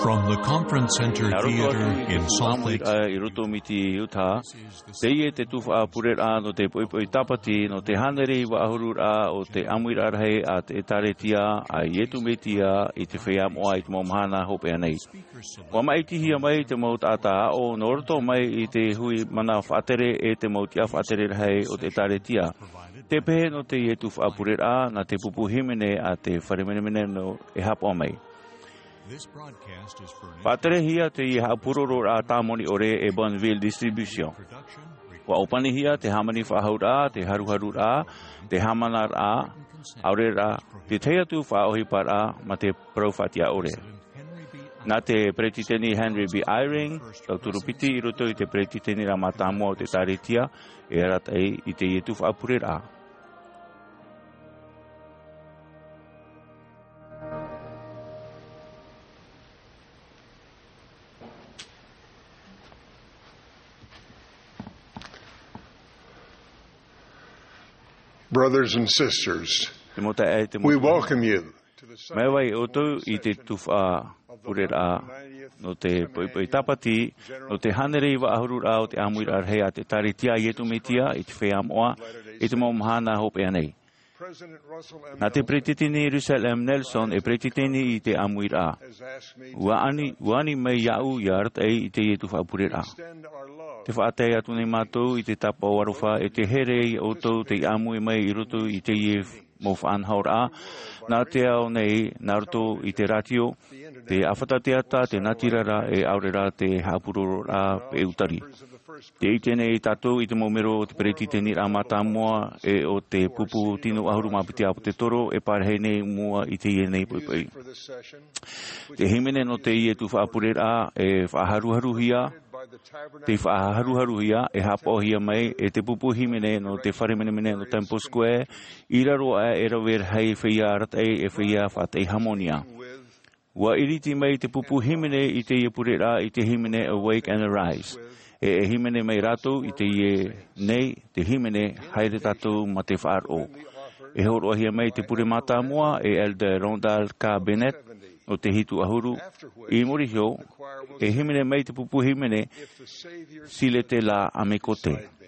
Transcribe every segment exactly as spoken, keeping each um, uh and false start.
From the Conference Center Theater in Salt Lake City, i roto mai i Utah, teie te tuhaʻa pureraʻa nō te poʻipoʻi tāpati nō te hānere iva ʻahuru raʻa o te ʻāmuiraʻa rahi a te ʻĒtārētia a Iesu Mesia i te feiā moʻa i te mau mahana hopeʻa nei. ʻUa maʻitihia mai te mau taʻata aʻo nō roto mai i te hui mana faʻatere e te mau tiʻa faʻatere rahi o te ʻĒtārētia. Te pehe nō teie tuhaʻa pureraʻa nā te pupu hīmene a te fare menemene nō e haʻapaʻo mai. Faʻaterehia teie haʻapurororaʻa tāmoni ʻore e Bonneville Distribution. ʻUa ʻōpanihia te hāmani faʻahouraʻa, te haruharuraʻa, te hāmanaraʻa, ʻaore rā, te tahi atu faʻaʻohiparaʻa mā te parau faʻatiʻa ʻore. Nā te Peretiteni Henry B. Eyring, tauturu piti i roto i te Peretiteniraʻa Mātāmua o te ʻĒtārētia, e arataʻi i teie tuhaʻa pureraʻa. Brothers and sisters, we welcome you. Mai vai ʻoutou i te tuhaʻa pureraʻa nō te poʻipoʻi tāpati, nō te hānere iva ʻahuru raʻa o te ʻāmuiraʻa rahi a te ʻĒtārētia a Iesu Mesia i te feiā moʻa i te mau mahana hopeʻa nei. Nā te Peretiteni Russell M. Nelson e peretiteni i te ʻāmuiraʻa. ʻUa ani, ʻua ani mai iāʻu ʻia arataʻi i teie tuhaʻa pureraʻa. Tē faʻatae atu nei mātou i te tāpaʻo aroha e te here iā ʻoutou tei ʻāmui mai i roto i teie mau faʻanahoraʻa, nā te ao nei, nā roto i te rātio, te ʻāfata teata, te natirara, e ʻaore rā te haʻapurororaʻa peu tari. Tē ʻite nei tātou i te mau mero o te Peretiteniraʻa Mātāmua e o te pupu tino ʻahuru mā piti ʻāpōsetolo e parahi nei mua i teie nei poʻipoʻi. Te hīmene nō teie tuhaʻa pureraʻa e faʻaharuharuhia, tei faʻaharuharuhia, e haʻapaʻohia mai e te pupu hīmene nō te fare menemene nō Temple Square, i raro aʻe e rave rahi feiā arataʻi e feiā faʻataʻi hāmani. ʻUa ʻiriti mai te pupu hīmene i teie pureraʻa i te hīmene Awake and Arise. E, e hīmene mai rātou i teie nei, te hīmene Haere Tātou mā te Faʻaroʻo. E hōroʻahia mai te pure mātāmua e Elder Rondell K. Bennett, nō te hitu ʻahuru, i muri iho, e hīmene mai te pupu hīmene Si l'Éternel m'écoutait.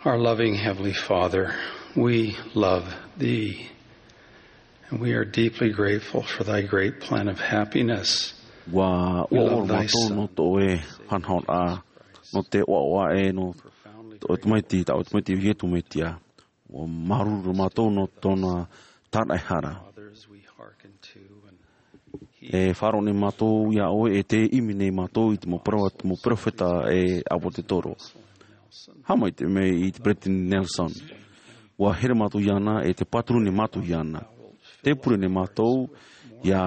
Our loving Heavenly Father, we love thee, and we are deeply grateful for thy great plan of happiness. Ua ʻoaʻoa mātou nō tō ʻoe hanahoraʻa, nō te ʻoaʻoa ē nō tō ʻoe tamaiti, tā ʻoe tamaiti Iesu Mesia. Ua māuruuru mātou nō tōna tāraʻehara. E faʻaroʻo nei mātou iā ʻoe, e tē ʻimi nei mātou i te mau pere-, mau perofeta e ʻāpōsetolo. Haʻamaitaʻi mai i te Peresideni Nelson. Ua here mātou iāna, e tē pāturu nei mātou iāna. Tē pure nei mātou, ʻia,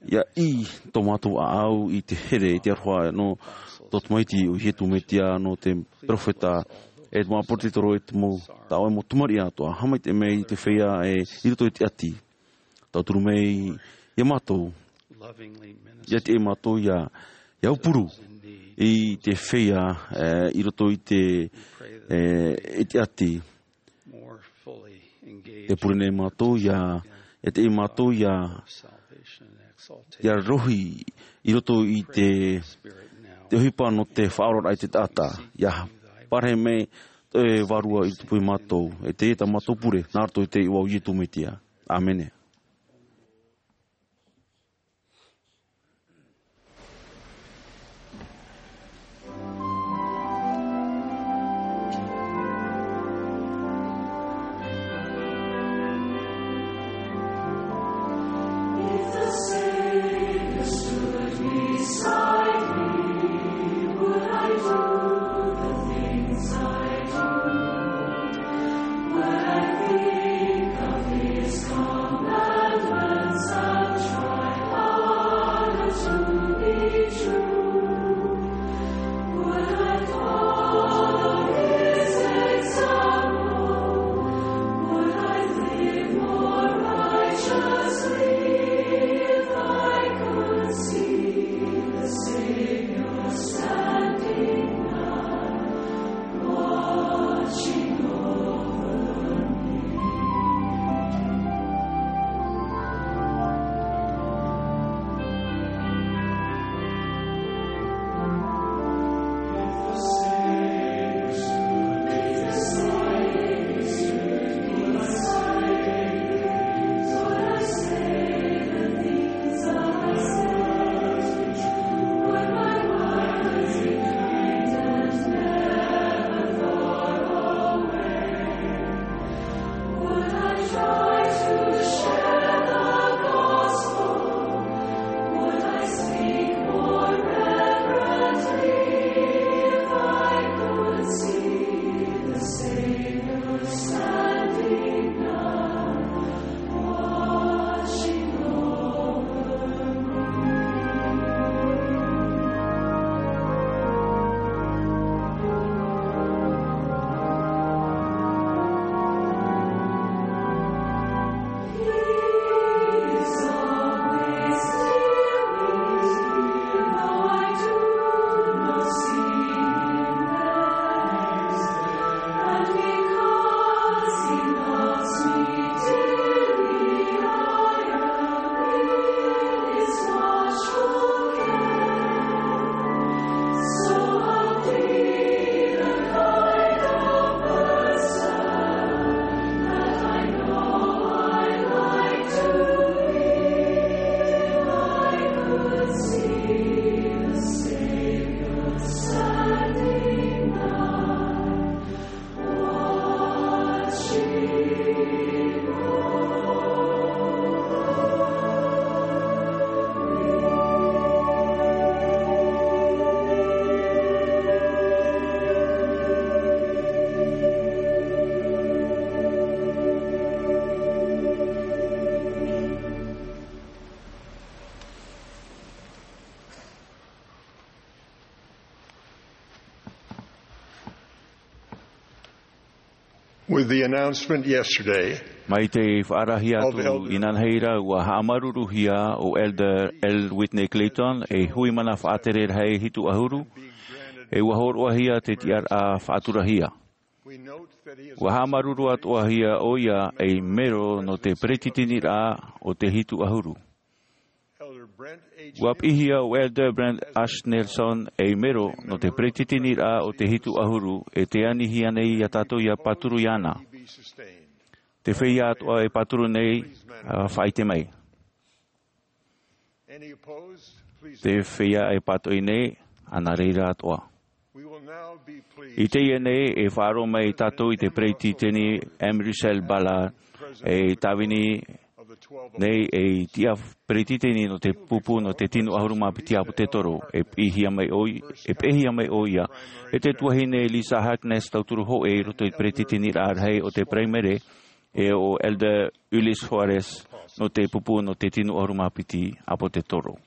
ʻia ʻī tō mātou ʻāʻau i te here, i te aroha nō tō tamaiti ʻo Iesu Mesia, nō te perofeta, e te mau ʻāpōsetolo, e te mau, tā ʻoe mau tamariʻi atoʻa. Haʻamaitaʻi mai i te feiā e i roto i te ʻati. Tauturu mai iā mātou, ʻia tiʻa mātou ʻia, ʻia aupuru i te feiā, e, i roto i te, e, i te ʻati. Tē pure nei mātou ʻia, ʻia tiʻa mātou ʻia, ʻia rohi i roto i te, te ʻohipa nō te faʻaoraraʻa i te taʻata. ʻIa parahi mai tō ʻoe Vārua i roto iā mātou, e tē tā mātou pure, nā roto i te iʻoa o Iesu Mesia. ʻĀmene. With the announcement yesterday, mai te faʻarahi atu inanahi ra, ua haʻamāuruuruhia ʻo Elder L. Whitney Clayton ei hui mana faʻatere rahi hitu ʻahuru, e ua hōroʻahia te tiʻaraʻa faʻaturahia. Ua haʻamāuruuru atoʻahia ʻoia ei mero nō te peretiteniraʻa o te hitu ʻahuru. Elder Brent A. Ua piʻihia o Elder Brent H. Nelson ei mero nō te peretiteniraʻa o te hitu ʻahuru, e tē anihia nei iā tātou ʻia pāturu iāna. Te feiā atoʻa e pāturu nei, ā, faʻaʻite mai. Te feiā e pātoʻi nei, ā, nā reira atoʻa. I teie nei, e faʻaroʻo mai tātou i te peretiteni M. Russell Ballard, e tāvini nei ei tiʻa peretiteni nō te pupu nō te tino ʻahuru mā piti ʻāpōtetoro, e piʻihia mai ʻo i-, e piʻihia mai ʻoia e te tuahine Lisa Harkness, tauturu hōʻē i roto i te peretiteniraʻa rahi o te Paraimere, e ʻo Elder Ulysse Soares nō te pupu nō te tino ʻahuru mā piti ʻāpōtetoro.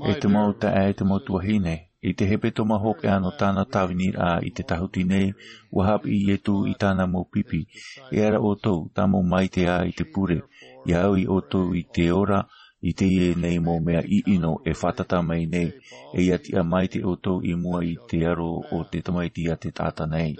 E te mau taeaʻe, e te mau tuahine, i te hepetoma hopeʻa nō tāna tāviniraʻa i te tāhuti nei, ua haʻapiʻi Ietu i tāna mau pipi, e ara ʻoutou, tāmau maitaʻi i te pure, ʻia au iā ʻoutou i te ora, i teie nei mau mea ʻiʻino e fātata mai nei, e ʻia tiʻa maitaʻi ʻoutou i mua i te aro o te Tamaiti a te taʻata nei.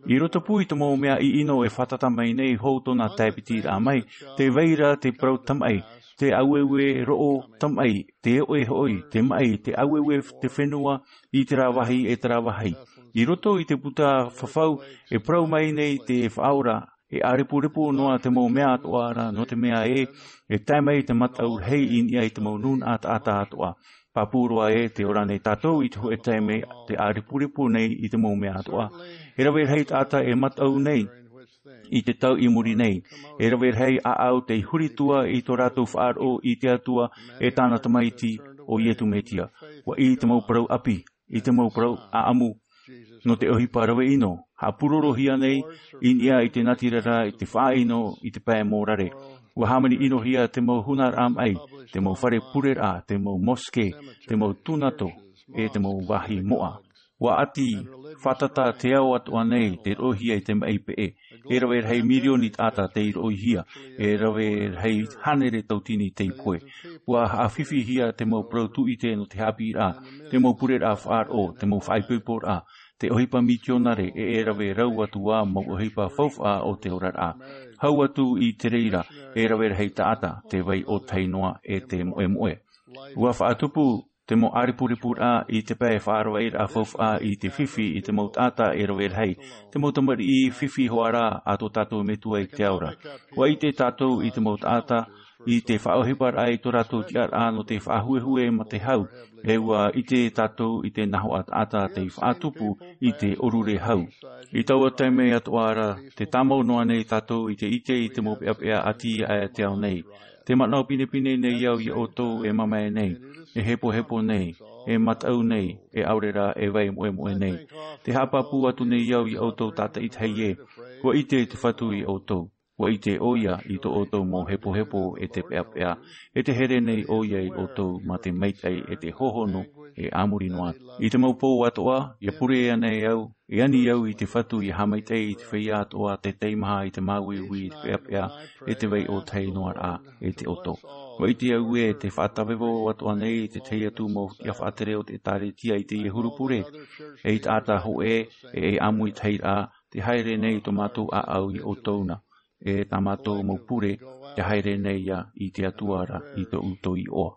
I roto pū i te mau mea ʻiʻino e fātata mai nei, hou tōna tae piti raʻa mai, tē vai ra te parau tamaʻi, te ʻāueue roʻo tamaʻi, te oʻe hoʻi, te maʻi, te ʻāueue te fenua i terā vāhi e terā vāhi. I roto i te puta fafau, e parau mai nei te Faʻaora, e ʻārepurepu noa te mau mea atoʻa ra, nō te mea ē, e tae mai te mataʻu rahi i niʻa i te mau nūnaʻa taʻata atoʻa. Pāpū roa ē, tē ora nei tātou i te hōʻē taime tē ʻārepurepu nei i te mau mea atoʻa. E rave rahi taʻata e mataʻu nei i te tau i muri nei. E rave rahi ʻāʻau tei huri atu i tō rātou faʻaroʻo i te Atua e tāna Tamaiti ʻo Ietu Metia. ʻUa ʻī te mau parau ʻāpī, i te mau parau ʻāʻamu nō te ʻohipa rave ʻino, haʻapūrorohia nei i niʻa i te natirara, i te faʻaʻino, i te pae mōrare. ʻUa hāmani ʻinohia te mau hunaraʻa maʻi, te mau fare pureraʻa, te mau mosque, te mau tūnato, e te mau vāhi moʻa. ʻUa ʻati fātata te ao atoʻa nei, tei roʻohia i te maʻi peʻe. E rave rahi mirioni taʻata tei roʻohia, e rave rahi hānere tauatini tei pohe. ʻUa haʻafifihia te mau parau tūʻite nō te haʻapiʻiraʻa, te mau pureraʻa faʻaroʻo, te mau faʻaipoiporaʻa, te ʻohipa mitionare, e, e rave rau atu ā mau ʻohipa faufaʻa o te oraraʻa. Hau atu i te reira, e rave rahi taʻata, te vai ʻōtahi noa, e te moʻemoʻe. ʻUa faʻatupu te mau ʻārepurepuraʻa i te pae faʻaravaraʻa faufaʻa i te fifi i te mau taʻata e rave rahi, te mau tamariʻi fifi hoʻi ra a tō tātou Metua i te ao ra. ʻUa ʻite tātou i te mau taʻata, i te faʻaʻohiparaʻa i tō rātou tiʻaraʻa nō te faʻahuehue mā te hau, e ʻua ʻite tātou i te nahoʻa taʻata tei faʻatupu i te ʻōrure hau. I taua taime atoʻa ra, tē tāmau noa nei tātou i te ʻite i te mau peʻapeʻa ʻati a te ao nei. Tē manaʻo pinepine nei au iā ʻoutou e mamae nei, e hepohepo nei, e mataʻu nei, e ʻaore rā e vai moʻemoʻe nei. Tē haʻapāpū atu nei au iā ʻoutou tātaʻitahi ē, ʻua ʻite te Fatu iā ʻoutou. ʻUa ʻite ʻoia i tō ʻoutou mau hepohepo e te peʻapeʻa, e tē here nei ʻoia iā ʻoutou mā te maitaʻi e te hōhonu e a muri noa. I te mau pō atoʻa, ʻia pure ana e au, e ani au i te Fatu ʻia haʻamaitaʻi i te feiā atoʻa tē taimaha i te māuiui i te peʻapeʻa, e te vai ʻōtahi noa ra, e te ʻoto. ʻUa ʻite au ē, tē faʻatavevau atoʻa nei te tahi atu mau tiʻa faʻatere o te ʻĒtārētia i teie huru pure, ei taʻata hōʻē, e ei ʻāmuitahiraʻa, tē haere nei tō mātou ʻāʻau iā ʻoutou na, e tā mātou mau pure, tē haere nei ā i te Atua ra i tō ʻoutou iʻoa.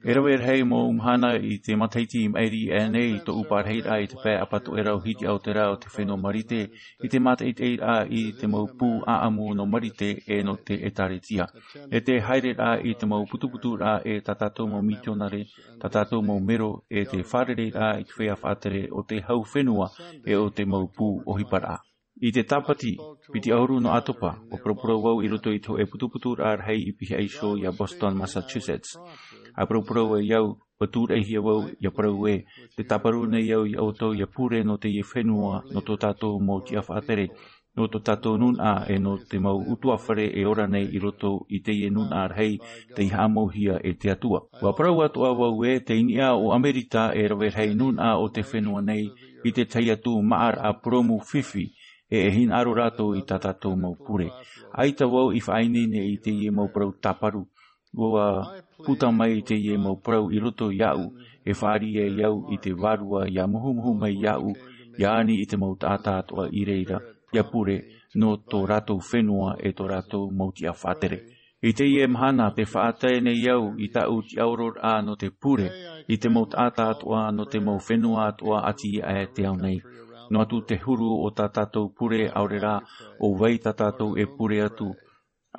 E rave rahi mau mahana i te matahiti i maʻiri aʻe nei i tōʻu pārahiraʻa i te pae ʻapatoʻerau hiti Aotera o te fenua Marite, i te mātaʻitaʻiraʻa i te mau pū ʻāʻamu nō Marite e nō te ʻĒtārētia. E te haereraʻa i te mau putuputuraʻa e tā tātou mau mitionare, tā tātou mau mero, e te fārereiraʻa i te feiā faʻatere o te hau fenua e o te mau pū ʻohiparaʻa. I te Tāpati, piti ʻahuru nō ʻātopa, ʻua paraparau au i roto i te hōʻē putuputuraʻa rahi i pihaʻi iho iā Boston, Massachusetts. ʻA paraparau ai au, ʻua tūraʻihia vau, ʻia parau ē, tē tāparu nei au iā ʻoutou ʻia pure nō teie fenua, nō tō tātou mau tiʻa faʻatere, nō tō tātou nūnaʻa, e nō te mau ʻutuāfare e ora nei i roto i teie nūnaʻa rahi, tei haʻamauhia e te Atua. ʻUa parau atoʻa vau ē, tei niʻa o ʻAmerika e rave rahi nūnaʻa o te fenua nei, i te tahi atu māʻaraʻa purōmu fifi, e e hinaʻaro rātou i tā tātou mau pure. ʻAita vau i faʻaineine i teie mau parau tāparu. ʻUa puta mai teie mau parau i roto iāʻu, e fāriʻi ai au i te Vārua ʻia muhumuhu mai iāʻu, ʻia ani i te mau taʻata atoʻa i reira, ia pure nō tō rātou fenua e tō rātou mau tiʻa faʻatere. I teie mahana te faʻatae nei au i tāʻu tiʻaororaʻa nō te pure i te mau taʻata atoʻa nō te mau fenua atoʻa ʻati aʻe te ao nei. Noa atu te huru o tā tātou pure ʻaore rā ʻo vai tā tātou e pure atu.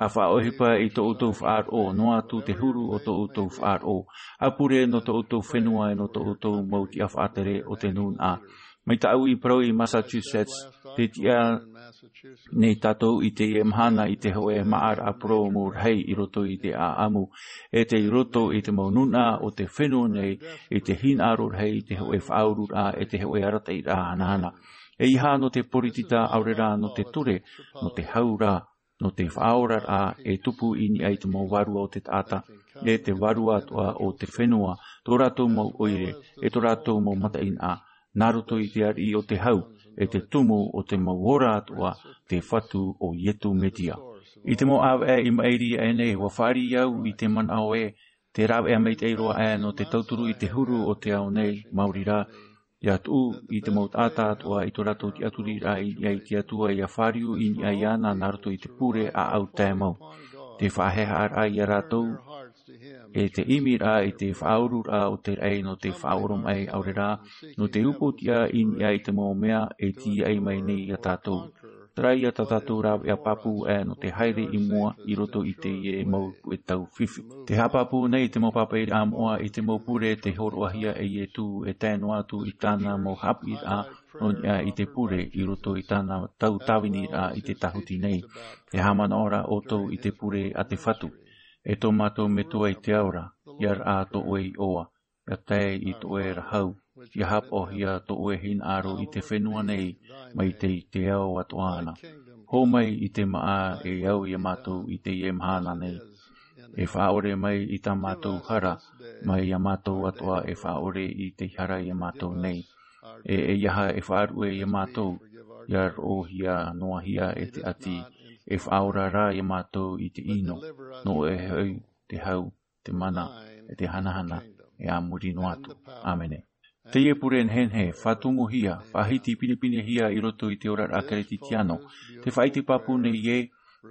A faʻaʻohipa i tō ʻoutou faʻaroʻo, noa atu te huru o tō ʻoutou faʻaroʻo. A pure nō tō ʻoutou fenua e nō tō ʻoutou mau tiʻa faʻatere o te nūnaʻa. Mai tāʻu i parau i Massachusetts, te tiʻa nei tātou i teie mahana i te hōʻē maʻaraʻa purōmu rahi i roto i te ʻāʻamu, e tei roto i te mau nūnaʻa o te fenua nei, i te hinaʻaro rahi, i te hōʻē faʻaururaʻa, e te hōʻē arataʻiraʻa hanahana. ʻEiaha nō te poritita ʻaore rā nō te ture, nō te hau rā, nō te faʻaoraraʻa e tupu i niʻa i te mau vārua o te taʻata, e te vārua atoʻa o te fenua, tō rātou mau ʻoire, e tō rātou mau mataʻeinaʻa, nā roto i te ariʻi o te hau, e te tumu o te mau ora atoʻa, te Fatu ʻo Ietu Metia. I te mau ʻāvaʻe i maʻiri aʻe nei, ʻua fāriʻi au i te manaʻo ē, te rāveʻa maitaʻi roa aʻe nō te tauturu i te huru o te ao nei, maori rā, ʻia tuʻu i te mau taʻata atoʻa i tō rātou tiʻaturiraʻa i niʻa i te Atua, ʻia fāriu i niʻa iāna nā roto i te pure ʻāʻau tae mau. Te faʻahaʻehaʻaraʻa ia rātou, e te ʻimiraʻa i te faʻaururaʻa o te raʻi nō te faʻaoromaʻi ʻaore rā, nō te upoʻotiʻa i niʻa i te mau mea e tīaʻi mai nei ia tātou. Terā ia tā tātou rāveʻa pāpū aʻe nō te haere i mua i roto i teie mau puʻe tau fifi. Te haʻapāpū nei te mau pāpaʻiraʻa moʻa i te mau pure tei hōroʻahia e Ietu e tae noa atu i tāna mau haʻapiʻiraʻa nō niʻa i te pure i roto i tāna tau tāviniraʻa i te tāhuti nei. E haʻamanaʻo ra ʻoutou i te pure a te Fatu. E tō mātou Metua i te ao ra, ʻia raʻa tō ʻoe iʻoa, ʻia tae i tō ʻoe ra hau, ʻia haʻapaʻohia tō ʻoe hinaʻaro i te fenua nei, mai te, i te ao atoʻa na. Hō mai i te māʻa e au ia mātou i teie mahana nei. E faʻaʻore mai i tā mātou hara, mai ia mātou atoʻa e faʻaʻore i te hara ia mātou nei. E, ʻeiaha e faʻaruʻe ia mātou, ʻia roʻohia noa hia e te ʻati, e faʻaora rā ia mātou i te ʻino, nō ʻoe hoʻi te hau, te mana, e te hanahana, e a muri noa atu. ʻĀmene. Teie pure nehenehe, faʻatumuhia, faʻahiti pinepinehia i roto i te oraraʻa Kerisetiano, te faʻaʻite pāpū nei ē,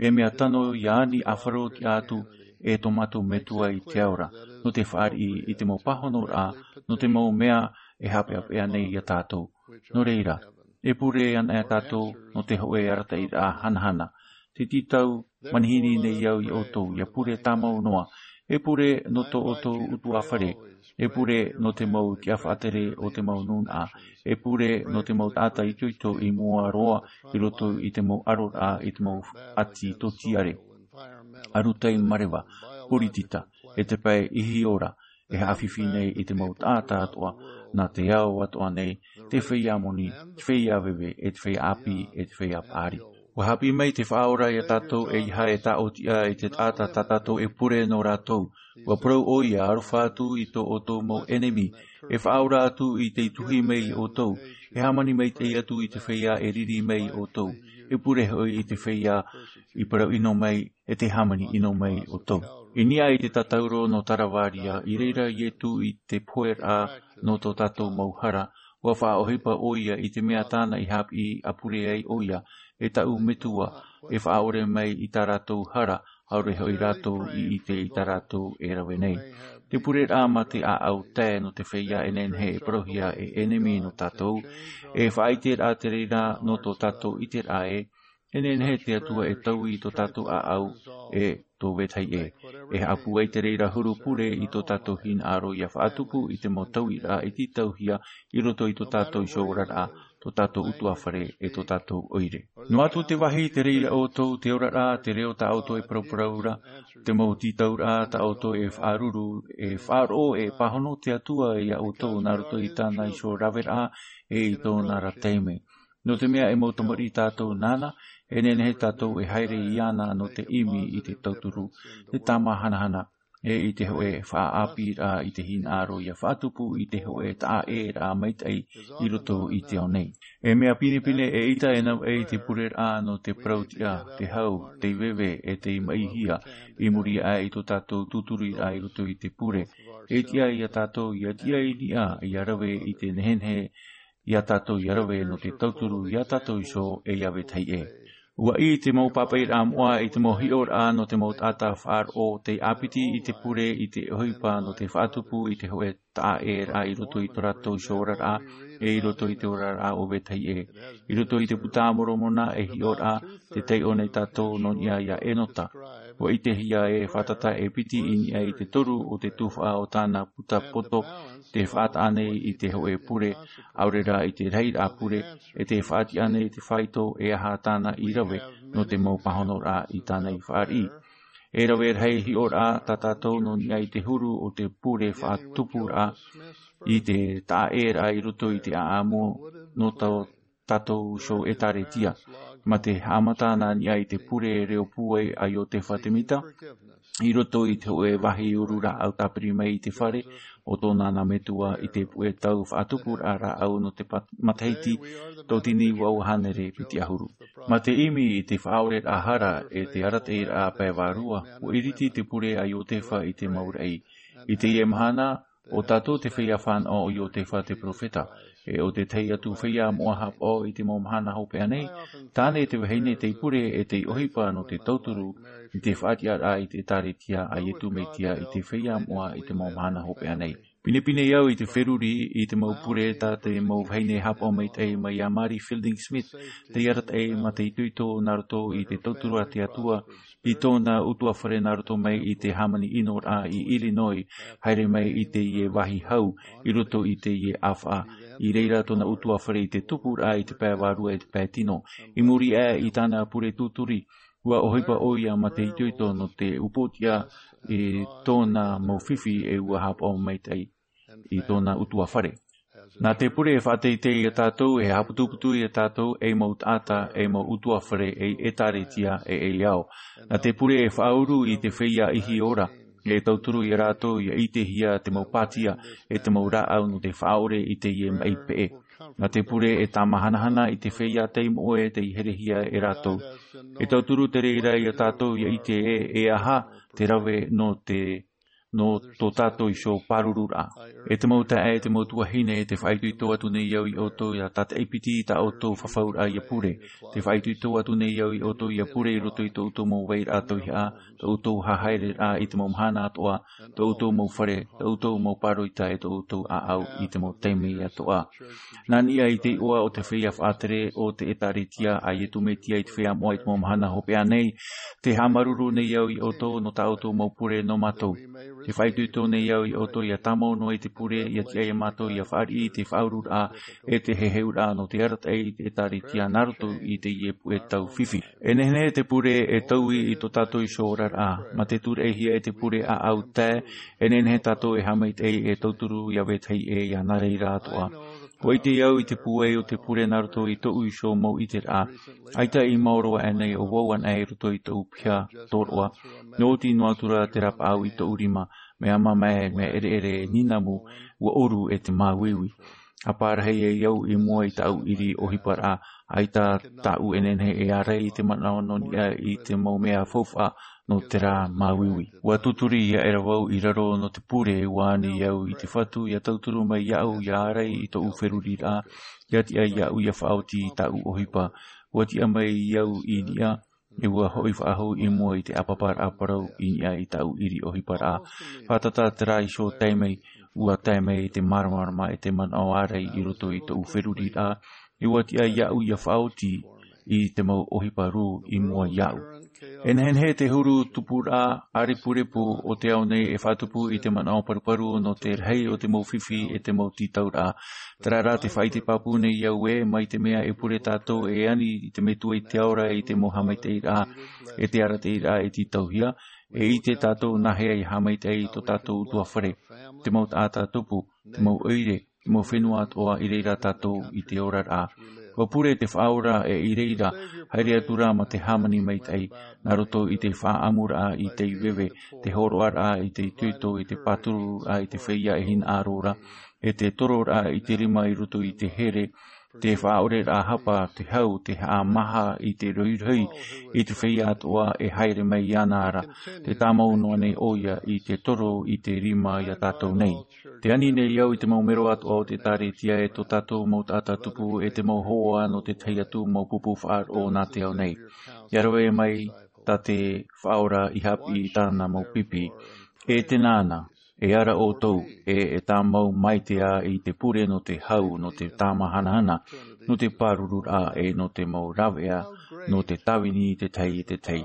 e mea tano ʻia ani ʻāfaro tiʻa atu, e tō mātou Metua i te ao ra, nō te fāriʻi i te mau pāhonoraʻa, nō te mau mea e haʻapeʻapeʻa nei ia tātou. Nō reira, e pure ana e tātou, nō te hōʻē arataʻiraʻa hanahana. Te tītau, manihini nei au ia ʻoutou, ʻia pure tāmau noa. E pure nō tō ʻoutou ʻutuāfare. E pure nō te mau tiʻa faʻatere o te mau nūnaʻa. E pure nō te mau taʻata itoito i mua roa i roto i te mau ʻaroraʻa i te mau ʻati tōtiare. Arataʻi mareva, poritita, e te pae ihi ora, e haʻafifi nei i te mau taʻata atoʻa, nā te ao atoʻa nei, te feiā moni, te feiā veve, e te feiā ʻāpī, e te feiā paʻari. ʻUa haʻapiʻi mai te Faʻaora ia tātou ʻeiaha e tāʻotiʻa i te taʻata tā tātou e pure nō rātou. ʻUa parau ʻoia, aroha atu i tō ʻoutou mau ʻenemi, e faʻaora atu i tei tuhi mai ia ʻoutou, e hāmani maitaʻi atu i te feiā e riri mai ia ʻoutou, e pure hoʻi i te feiā i parau ʻino mai, e te hāmani ʻino mai ia ʻoutou. I niʻa i te tātauro nō Taravāria, i reira Ietu i te poheraʻa nō tō tātou mau hara, ʻua faʻaʻohipa ʻoia i te mea tāna i haʻapiʻi a pure ai ʻoia, e tāʻu Metua, e faʻaʻore mai i tā rātou hara, ʻaore hoʻi rātou i ʻite i tā rātou e rave nei. Te pureraʻa mā te ʻāʻau tae nō te feiā e nehenehe e parauhia e ʻenemi nō tātou, e faʻaʻiteraʻa te reira nō tō tātou ʻiteraʻa ē, e nehenehe te Atua e taui i tō tātou ʻāʻau, e tō vetahi ē. E haʻapūai te reira huru pure i tō tātou hinaʻaro ʻia faʻatupu i te mau tauiraʻa e tītauhia i roto i tō tātou iho oraraʻa, tō tātou ʻutuāfare, e tō tātou ʻoire. Noa atu te vāhi te reira ʻoutou, te oraraʻa, te reo tā ʻoutou e parauparau ra, te mau tītauraʻa tā ʻoutou e faʻaruru, e faʻaroʻo, e pāhono te Atua ia ʻoutou nā roto i tāna iho raveraʻa, e i tōna ra taime. Nō te mea e mau tamariʻi tātou nāna, e nehenehe tātou e haere iāna nō te ʻimi i te tauturu, te tāmāhanahana, e i te hōʻē faʻaʻāpīraʻa i te hinaʻaro ʻia faʻatupu i te hōʻē taʻaʻēraʻa maitaʻi i roto i te ao nei. E mea pinepine e ʻita e navaʻi te pureraʻa nō te parau tiʻa, te hau, te veve, e te maʻihia, i muri aʻe i tō tātou tūtururaʻa i roto i te pure. E tiʻa ia tātou ʻia tiʻa i niʻa, ʻia rave i te nehenehe iā tātou ia rave nō te tauturu iā tātou iho e iā vetahi ʻē. Ua ʻī te mau pāpaʻiraʻa moʻa i te mau hiʻoraʻa nō te mau taʻata faʻaroʻo tei ʻāpiti i te pure i te ʻohipa nō te faʻatupu i te hōʻē taʻaʻēraʻa i roto i tō rātou iho oraraʻa, e i roto i te oraraʻa o vetahi ʻē. I roto i te Buka a Moromona e hiʻoraʻa te taiʻo nei tātou nō niʻa iā Enota. Ua ʻitehia e fātata e piti i niʻa i te toru o te tuhaʻa o tāna puta poto, te faʻataʻa nei i te hōʻē pure, ʻaore rā i te rahiraʻa pure, e te faʻatiʻa nei te faito e aha tāna i rave nō te mau pāhonoraʻa i tāna i fāriʻi. E rave rahi hiʻoraʻa tā tātou nō niʻa i te huru o te pure faʻatupuraʻa i te taʻaʻēraʻa i roto i te ʻāʻamu nō tō tātou iho ʻētāretia. Mā te haʻamata nā niʻa i te pure reo pūai a Iotefa Temita, i roto i te hōʻē vāhi uru rāʻau tāpiri mai i te fare o tōna nā metua i te puʻe tau faʻatupuraʻa rāʻau nō te pat-, matahiti tauatini vaʻu hānere piti ʻahuru. Mā te ʻimi i te faʻaʻoreraʻa hara e te arataʻiraʻa pae vārua, ua ʻiriti te pure a Iotefa i te mau raʻi. I teie mahana, ʻo tātou te feiā fānaʻo o Iotefa te perofeta, e ʻo te tahi atu feiā moʻa haʻapaʻo i te mau mahana hopeʻa nei, tāne te vahine tei pure e tei ʻohipa nō te tauturu i te faʻatiʻaraʻa i te ʻētāretia a Iesu Mesia i te feiā moʻa i te mau mahana hopeʻa nei. Pinepine au i te feruri i te mau pure tā te mau vahine haʻapaʻo maitaʻi mai iā Mary Fielding Smith, tei arataʻi mā te itoito nā roto i te tauturu a te Atua i tōna ʻutuāfare nā roto mai i te hāmani ʻinoraʻa i Illinois, haere mai i teie vāhi hau, i roto i teie ʻāfaʻa. I reira tōna ʻutuāfare i te tupuraʻa i te pae vārua e te pae tino. I muri aʻe i tāna pure tūturi, ua ʻohipa ʻoia mā te itoito nō te upoʻotiʻa i tōna mau fifi e ua haʻapaʻo maitaʻi i tōna ʻutuāfare. Nā te pure e faʻateitei iā tātou, e haʻaputuputu iā tātou, ei mau taʻata, ei mau ʻutuāfare, ei ʻētāretia, e ei ao. Nā te pure e faʻauru i te feiā ihi ora, e tauturu iā rātou ʻia ʻitehia te mau pātia, e te mau rāʻau nō te faʻaʻore i teie maʻi peʻe. Nā te pure e tāmahanahana i te feiā tei moʻe tei herehia e rātou. E tauturu te reira iā tātou ʻia ʻite ē, e aha te rave nō te nō tō tātou iho pārururaʻa. E te mau taeaʻe, e te mau tuahine, e te faʻaitoito atu nei au iā ʻoutou ʻia tātaʻi piti i tā ʻoutou fafauraʻa ʻia pure. Te faʻaitoito atu nei au iā ʻoutou ʻia pure i roto i tō ʻoutou mau vairaʻa tauihaʻa, tō ʻoutou haereraʻa i te mau mahana atoʻa, tō ʻoutou mau fare, tō ʻoutou mau pāroita, e tō ʻoutou ʻāʻau i te mau taime atoʻa. Nā niʻa i te iʻoa o te feiā faʻatere o te ʻētāretia a Iesu Mesia i te feiā moʻa i te mau mahana hopeʻa nei, tē haʻamāuruuru nei au iā ʻoutou nō tā ʻoutou mau pure nō mātou. Tē faʻaitoito nei au iā ʻoutou ʻia tāmau noa i te pure, ʻia tiʻa iā mātou ʻia fāriʻi i te faʻaururaʻa, e te heheuraʻa nō te arataʻi i te ʻētāretia nā roto i teie puʻe tau fifi. E nehenehe te pure e taui i tō tātou iho oraraʻa, mā te tūraʻihia e te pure ʻāʻau tae, e nehenehe tātou e haʻamaitaʻi e tauturu iā vetahi ʻē, ʻia nā reira atoʻa. ʻUa ʻite au i te pūai o te pure nā roto i tōʻu iho mau ʻiteraʻa. ʻAita i maoro aʻe nei ʻo vau anaʻe i roto i tōʻu piha tōroʻa. Nō ʻoti noa atu ra te rapaʻau i tōʻu rima, mea mamae, mea ʻereʻere, nīnamu, ʻua ʻoru e te māuiui. ʻA pārahi ai au i mua i tāʻu ʻiri ʻohiparaʻa, ʻaita tāʻu e nehenehe e ārai i te manaʻo nō niʻa i te mau mea faufaʻa nō terā māuiui. ʻUa tūturi aʻera vau i raro nō te pure, ʻua ani au i te Fatu ʻia tauturu mai iāʻu ʻia ārai i tōʻu feruriraʻa, ʻia tiʻa iāʻu ʻia faʻaoti i tāʻu ʻohipa. ʻUa tiʻa mai au i niʻa, e ʻua hoʻi faʻahou i mua i te ʻāpaparaʻa parau i niʻa i tāʻu ʻiri ʻohiparaʻa. Fātata terā iho taime, ʻua tae mai te māramarama e te manaʻo ārai i roto i tōʻu feruriraʻa, e ʻua tiʻa iāʻu ʻia faʻaoti i te mau ʻohipa rū i mua iāʻu. E nehenehe te huru tupuraʻa ʻārepurepu o te ao nei e faʻatupu i te manaʻo paruparu nō te rahi o te mau fifi e te mau tītauraʻa. Terā rā te faʻaʻite pāpū nei au ē, mai te mea e pure tātou e ani i te Metua i te ao ra i te mau haʻamaitaʻiraʻa, e te arataʻiraʻa e tītauhia, e ʻite tātou nāhea e haʻamaitaʻi i tō tātou ʻutuāfare, te mau taʻata tupu, te mau ʻoire, te mau fenua atoʻa i reira tātou i te oraraʻa. ʻUa pure te Faʻaora e i reira, haere atu ra mā te hāmani maitaʻi, nā roto i te faʻaʻamuraʻa i te veve, te hōroʻaraʻa i te itoito, i te pātururaʻa i te feiā e hinaʻaro ra, e te tororaʻa i te rima i roto i te here, te faʻaʻoreraʻa hapa, te hau, te haʻamāha i te rohirohi, i te feiā atoʻa e haere mai iāna ra, tē tāmau noa nei ʻoia i te toro i te rima iā tātou nei. Te ani nei au i te mau mero atoʻa o te ʻĒkālesia e tō tātou mau taʻata tupu e te mau hoa nō te tahi atu mau pupu faʻaroʻo nā te ao nei. Ia rave mai tā te Faʻaora i haʻapiʻi i tāna mau pipi. E te nāna, e ara ʻoutou, e, e tāmau maitaʻi i te pure nō te hau, nō te tāmahanahana, nō te pārururaʻa, e nō te mau rāveʻa, nō te tāvini i te tahi i te tahi.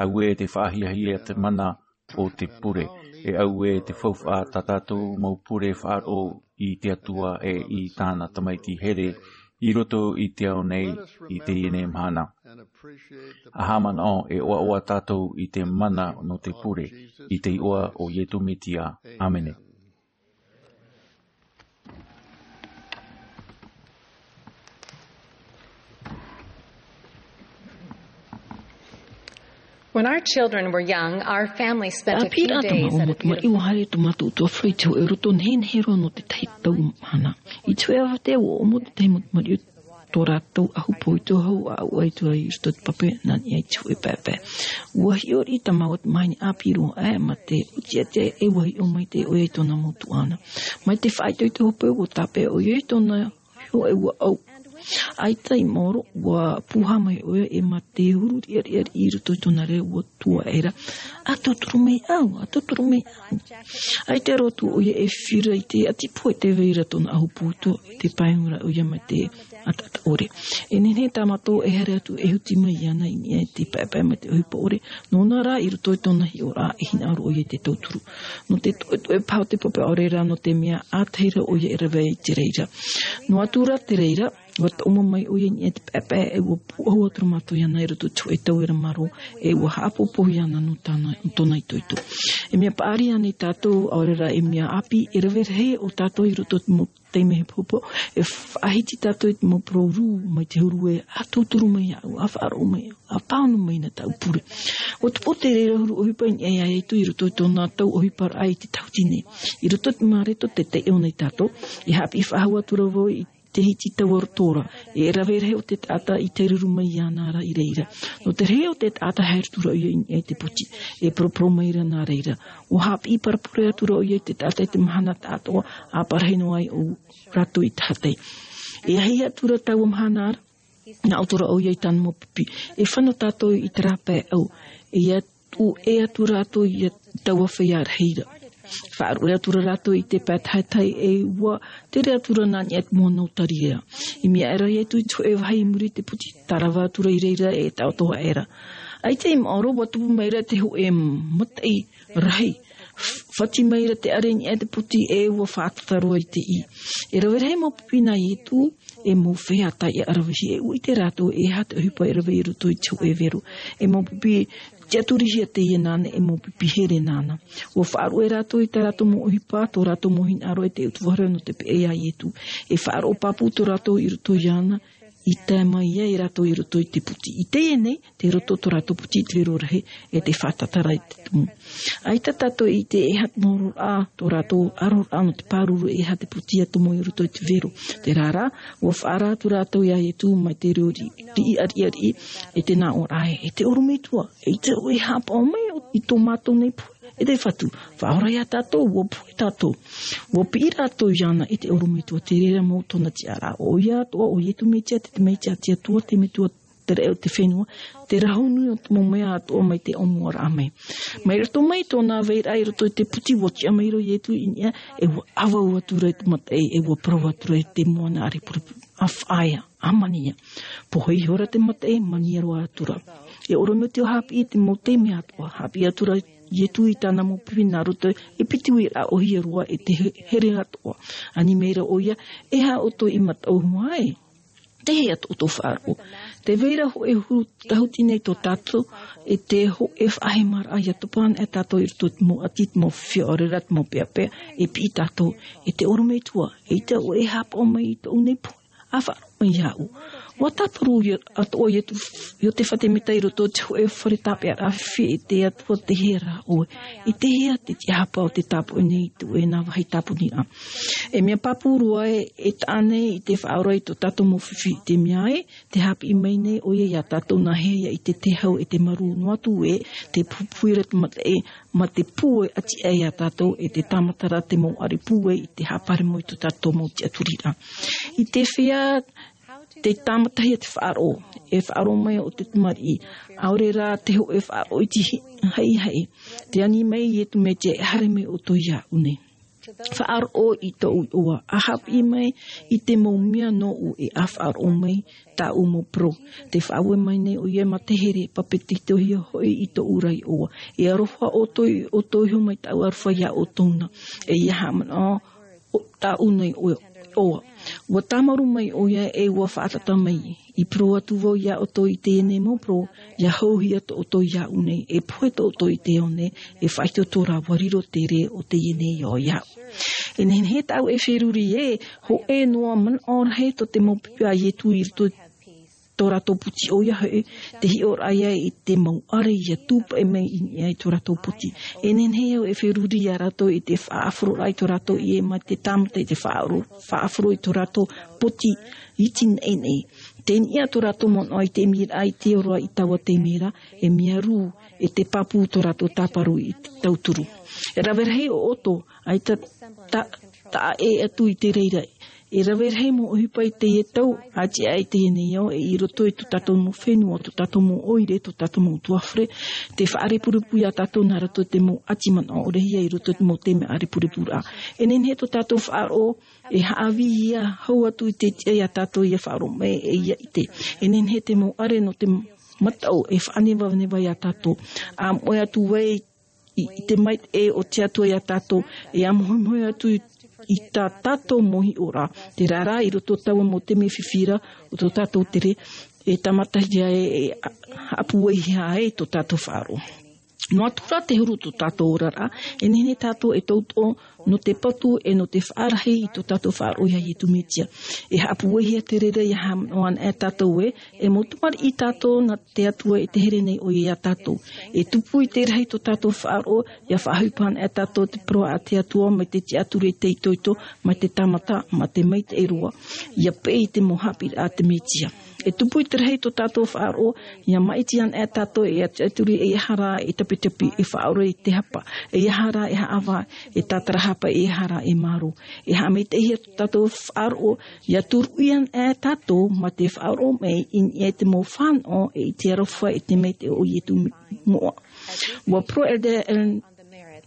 Auē te faʻahiahia te mana o te pure, e auē te faufaʻa tā tātou mau pure faʻaroʻo i te Atua e i tāna tamaiti here i roto i te ao nei i teie nei mahana. ʻA haʻamanaʻo e ʻoaʻoa tātou i te mana nō te pure, i te iʻoa o Iesu Mesia. ʻĀmene. When our children were young, our family spent a few days at a beautiful... Ā pīraʻa tō mātou mau tamaiti, ʻua haere tō mātou ʻutuāfare i te hōʻē roto nehenehe roa nō te tahi tau mahana. I te hōʻē ʻāvaʻe, ʻua ʻomo te tahi mau tamariʻi tō rātou ʻahu poito hau ʻāʻau ʻaita i roto i te pape nā niʻa i te hōʻē paepae. ʻUa hiʻo riʻi tā māua te maheni ʻāpī roa aʻe mā te ʻotiʻati e ʻua hiʻo maitaʻi ʻoia i tōna mau tuaʻana. Mai te faʻaitoito hope ʻua tāpeʻa ʻoia i tōna hiʻo e ʻua ʻau. ʻAita i maoro, ʻua pūhā mai ʻoia e mā te huru riʻariʻa i roto i tōna reo ʻua tuaʻera. ʻA tauturu mai au, ʻa tauturu mai au. ʻAita roa atu ʻoia e fifi i te ʻati pohe tē vai ra tōna ʻahu poito, tē pae ra ʻoia mai te ʻataʻata ʻore. E nehenehe tā mātou e haere atu e huti mai iāna i niʻa i te paepae mai te ʻohipa ʻore, nōna rā i roto i tōna hiʻoraʻa e hinaʻaro ʻoia i te tauturu. Nō te toʻetoʻe paha o te pape ʻore rā, nō te mea ʻātahi ra ʻoia e rave i te reira. Noa atu rā te reira, ʻua taʻomo mai ʻoia i niʻa i te paepae, e ʻua pūʻohu atu ra mātou iāna i roto i te hōʻē tauira marō, e ʻua haʻapōpō iāna nō tāna, nō tōna itoito. E mea paʻari ānei tātou, ʻaore rā e mea ʻāpī, e rave rahi ʻo tātou i roto i te mau taime hepohepo, e faʻahiti tātou i te mau parau rū mai te huru ē, ʻa tauturu mai iāʻu, ʻa faʻaroʻo mai, ʻa pāhono mai nā tāʻu pure. ʻUa tupu te reira huru ʻohipa i niʻa iā Iesu i roto i tōna tau ʻohiparaʻa i te tahuti nei. I roto i te Mareko te taiʻo nei tātou, e haʻapiʻi faʻahou atu ra vau i te hiti taua roto ra, e rave rahi o te taʻata i taeruru mai iāna ra i reira. Nō te rahi o te taʻata haere atu ra ʻoia i niʻa i te poti, e poroporo mai ra nā reira. ʻUa haʻapiʻi parapore atu ra ʻoia i te taʻata i te mahana taʻatoʻa, ʻa parahi noa ai ʻo rātou i tahatai. E ahi atu ra taua mahana ra, nā ʻō atu ra ʻoia i tāna mau pipi. E fano tātou i terā pae ʻau. E ia tuʻu ʻē atu rātou i taua feiā rahi ra. Faʻaruʻe atu ra rātou i te pae tahatai e ʻua tere atu ra nā niʻa i te moana o Tariera. I mea aʻera Iesu i te hōʻē vāhi i muri i te poti, tārava atu ra i reira e taʻoto aʻera. ʻAita i maoro, ʻua tupu mai ra te hōʻē mataʻi rahi. F-, fati mai ra te ʻare i niʻa i te poti e ʻua fātata roa i te ʻī. E rave rahi mau pipi nā Iesu, e mau feiā taiʻa ravehi, e ʻua ʻite rātou e aha te ʻohipa e rave i roto i te hōʻē vero. E mau pipi tiʻaturihia teie nāna, e mau pipi here nāna. ʻUa faʻaruʻe rātou i tā rātou mau ʻohipa, tō rātou mau hinaʻaro e te ʻutuāfare nō te peʻe iā Iesu. E faʻaroʻo pāpū tō rātou i roto iāna, i tae mai ai rātou i roto i te poti. I teie nei, tei roto tō rātou poti i te vero rahi, e tē fātata ra i te tumu. ʻAita tātou i ʻite e aha te maororaʻa, tō rātou ʻaroraʻa nō te pāruru e aha te poti ʻia tomo i roto i te vero. Terā rā, ʻua faʻaara atu rātou iā Iesu mai te reo ri-, riʻi, riʻi, riʻi, e te nā ʻō ra ē, e te ʻorometua, ʻeita ʻoe e haʻapaʻo mai i tō mātou nei pohe. E te Fatu, faʻaora iā tātou, ʻua pohe tātou. ʻUa piʻi rātou iāna e te ʻorometua, te reira mau tōna tiʻaraʻa, ʻoia atoʻa, ʻo Iesu Mesia te, te Mesia, te Atua, te Metua te raʻi o te fenua, te rahu nui o te mau mea atoʻa mai te ʻōmuaraʻa mai. Mai roto mai tōna vairaʻa i roto i te poti, ʻua tiʻa mai ra Iesu i niʻa, e ʻua ʻāvau atu ra i te mataʻi, e ʻua parau atu ra i te moana ʻārepurepu, ʻA faʻaea, ʻa mania. Pohe ihora te mataʻi, mania roa atu ra. E ʻorometua haʻapiʻi i te mau taime atoʻa, haʻapiʻi atu ra Iesu i tāna mau pipi nā roto i te piti uiraʻa ʻōhie roa e te he-, here atoʻa. Ani mai ra ʻoia, e aha ʻoutou i mataʻu hua ai? Te hea tō ʻoutou faʻaroʻo? Tē vai ra hōʻē huru tahuti nei tō tātou, e te hōʻē faʻahemaraʻa ʻia topa ana e tātou i roto i te mau ʻati, te mau fifi ʻaore rā te mau peʻapeʻa, e piʻi tātou, e te ʻorometua, ʻeita ʻoe e haʻapaʻo mai i tōʻu nei pohe, ʻa faʻaroʻo mai iāʻu. Ua tāparu ia, atoʻa ia tu, Iosepha Semita i roto i te hōʻē fare tāpeʻaraʻa fifi, e te Atua, tei hea rā ʻoe? I te hea te tiʻahapa o te tāpoʻi nei i te hōʻē nā vāhi tāpuni ra? E mea pāpū roa ē, e taʻa nei i te faʻaora i tō tātou mau fifi i te mea ē, tē haʻapiʻi mai nei ʻoia iā tātou nā hea ia ʻite te hau e te marū, noa atu ē, te pupuhi ra te mataʻi, mā te pūai ʻati aʻe iā tātou, e te tāmata ra te mau ʻare pūai i te haʻaparemo i tō tātou mau tiʻaturiraʻa. I te feiā te tāmatahia te faʻaroʻo, e faʻaroʻo mai ʻo te tamariʻi, ʻaore rā te hōʻē faʻaroʻo iti hi-, haʻihaʻi, tē ani mai Iesu Mesia, e haere mai ʻoutou iāʻu nei. Faʻaroʻo i tōʻu iʻoa, ʻa haʻapiʻi mai i te mau mea nōʻu, e ʻa faʻaroʻo mai tāʻu mau parau. Tē faʻaue mai nei ʻoia mā te here, papetitohia hoʻi i tōʻu ra iʻoa. E aroha ʻoutou, ʻoutou iho mai tāʻu aroha iā ʻoutou na. E ʻia haʻamanaʻo o tāʻu nei ʻoia. Ua tāmarū mai ʻoia, e ua faʻatata mai. I parau atu vau iā ʻoutou i teie nei mau parau, ʻia hauhia tō ʻoutou iāʻu nei, e pohe tō ʻoutou i te ao nei, e faʻaitoito rā, ʻua riro te rē o teie nei ao iāʻu. E nehenehe tāʻu e feruri ē, hōʻē noa manaʻo rahi tō te mau pipi a Iesu i roto i tō rātou poti, ʻoia hoʻi, te hiʻoraʻa ia i te mau ʻare ʻia tūpaʻi mai i niʻa i tō rātou poti. E nehenehe au e feruri iā rātou i te faʻaʻāfaro i tō rātou ʻie mā te tāmata i te faʻaʻaro-, faʻaʻāfaro i tō rātou poti iti nei nei. Tē niʻa tō rātou manaʻo i te ʻimiraʻa i te ora i taua taime ra, e mea rū, e te pāpū tō rātou tāparu i te tauturu. E rave rahi ʻo ʻoutou, ʻaita ta-, taʻa ʻē atu i te reira. E rave rahi mau ʻohipa i teie tau, ʻati aʻe i teie nei ao, e i roto i tō tātou mau fenua, tō tātou mau ʻoire, tō tātou mau utuafare, tē faʻarepurepu iā tātou nā roto i te mau ʻati manaʻo ʻore ia i roto i te mau taime ʻārepurepu ra. E nehenehe tō tātou faʻaroʻo, e haʻavī ia, hau atu i te tiʻa iā tātou ʻia faʻaroʻo mai, e ʻia ʻite. E nehenehe te mau ʻare nō te mataʻu, e faʻanevaneva iā tātou. ʻA moʻe atu ai i, i te maitaʻi o te Atua iā tātou, e ʻamohemohe atu i, i tā tātou mau hiʻoraʻa. Terā rā, i roto i taua mau taime fifi ra o tō tātou tere, e tāmatahia e, e a-, haʻapūaihia ai tō tātou faʻaroʻo. Noa atu rā te huru o tō tātou oraraʻa, e nehenehe tātou e tauturu nō te patu, e nō te faʻarahi i tō tātou faʻaroʻo iā Iesu Mesia. E haʻapūaihia te reira ʻia haʻamanaʻo ana e tātou ē, e mau tamariʻi tātou nā te Atua, e te here nei ʻoia iā tātou. E tupu i te rahi tō tātou faʻaroʻo, ʻia faʻaʻohipa ana e tātou te parau a te Atua mai te tiʻaturi e te itoito, mai te tāmata, mā te maitaʻi roa. ʻIa peʻe i te mau haʻapiʻiraʻa a te Mesia. E tupu i te rahi tō tātou faʻaroʻo, ʻia maʻiti ana e tātou e tiʻaturi, e ʻeiaha rā e tapitapi, e faʻaora i te hapa, e ʻeiaha rā e haʻavā, e tātarahapa, e ʻeiaha rā e mārō. E haʻamaitaʻihia tō tātou faʻaroʻo, ʻia turuʻi ana e tātou mā te faʻaroʻo mai i niʻa i te mau fānaʻo, e i te aroha, e te maitaʻi o Iesu moʻa. Ua parau Elder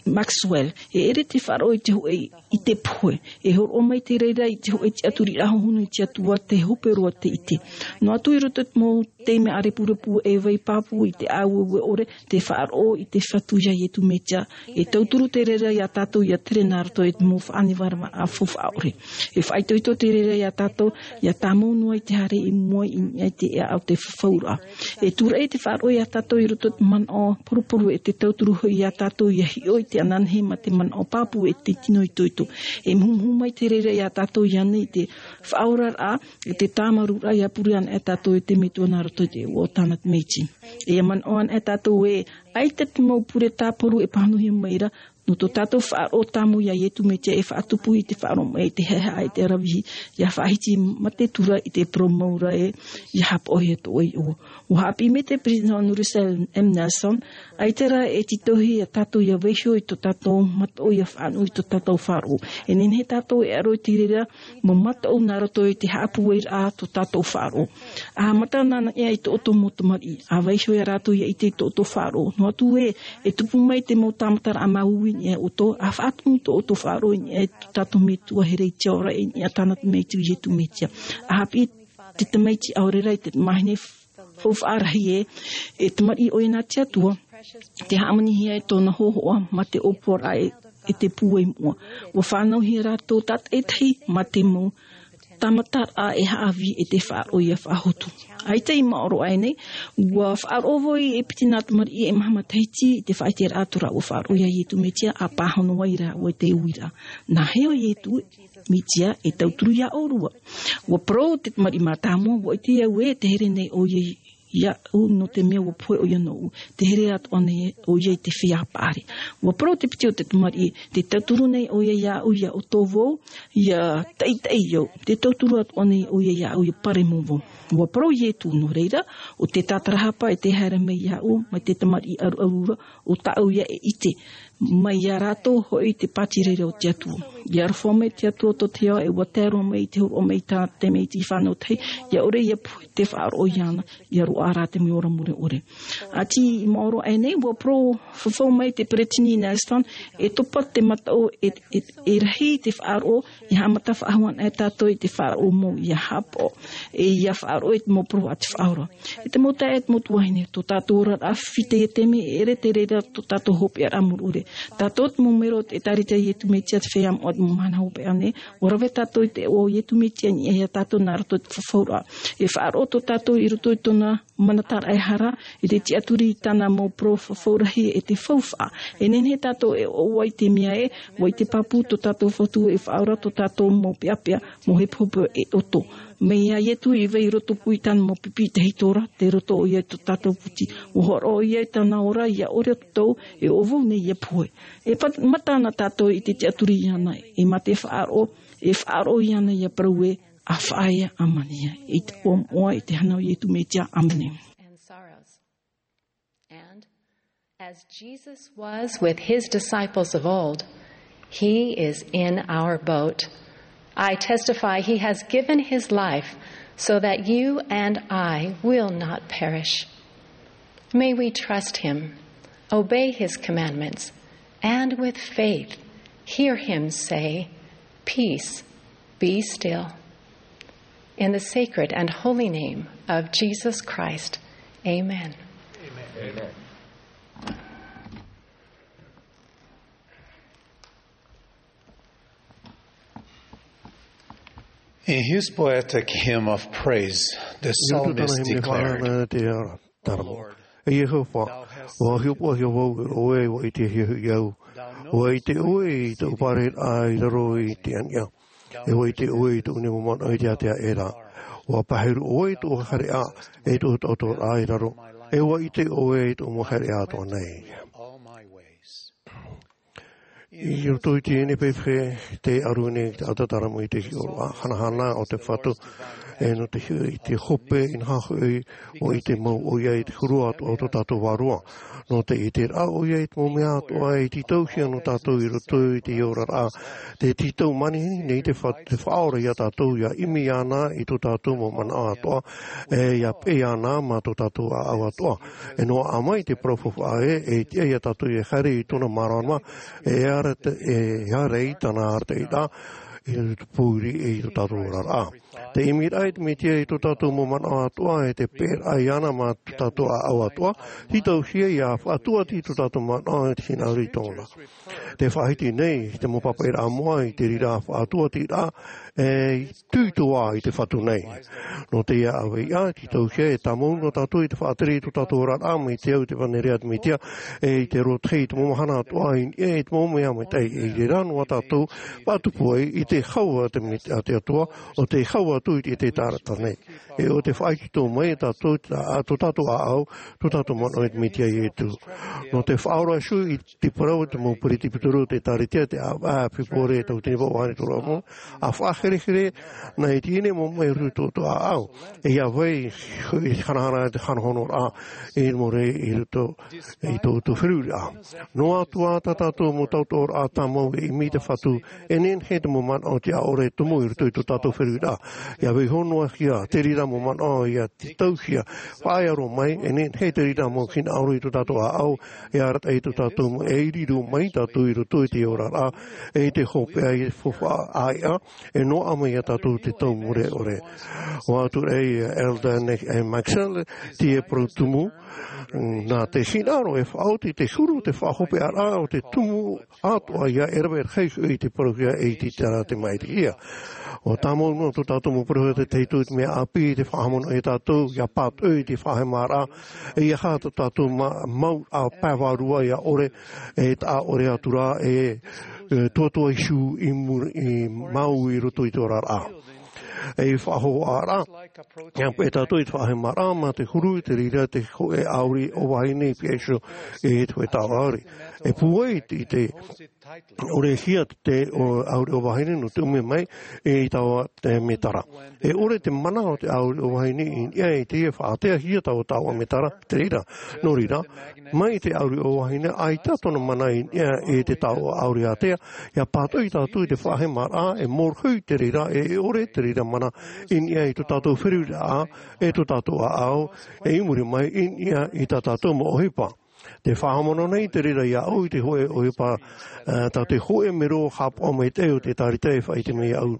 Maxwell, e ʻere te faʻaroʻo i te hōʻē ʻite pohe, e hōroʻa mai te reira i te hōʻē tiʻaturiraʻa hohonu i te Atua, te hope roa te ʻite. Noa atu i roto i te mau taime ʻārepurepu, e vai pāpū i te ʻāueue ʻore, te faʻaroʻo i te Fatu iā Iesu Mesia, e tauturu te reira iā tātou ʻia tere nā roto i te mau faʻanevaneva faufaʻa ʻore. E faʻaitoito te reira iā tātou, ʻia tāmau noa i te haere i mua i niʻa i te ʻēʻa o te fafauraʻa. E tūraʻi te faʻaroʻo iā tātou i roto i te manaʻo poruporu, e te tauturu hoʻi iā tātou ʻia hiʻo i te ananahi mā te manaʻo pāpū, e te tino itoito. E muhumuhu mai te reira iā tātou ʻia ani i te faʻaoraraʻa, e te tāmarūraʻa, ʻia pure ana e tātou i te Metua nā roto i te iʻoa o tāna tamaiti. E ʻia manaʻo ana e tātou ē, ʻaita te mau pure tāparu e pāhonohia mai ra, nō tō tātou faʻaroʻo tāmau iā Iesu Mesia, e faʻatupu i te faʻaroʻo mai i te haʻehaʻa, i te aravihi, ʻia faʻahiti mā te tura i te parau mau ra ē, ʻia hapaʻohia tō ʻoe iʻoa. Ua haʻapiʻi mai te Peresideni Russell M. Nelson, ʻaita rā e tītauhia tātou ʻia vaiiho i tō tātou mataʻu, ʻia faʻanuʻu i tō tātou faʻaroʻo. E nehenehe tātou e ʻaro i te reira mau mataʻu nā roto i te haʻapūairaʻa tō tātou faʻaroʻo. ʻA haʻamata anaʻe i tō ʻoutou mau tamariʻi, ʻa vaiiho ia rātou ʻia ʻite i tō ʻoutou faʻaroʻo. Noa atu ē, e tupu mai te mau tāmataraʻa māuiui i niʻa ia ʻoutou, ʻa faʻatumu tō ʻoutou faʻaroʻo i niʻa i tō tātou Metua here i te ao ra, i niʻa i tāna tamaiti ʻo Iesu Mesia. ʻA haʻapiʻi te tamaiti ʻaore rā i te tamahine faufaʻa rahi ē, e tamariʻi ʻoia nā te Atua, tē haʻamanihia ai tōna hōhoʻa mā te ʻōpuaraʻa e, e te pūai moʻa. Ua fānauhia rātou tātaʻitahi mā te mau tāmataraʻa e haʻavī e te faʻaroʻo ia faʻahotu. ʻAita i maoro aʻe nei, ua faʻaroʻo vau e piti nā tamariʻi e maha matahiti i te faʻaʻiteraʻa atu ra ua faʻaroʻo ia Iesu Mesia a pāhono ai rāua i te uiraʻa. Nā hea Iesu Mesia e tauturu ia ʻōrua? Ua parau te tamariʻi mātāmua, ua ʻite au ē, te here nei ʻoia iāʻu, nō te mea ua pohe ʻoia nōʻu. Te here atoʻa nei ʻoia i te feiā paʻari. Ua parau te piti o te tamariʻi, te tauturu nei ʻoia iāʻu ia ʻoto vau, ia taʻitaʻi au. Te tauturu atoʻa nei ʻoia iāʻu ia paremo vau. Ua parau Iesu, nō reira, ʻo te tātarahapa e te haere mai iāʻu, mai te tamariʻi ʻaruʻaru ra, ʻo tāʻu ia e ʻite. Mai iā rātou hoʻi te pāti reira o te Atua. Ia aroha mai te Atua tō te ao, e ua tae roa mai i te hōroʻa mai i tā te mea i te fānau tahi, ia ʻore ia pohe te faʻaroʻo iāna, ia roaʻa rā te mea ora mure ʻore. ʻĀti i maoro aʻe nei, ua parau fafau mai te peretiteni Nelson, e topa te mataʻu, e, e, e rahi te faʻaroʻo, e haʻamata faʻahou ana e tātou i te faʻaroʻo mau ia haʻapaʻo, e ia faʻaroʻo i te mau parau a te Faʻaora. E te mau taeaʻe, e te mau tuahine, tō tātou oraraʻa fifita ia taime, e ʻere te reira tō tātou hopeʻaraʻa mure ʻore. Tātou te mau melo o te ʻĒtārētia Iesu Mesia te feiā moʻa o te mau mahana hopeʻa nei, ua rave tātou i te iʻoa o Iesu Mesia i niʻa ia tātou nā roto i te fafauraʻa. E faʻaroʻo tō tātou i roto i tōna mana tāraʻehara, i te tiʻaturi i tāna mau parau fafau rahi e te faufaʻa. E nehenehe tātou e ʻoaʻoa i te mea ē, ʻua ʻite pāpū tō tātou Fatu e faʻaora tō tātou mau peʻapeʻa, mau hepohepo e ʻoto. Mai iā Iesu i vai i roto pū i tāna mau pipi i te hitora, tei roto ʻoia i tō tātou puti. ʻUa hōroʻa ʻoia i tāna ora, ia ʻore ʻoutou, e ʻo vau nei ia pohe. E pat-, mata ana tātou i te tiʻaturi iāna, e mā te faʻaroʻo, e faʻaroʻo iāna ia parau ē, ʻa faʻaea, ʻa mania. I te iʻoa moʻa, i te hana o Iesu Mesia, ʻāmene. And sorrows. And as Jesus was with his disciples of old, he is in our boat. I testify he has given his life so that you and I will not perish. May we trust him, obey his commandments, and with faith hear him say, "Peace, be still." In the sacred and holy name of Jesus Christ, amen. Amen. In his poetic hymn of praise, the psalmist declared, "Lord, e Iehova, ua hiʻopoʻahia vau, e ʻoe ua ʻitehia hoʻi au. Ua ʻite ʻoe i tōʻu pārahiraʻa i raro i te aniʻa. E ua ʻite ʻoe i tōʻu nei mau manaʻo i te ātea aʻera. Ua paheru ʻoe i tōʻu haereʻa, e tōʻu taʻotoraʻa i raro. E ua ʻite ʻoe i tōʻu mau haereʻa atoʻa nei." I roto i teie nei pape, tē ʻaru nei te taʻata tāramu i te hiʻoraʻa hanahana o te Fatu, e nō te hi-, i te hope, inaha hoʻi, ua ʻite mau ʻoia i te huru atoʻa o tō tātou Vārua. Nō te ʻiteraʻa ʻoia i te mau mea atoʻa e tītauhia nō tātou i roto i te oraraʻa, tē tītau manihini nei te Fa-, te Faʻaora iā tātou, ʻia ʻimi iāna i tō tātou mau manaʻo atoʻa, e ʻia peʻe iāna mā tō tātou ʻāʻau atoʻa. E noaʻa mai te parau faufaʻa ē, e tiʻa iā tātou e haere i tōna māramarama, e ara te, e ara i tāna arataʻiraʻa, i te pōuri e i tō tātou oraraʻa. Te ʻimiraʻa i te Mesia i tō tātou mau manaʻo atoʻa, e te peʻeraʻa iāna mā tō tātou ʻāʻau atoʻa, tītauhia ʻia faʻatuati tō tātou manaʻo i te hinaʻaro i tōna. Tē faʻahiti nei te mau papaʻiraʻa moʻa i te reira faʻatuatiraʻa, e ʻitehia i te Fatu nei. Nō teie ʻāvaʻe, tītauhia e tāmau noa tātou i te faʻatere i tō tātou oraraʻa, mai te au i te fānere a te Mesia, e i te rōtahi i te mau mahana atoʻa, i, e i te mau mea maitaʻi, e i reira noa tātou, faʻatupu ai i te hau a te Met-, a te Atua, ʻo tē hau atu i te, te taʻata nei. E ʻo tē faʻaitoito mai tātou, tā, tō tātou ʻāʻau, tō tātou manaʻo i te Mesia Iesu. Nō te faʻaora iho i te parau te mau peretiteni o te ʻĒtārētia, te ʻāvaʻe a Fepuare tauatini vaʻu ʻahuru toru ʻāvaʻe, ʻa faʻaherehere, nā i teie nei mau mea i roto i tō ʻāʻau. E ʻia vai, i hanahana te hanahonoraʻa, i muri i roto i tō, tō feruriraʻa. Noa atu ā tā tātou mau taʻotoraʻa tāmau e ʻimi i te Fatu, e nehenehe te mau manaʻo tiʻaʻore e tumu i roto i tō tātou feruriraʻa. ʻIa vaiiho noa hia te reira mau manaʻo ʻia tītauhia, faʻaea roa mai, e nehenehe te reira mau hinaʻaro i tō tātou ʻāʻau, e arataʻi tō tātou mau, e riro mai tātou i roto i te oraraʻa, e i te hopeʻa i te faufaʻa ʻāiʻa, e nō Ua mai ia tātou te tau mure ʻore. Ua atu rā ia Elder Nick A. Maxwell, te parau tumu, nā te hinaʻaro e faʻaoti te huru, te faʻahopeʻaraʻa o te tumu atoʻa ia e rave rahi i te parauhia e iti terā te maʻitihia. ʻUa tāmau noa tō tātou mau parauhia te taitu i te mea ʻāpī, te faʻahaʻamanaʻo ia tātou, ia pātoʻi te faʻahemaraʻa, e ia hā tō tātou ma-, mau a pae vārua ia ʻore, e taʻa ʻore atu rā, e, e tuatua Iēsu i muri, i mau i roto i te oraraʻa. E faʻahoʻaraʻa, ia pē tātou i te faʻahemaraʻa, mā te huru, te reira, te hōʻē ʻauri ʻōvahine i piha iho, e te hōʻē taoʻa ʻauri. E pūai i te, ʻorehia te, o, ʻauri ʻōvahine nō te ʻume mai, e i taua te mētara. E ʻore te mana o te ʻauri ʻōvahine i niʻa i te faʻateahia taua taoʻa mētara, te reira. Nō reira, mai te ʻauri ʻōvahine, ʻaita tōna mana i niʻa i te taoʻa ʻauri ātea, ia pātoʻi tātou i te faʻahemaraʻa, e mōrohi te reira, e ʻore te reira mana i niʻa i tō tātou feruriraʻa, e tō tātou ʻāʻau, e i muri mai i niʻa i tā tātou mau ʻohipa. Te faʻahaʻamanaʻo nei te reira iāʻu i te hōʻē ʻohipa, e, tā te hōʻē mero haʻapaʻo maitaʻi o te ʻĒtārētia e faʻaʻite mai iāʻu.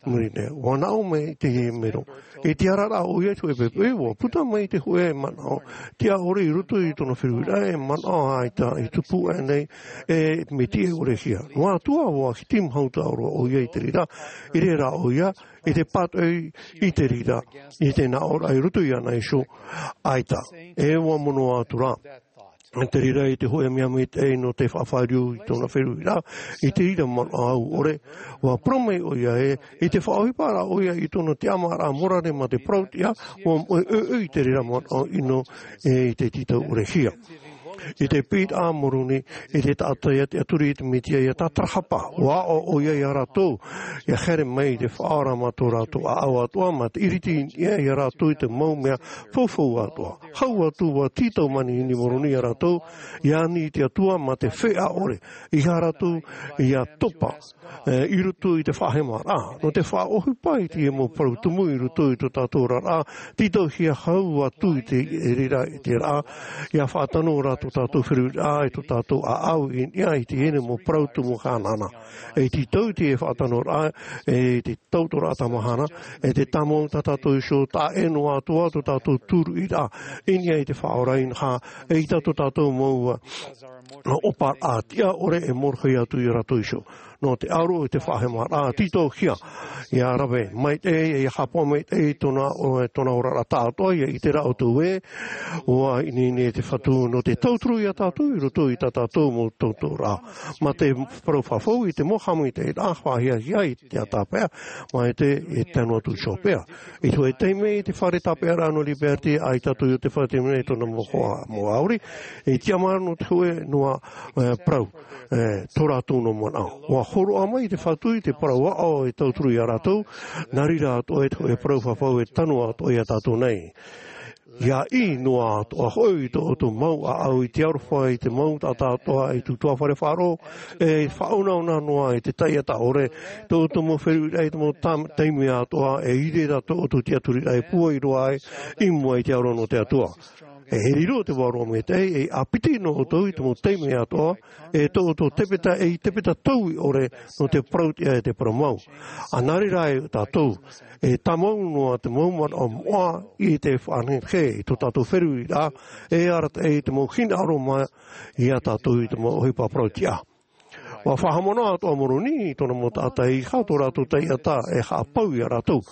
Muri nei, ua naʻo mai te mero. I te araraʻa ʻoia i te hōʻē poʻipoʻi, ua puta mai te hōʻē manaʻo tiʻa ʻore i roto i tōna feruriraʻa, e manaʻo ʻaita i tupu aʻe nei, e mea tiʻa ʻorehia. Noa atu ā, ua hiti maitaʻi roa ʻoia i te reira, i reira ʻoia, i te pātoʻi i te reira, i te naʻoraʻa i roto iāna iho, ʻaita. E ua mono atu rā. Te reira i te hōʻē mea maitaʻi nō te faʻafāriu i tōna feruriraʻa, i te reira manaʻo ʻore, ua parau mai ʻoia ē, i te faʻaʻohiparaʻa ʻoia i tōna tiʻamāraʻa morare mā te parau-tiʻa, ua moʻe ʻoiʻoi i te reira manaʻo ʻino, e i te tītau ʻorehia. I te pīraʻa a Moroni, i te taʻata ia tiʻaturi i te Mesia ia tātarahapa, ua aʻo ʻoia ia rātou, ia haere mai i te faʻaora mā tō rātou ʻāʻau atoʻa, mā te iriti i niʻa ia rātou i te mau mea faufau atoʻa. Hau atu ua tītau manihini Moroni ia rātou, ia ani i te Atua mā te feʻa ʻore, ʻeiaha rātou ia topa, e, i roto i te faʻahemaraʻa. Nō te faʻaʻohipa i te mau parau tumu i roto i tō tātou oraraʻa, tītauhia hau atu i te reira, i te rā, ia faʻatano rā tō tātou feruriraʻa, e tō tātou ʻāʻau i niʻa i teie nei mau parau tumu hanahana. E tītau i te faʻatanoraʻa, e te tautooraʻa tāmahana, e te tāmau tā tātou iho, taʻa ʻē noa atu ā tō tātou tūruʻiraʻa, i niʻa i te Faʻaora inaha, e ʻaita tō tātou mau, ā, ʻōparaʻa tiʻa ʻore e mōrohi atu ia rātou iho. Nō te ʻaroʻo i te faʻahemaraʻa, tītauhia, ia rave maitaʻi, ia haʻapaʻo maitaʻi tōna, o, tōna oraraʻa tāʻātoʻa, ia ʻite rā ʻoutou ē, ua ineine te Fatu nō te tauturu ia tātou i roto i tā tātou mau tautooraʻa. Mā te parau fafau i te mau haʻamaitaʻiraʻa faʻahiahia i te tāpeʻa, mā te, e tano atu iho paʻi. I te hōʻē taime i te fare tāpeʻaraʻa nō Liberty, ʻaita atu i te fare taime i tōna mau hoa, mau ʻauri, e tiʻamāramarama te hōʻē noa, e, parau, e, tō rātou noa manaʻo. Ua hōroʻa mai te Fatu i te parau aʻo e tauturu ia rātou, nā reira atoʻa i te hōʻē parau fafau e tano atoʻa ia tātou nei. Ia ʻī noa atoʻa hoʻi i tō ʻoutou mau ʻāʻau i te aroha i te mau taʻata atoʻa i te tuatāfare faʻaroʻo, e faʻaunauna noa i te taiʻata ʻore, tō ʻoutou mau feruriraʻa i te mau tam-, taime atoʻa, e ʻere rā tō ʻoutou tiʻaturiraʻa e pūai roa ai i mua i te aro nō te Atua. E riro te Vārua Maitaʻi, e ʻāpiti noa ʻoutou i te mau taime atoʻa, e tō ʻoutou tepeta, e tepeta taui ʻore nō te parau-tiʻa e te parau mau. ʻA nā reira ē tātou, e tāmau noa te mau manaʻo moʻa i te faʻanehenehe i tō tātou feruriraʻa, e arataʻi i te mau hinaʻaro mā ia tātou i te mau ʻohipa parau-tiʻa. Ua faʻahaʻamanaʻo atoʻa Moroni i tōna mau taʻata ʻeiaha tō rātou taiʻata e haʻapau ia rātou.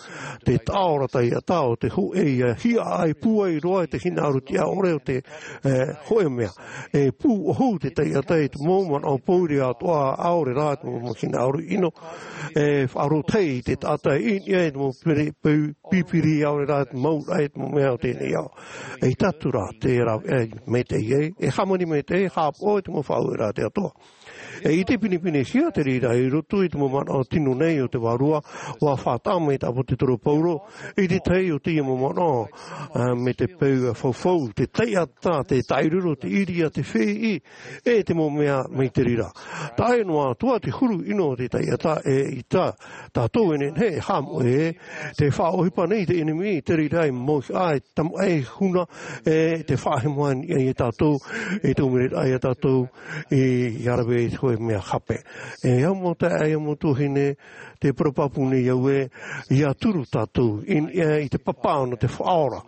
Te taʻaora taiʻata o te hōʻē ia hiaʻai pūai roa i te hinaʻaro tiʻa ʻore o te, e, hōʻē mea. E pūʻohu te taiʻata i te mau manaʻo pōuri atoʻa, ʻaore rā te mau hinaʻaro ʻino. E faʻaroʻo tahi i te taʻata i niʻa i te mau piri-, piri-, pipiri ʻaore rā te mau raʻa i te mau mea o teie nei ao. E ʻaita atu rā te rāveʻa maitaʻi ai, e hāmani maitaʻi, e haʻapaʻo i te mau faʻaueraʻa a te Atua. E ʻite pinepinehia te reira i roto i te mau manaʻo tino nei o te Vārua, ua faʻataʻa mai te ʻāpōsetolo Paulo i te tahi o teie mau manaʻo, ā, mai te peu fafau, te taiʻata, te taʻiroro, te ʻīria, te fēʻi, e te mau mea mai te reira. Taʻa ʻē noa atu ā te huru ʻino o te taiʻata, e ʻaita tātou e nehenehe e haʻamoʻe, te faʻaʻohipa nei te ʻenemi, te reira e mauhaʻa, e tamaʻi, e huna, e te faʻahemo i niʻa ia tātou, e te ʻōmureraʻa ia tātou, e, ia rave te hōʻē mea hape. E au mau taeaʻe, e au mau tuahine, te parau pāpū nei au ē, ia turu tātou i niʻa i te papa nō te faʻaora,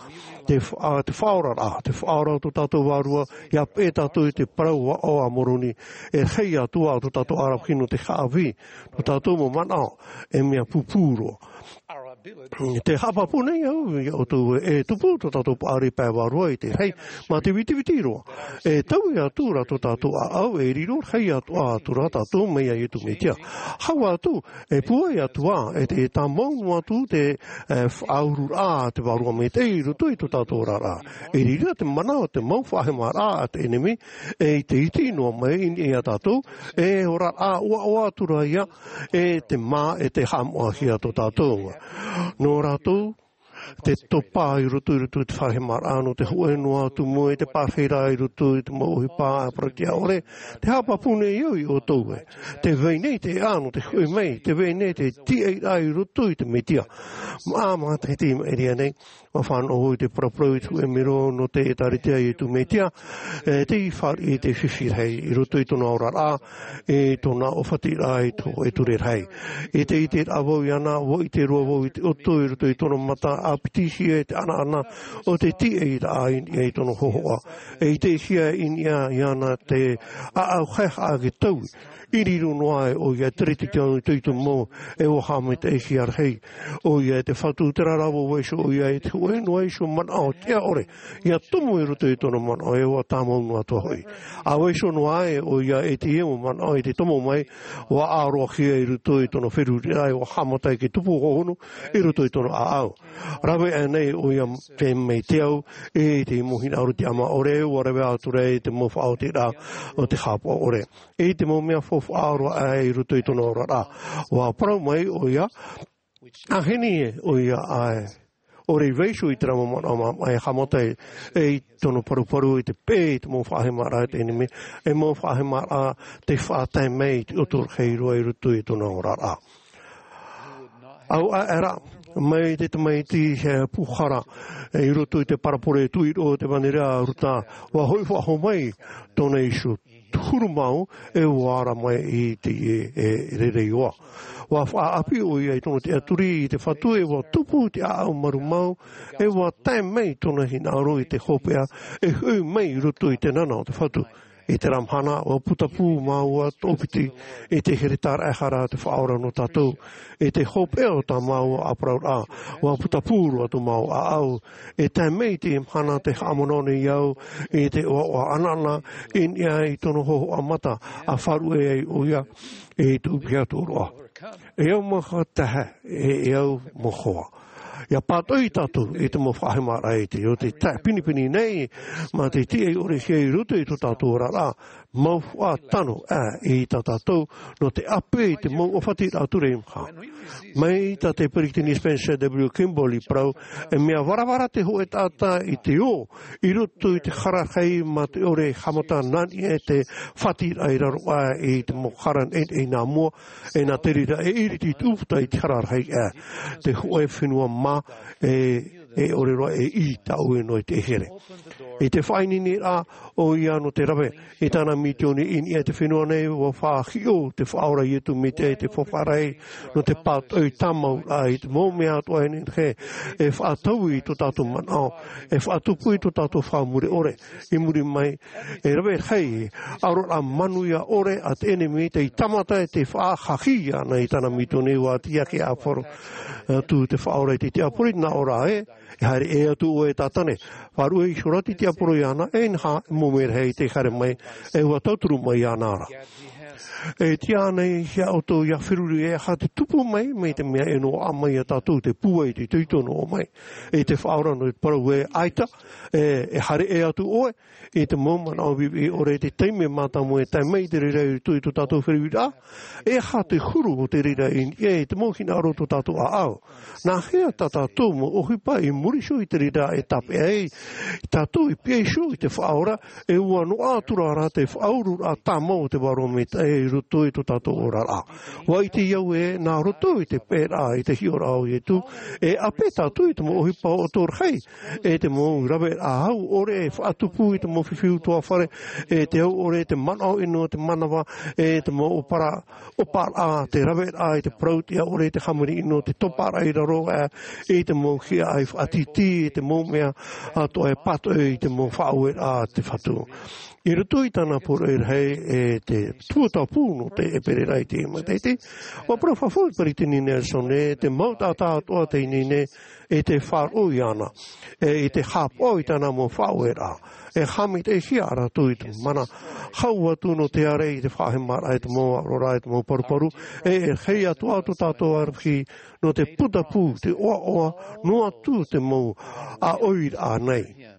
te fa-, te faʻaora rā, te faʻaora o tō tātou vārua, ia peʻe tātou i te parau aʻo a Moroni, e rahi atu ā tō tātou arataʻi nō te haʻavī, tō tātou mau manaʻo, e mea pūpū roa. Te haʻapāpū nei au ia ʻoutou ē, e tupu tō tātou paʻari pae vārua i te rahi, mā te vitiviti roa. E taui atu rā tō tātou ʻāʻau, e riro rahi atu ā atu rā tātou mai iā Iesu Mesia. Hau atu, e pūai atu ā, e te tāmau noa atu te, e, faʻaururaʻa a te vārua maitaʻi i roto i tō tātou oraraʻa. E riro te mana o te mau faʻahemaraʻa a te ʻenemi, e i te iti noa mai i niʻa iā tātou, e oraraʻa ʻoaʻoa atu rā ia, e te mā, e te haʻamoʻahia tō tātou. Nō rātou, te topa i roto, i roto i te faʻahemaraʻa nō te hōʻē noa atu mau i te pārahiraʻa i roto i te mau ʻohipa ʻāparatia ʻore, te haʻapāpū nei au ia ʻoutou ē. Tē vai nei te ʻā nō te hoʻi mai, tē vai nei te tīaʻiraʻa i roto i te Mesia. Mā, mā te, te maʻiri nei, ʻua fānaʻo i te paraparau i te hōʻē mero nō te ʻĒtārētia a Iesu Mesia, e, tei fāriʻi i te fifi rahi, i roto i tōna oraraʻa, i tōna ʻōfatiraʻa i te hōʻē ture rahi. I te, i te ʻiteraʻa vau iāna, ʻua ʻite roa vau i te ʻoto i roto i tōna mata, ʻāpitihia i te ʻanaʻana o te tīaʻiraʻa i niʻa i tōna hōhoʻa. E ʻitehia i niʻa iāna te ʻāʻau haʻehaʻa e taui. I riro noa ai ʻoia i te reira tau itoito mau, e ʻua haʻamaitaʻihia rahi ʻoia e te Fatu, terā rā ʻua vaiiho ʻoia i te hōʻē noa iho manaʻo tiʻa ʻore, ʻia tomo i roto i tōna manaʻo, e ʻua tāmau noa atu hoʻi. ʻA vaiiho noa ai ʻoia i teie mau manaʻo i te tomo mai, ʻua ʻāroʻahia i roto i tōna feruriraʻa, e ʻua haʻamata i te tupu hōhonu i roto i tōna ʻāʻau. Rave aʻe nei ʻoia te, mai te au, i te mau hinaʻaro tiʻamā ʻore, ʻua rave atu ra i te mau faʻaotiraʻa o te haʻapaʻo ʻore. I te mau mea faufaʻa roa aʻe i roto i tōna oraraʻa. ʻUa parau mai ʻoia, ʻa heni ē, ʻoia ʻae. ʻOre i vaiiho i terā mau manaʻo mā, e haʻamata i tōna paruparu i te peʻe i te mau faʻahemaraʻa a te ʻenemi, e mau faʻahemaraʻa tei faʻatae mai i te ʻoto rahi roa i roto i tōna oraraʻa. ʻAuaʻe ra, mai te tamaiti, e, pūhara, e, i roto i te parabole tuʻiroʻo o te ʻevanelia a Ruta, ʻua hoʻi faʻahou mai tōna iho huru mau, e ʻua ara mai i te, e, e, reira iho ā. ʻUa faʻaʻapi ʻoia i tōna tiʻaturi i te Fatu, e ʻua tupu te ʻāʻau marū mau, e ʻua tae mai tōna hinaʻaro i te hopeʻa, e hoʻi mai i roto i te nana o te Fatu. I terā mahana, ʻua putapū māua toʻopiti i te here tāraʻehara a te Faʻaora nō tātou. I te hopeʻa o tā māua ʻāparauraʻa, ʻua putapū roa tō māua ʻāʻau. E tae mai i te mahana tē haʻamanaʻo nei au i te ʻoaʻoa ʻanaʻana i niʻa i tōna hōhoʻa mata, ʻa faʻaruʻe ai ʻoia i te ʻūpiha tōroʻa. E au mau hoa taeaʻe, e, e au mau hoa. ʻIa pātoʻi tātou i te mau faʻahemaraʻa i te, o te taeaʻe pinepine nei, mā te tiʻa ʻore hia i roto i tō tātou oraraʻa, mau faʻatano, ā, i tā tātou, nō te ʻāpeʻe i te mau ʻōfatiraʻa ture i maha. Mai tā te Peresideni Spencer W. Kimball i parau, e mea varavara te hōʻē taʻata i te ō, i roto i te hara rahi mā te ʻore haʻamata nā niʻa i te fātiraʻa i raro aʻe i te mau hara neʻineʻi nā mua, e nā te reira e ʻiriti te ʻūputa i te hara rahi, ā, te hōʻē fenua mā, e, e ʻore roa e ʻī tāʻue noa i te here. I te faʻaineineraʻa ʻoia nō te rave i tāna misiōni i niʻa i te fenua nei, ʻua faʻahiʻo te Faʻaora Iesu Mesia i te faufaʻa rahi nō te pātoʻi tāmauraʻa i te mau mea atoʻa e nehenehe e faʻataui i tō tātou manaʻo, e faʻatupu i tō tātou faʻamure ʻore. I muri mai, e rave rahi, aroraʻa manuia ʻore a te ʻenemi tei tāmata e tei faʻahaʻi ana i tāna misiōni. ʻUa tiʻa ake ʻāporo atu te Faʻaora i te tiaporo, nā ʻō ra ē, e haere ʻē atu ʻoe, Sātane. Faʻaruʻe iho ra te tiaporo iāna, e inaha, e mōmē rahi tei haere mai, e ʻua tauturu mai iāna ra. E tiʻa ānei hia ʻoutou ʻia feruri, e aha te tupu mai, mai te mea e noaʻa mai iā tātou te pūai, te itoito noa mai. E te Faʻaora nō te parau ē, ʻaita, e, e haere ʻē atu ʻoe, i te mau manaʻo viʻiviʻi ʻore, te taime mātāmua e tae mai i te reira i roto i tō tātou feruriraʻa, e aha te huru o te reira i niʻa i te mau hinaʻaro o tō tātou ʻāʻau. Nā hea tā tātou mau ʻohipa i muri iho i te reira e tāpeʻa ai tātou i pīhaʻi iho i te Faʻaora, e ʻua noaʻa atu ra te faʻaururaʻa tāmau o te Vārua Maitaʻi. i roto i tō tātou oraraʻa. ʻUa ʻite au ē, nā roto i te peʻeraʻa, i te hiʻoraʻa o Ietu, e ʻape tātou i te mau ʻohipa o tō rahi, e te mau raveraʻa hau ʻore e faʻatupu i te mau fifi utuafare, e te hau ʻore, te manaʻo ʻino, te manava, e te mau ʻōpara, ʻōparaʻa, te raveraʻa i te parau tiʻa ʻore, te hāmani ʻino, te toparaʻa i raro, e, i te mau hiaʻai faʻatītī, i te mau mea atoʻa e pātoʻi i te mau faʻaueraʻa a te Fatu. I roto i tāna poroʻi rahi, e te tuatāpū nō te ʻēperēra i teie matahiti, ʻua parau fafau te Peresideni Nelson ē, te mau taʻata atoʻa teie nei, e tē faʻaroʻo iāna, e i te haʻapaʻo i tāna mau faʻaueraʻa, e haʻamaitaʻihia rātou i te mana hau atu nō te ārai i te faʻahemaraʻa, i te mau aroraʻa, i te mau paruparu, e, e rahi atoʻa tō tātou aravihi nō te putapū, te ʻoaʻoa, noa atu te mau ʻāʻoiraʻa nei.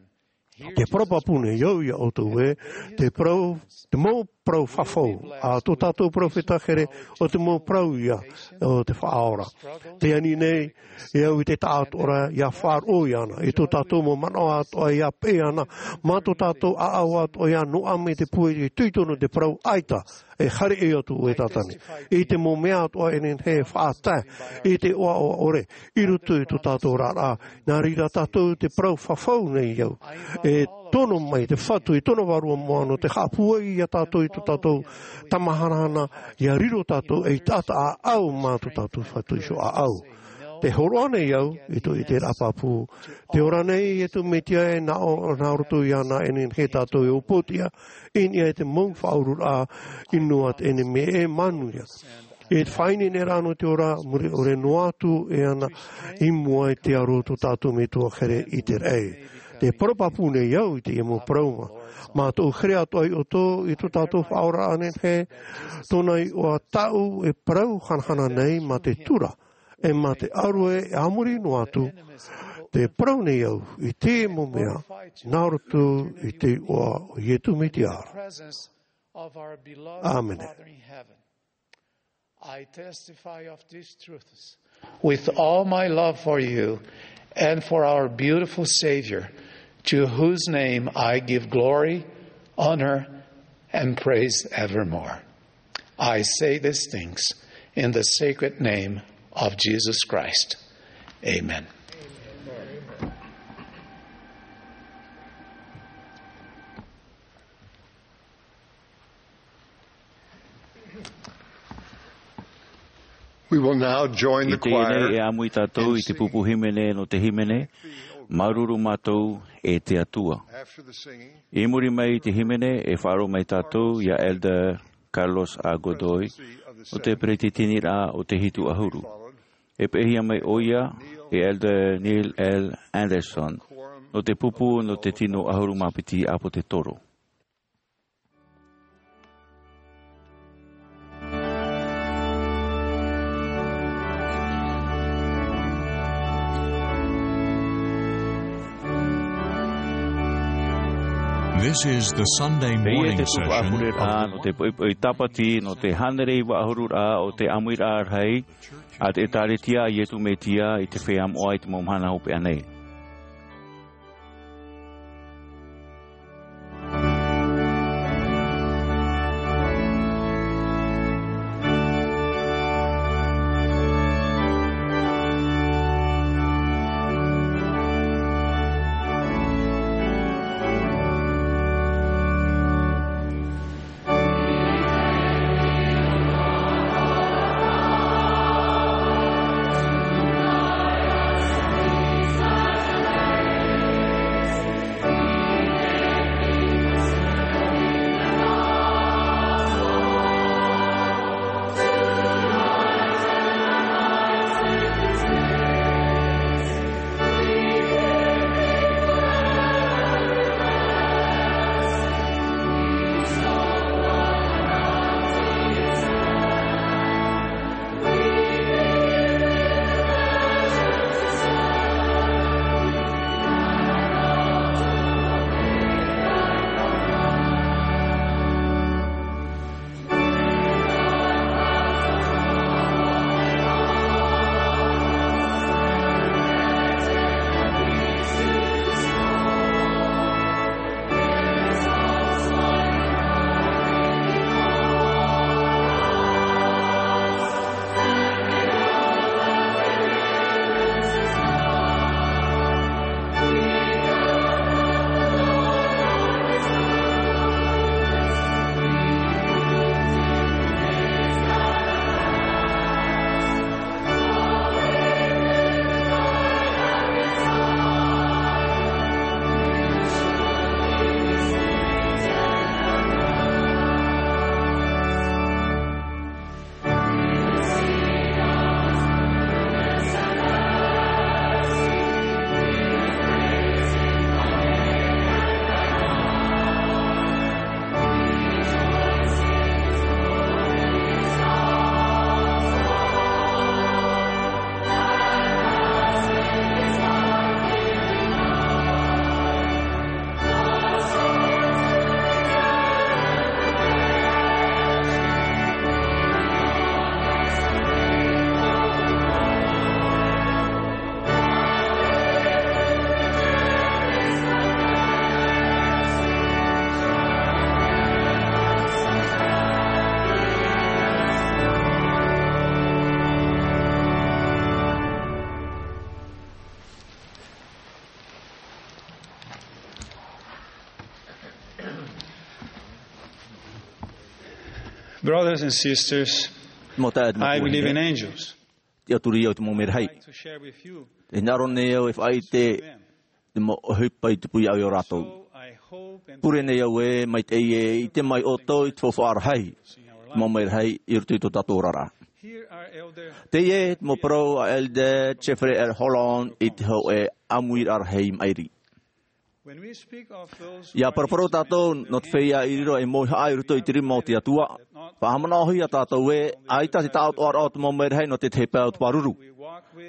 Te parau pāpū nei au iā ʻoutou ē, te parau, te mau parau fafau a tō tātou peropheta here, ʻo te mau parau ia o te Faʻaora. Tē ani nei au i te taʻatoʻaraʻa ʻia faʻaroʻo iāna, i tō tātou mau manaʻo atoʻa ʻia peʻe ana, mā tō tātou ʻāʻau atoʻa ʻia noaʻa mai te pūai, e tuitonu te parau ʻaita, e haere ʻē atu ʻoe Tātane. I te mau mea atoʻa e nehenehe e faʻatae i te ʻoaʻoa ʻore i roto i tō tātou oraraʻa, nā reira tātou te parau fafau nei au. E tono mai te Fatu i tōna vārua moʻa nō te haʻapūai iā tātou i tō tātou tamahanahana, ʻia riro tātou ei taʻata ʻāʻau mā tō tātou Fatu Iho ʻāʻau. Tē hōroʻa nei au i tō ʻiteraʻa pāpū. Tē ora nei Ietu Metia e nā ʻō, nā roto iāna e nehenehe tātou e upoʻotiʻa i niʻa i te mau faʻaururaʻa ʻino a te ʻenemi e manuia. E te faʻaineineraʻa nō te ora, mure ʻore noa atu e ana i mua i te aro o tō tātou Metua here i te raʻi. Te parau pāpū nei au i teie mau parau mā, mā tōʻu here atoʻa iā ʻoutou, i tō tātou faʻaoraraʻa nehenehe, tōna iʻoa tāʻu e parau hanahana nei mā te tura, e mā te ʻāroʻe e a muri noa atu, tē parau nei au i teie mau mea, nā roto i te iʻoa o Ietu Metia. Presence of our beloved Amen. Father in heaven. I testify of these truths with all my love for you and for our beautiful Savior, to whose name I give glory, honor, and praise evermore. I say these things in the sacred name of Jesus Christ. Amen. We will now join the choir. I teie nei e āmui tātou i te pupu hīmene nō te hīmene, Māuruuru Mātou e te Atua. I muri mai i te hīmene, e faʻaroʻo mai tātou iā Elder Carlos A. Godoy, nō te peretiteniraʻa o te Hitu ʻAhuru. E peʻehia mai ʻoia e Elder Neil L. Andersen, nō te pupu nō te tino ʻahuru mā piti ʻāpōtetoro. This is the Sunday morning session of the Teie te pupu ʻāpōsetā nō te poʻipoʻi Tāpati, nō te hānere iva ʻahuru rā o te ʻāmuiraʻa rahi a te ʻĒtārētia a Ietu Metia i te Feiā Moʻa i te mau mahana hopeʻa nei. Brothers and sisters, Mau taeaʻe, mau tuahine, I believe in angels. Tiʻaturi au i te mau mērahi. I'd like to share with you. Tē hinaʻaro nei au e faʻaʻite i te mau ʻohipa i tupu iāʻu ia rātou. So I hope and pure nei au ē, maitaʻi e ʻite mai ʻoutou i te faufaʻa rahi, te mau mērahi i roto i tō tātou oraraʻa. Here are Elder Teie te mau parau a Elder Jeffrey R. Holland i te hōʻē ʻāmuiraʻa rahi maʻiri. Ia paraparau tātou nō te feiā i riro ei mauhaʻa i roto i te rima o te Atua. Faʻahaʻamanaʻohia tātou ē, ʻaita te taʻatoʻaraʻa o te mau mērahi nō te tahi pae o te pāruru.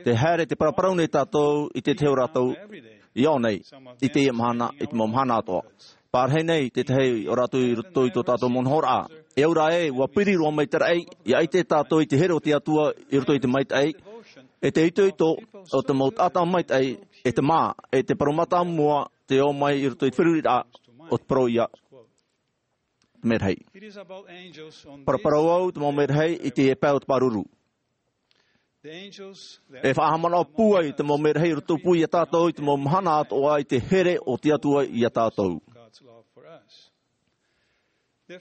Tē haere, tē paraparau nei tātou i te tahi o rātou i ʻō nei, i teie mahana, i te mau mahana atoʻa. Pārahi nei te tahi o rātou i roto i tō tātou mau nohoraʻa. E au ra ē, ʻua piri roa mai te raʻi, ʻia ʻite tātou i te here o te Atua i roto i te maitaʻi, e te itoito o te mau taʻata maitaʻi, e te mā, e te parau mātāmua, tē ō mai i roto i te feruriraʻa o te parau ia, te mērahi. Paraparau au te mau mērahi i te pae o te pāruru. E faʻahaʻamanaʻo pūai te mau mērahi i roto pū ia tātou i te mau mahana atoʻa i te here o te Atua ia tātou. Te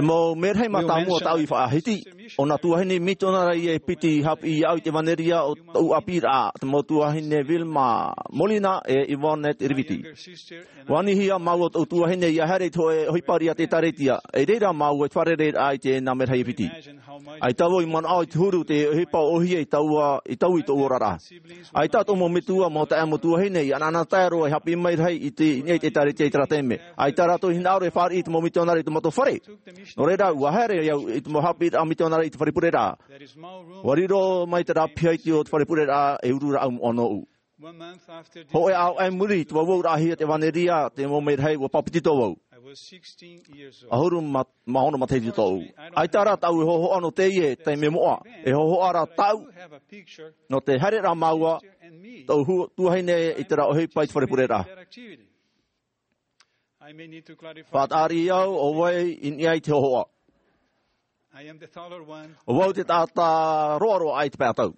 mau mērahi mātāmua tāʻu i faʻahiti, ʻo nā tuahine mitionare ia e piti haʻapiʻi iāʻu i te ʻevanelia o tōʻu ʻāpīraʻa, te mau tuahine Vilma Molina e Yvonne Riviti. ʻUa anihia māua tōʻu tuahine ʻia haere i te hōʻē ʻohipa riʻi a te ʻĒtārētia, i reira māua i te fārereiraʻa i te nā mērahi e piti. ʻAita vau i manaʻo i te huru te ʻohipa ʻōhie i taua, i taua i tōʻu oraraʻa. ʻAita tōʻu mau metua, mau taeaʻe, mau tuahine, i ʻanaʻanatae roa e haʻapiʻi mai rahi i te, i niʻa i te ʻĒtārētia i terā taime. ʻAita rātou i hinaʻaro e fāriʻi i te mau mitionare i tō mātou fare. Nō reira, ʻua haere au i te mau haʻapiʻiraʻa mitionare i te fare pureraʻa. ʻUa riro mai terā pihaiti o te fare pureraʻa e uru ra au moʻa nōʻu. Hōʻē ʻāvaʻe i muri i te vauvauraʻahia te ʻevanelia, te mau mērahi, ʻua pāpetito vau. ʻAhuru mā, mā ono matahiti tōʻu. ʻAita rā tāʻu e hōhoʻa nō teie taime moʻa. E hōhoʻa rā tāʻu nō te haereraʻa māua, tōʻu hu-, tuahine i terā ʻohipa i te fare pureraʻa. Faʻataʻa riʻi au, ʻo vai i niʻa i te hōhoʻa. ʻO vau te taʻata roaroa aʻe i te pae ʻatau.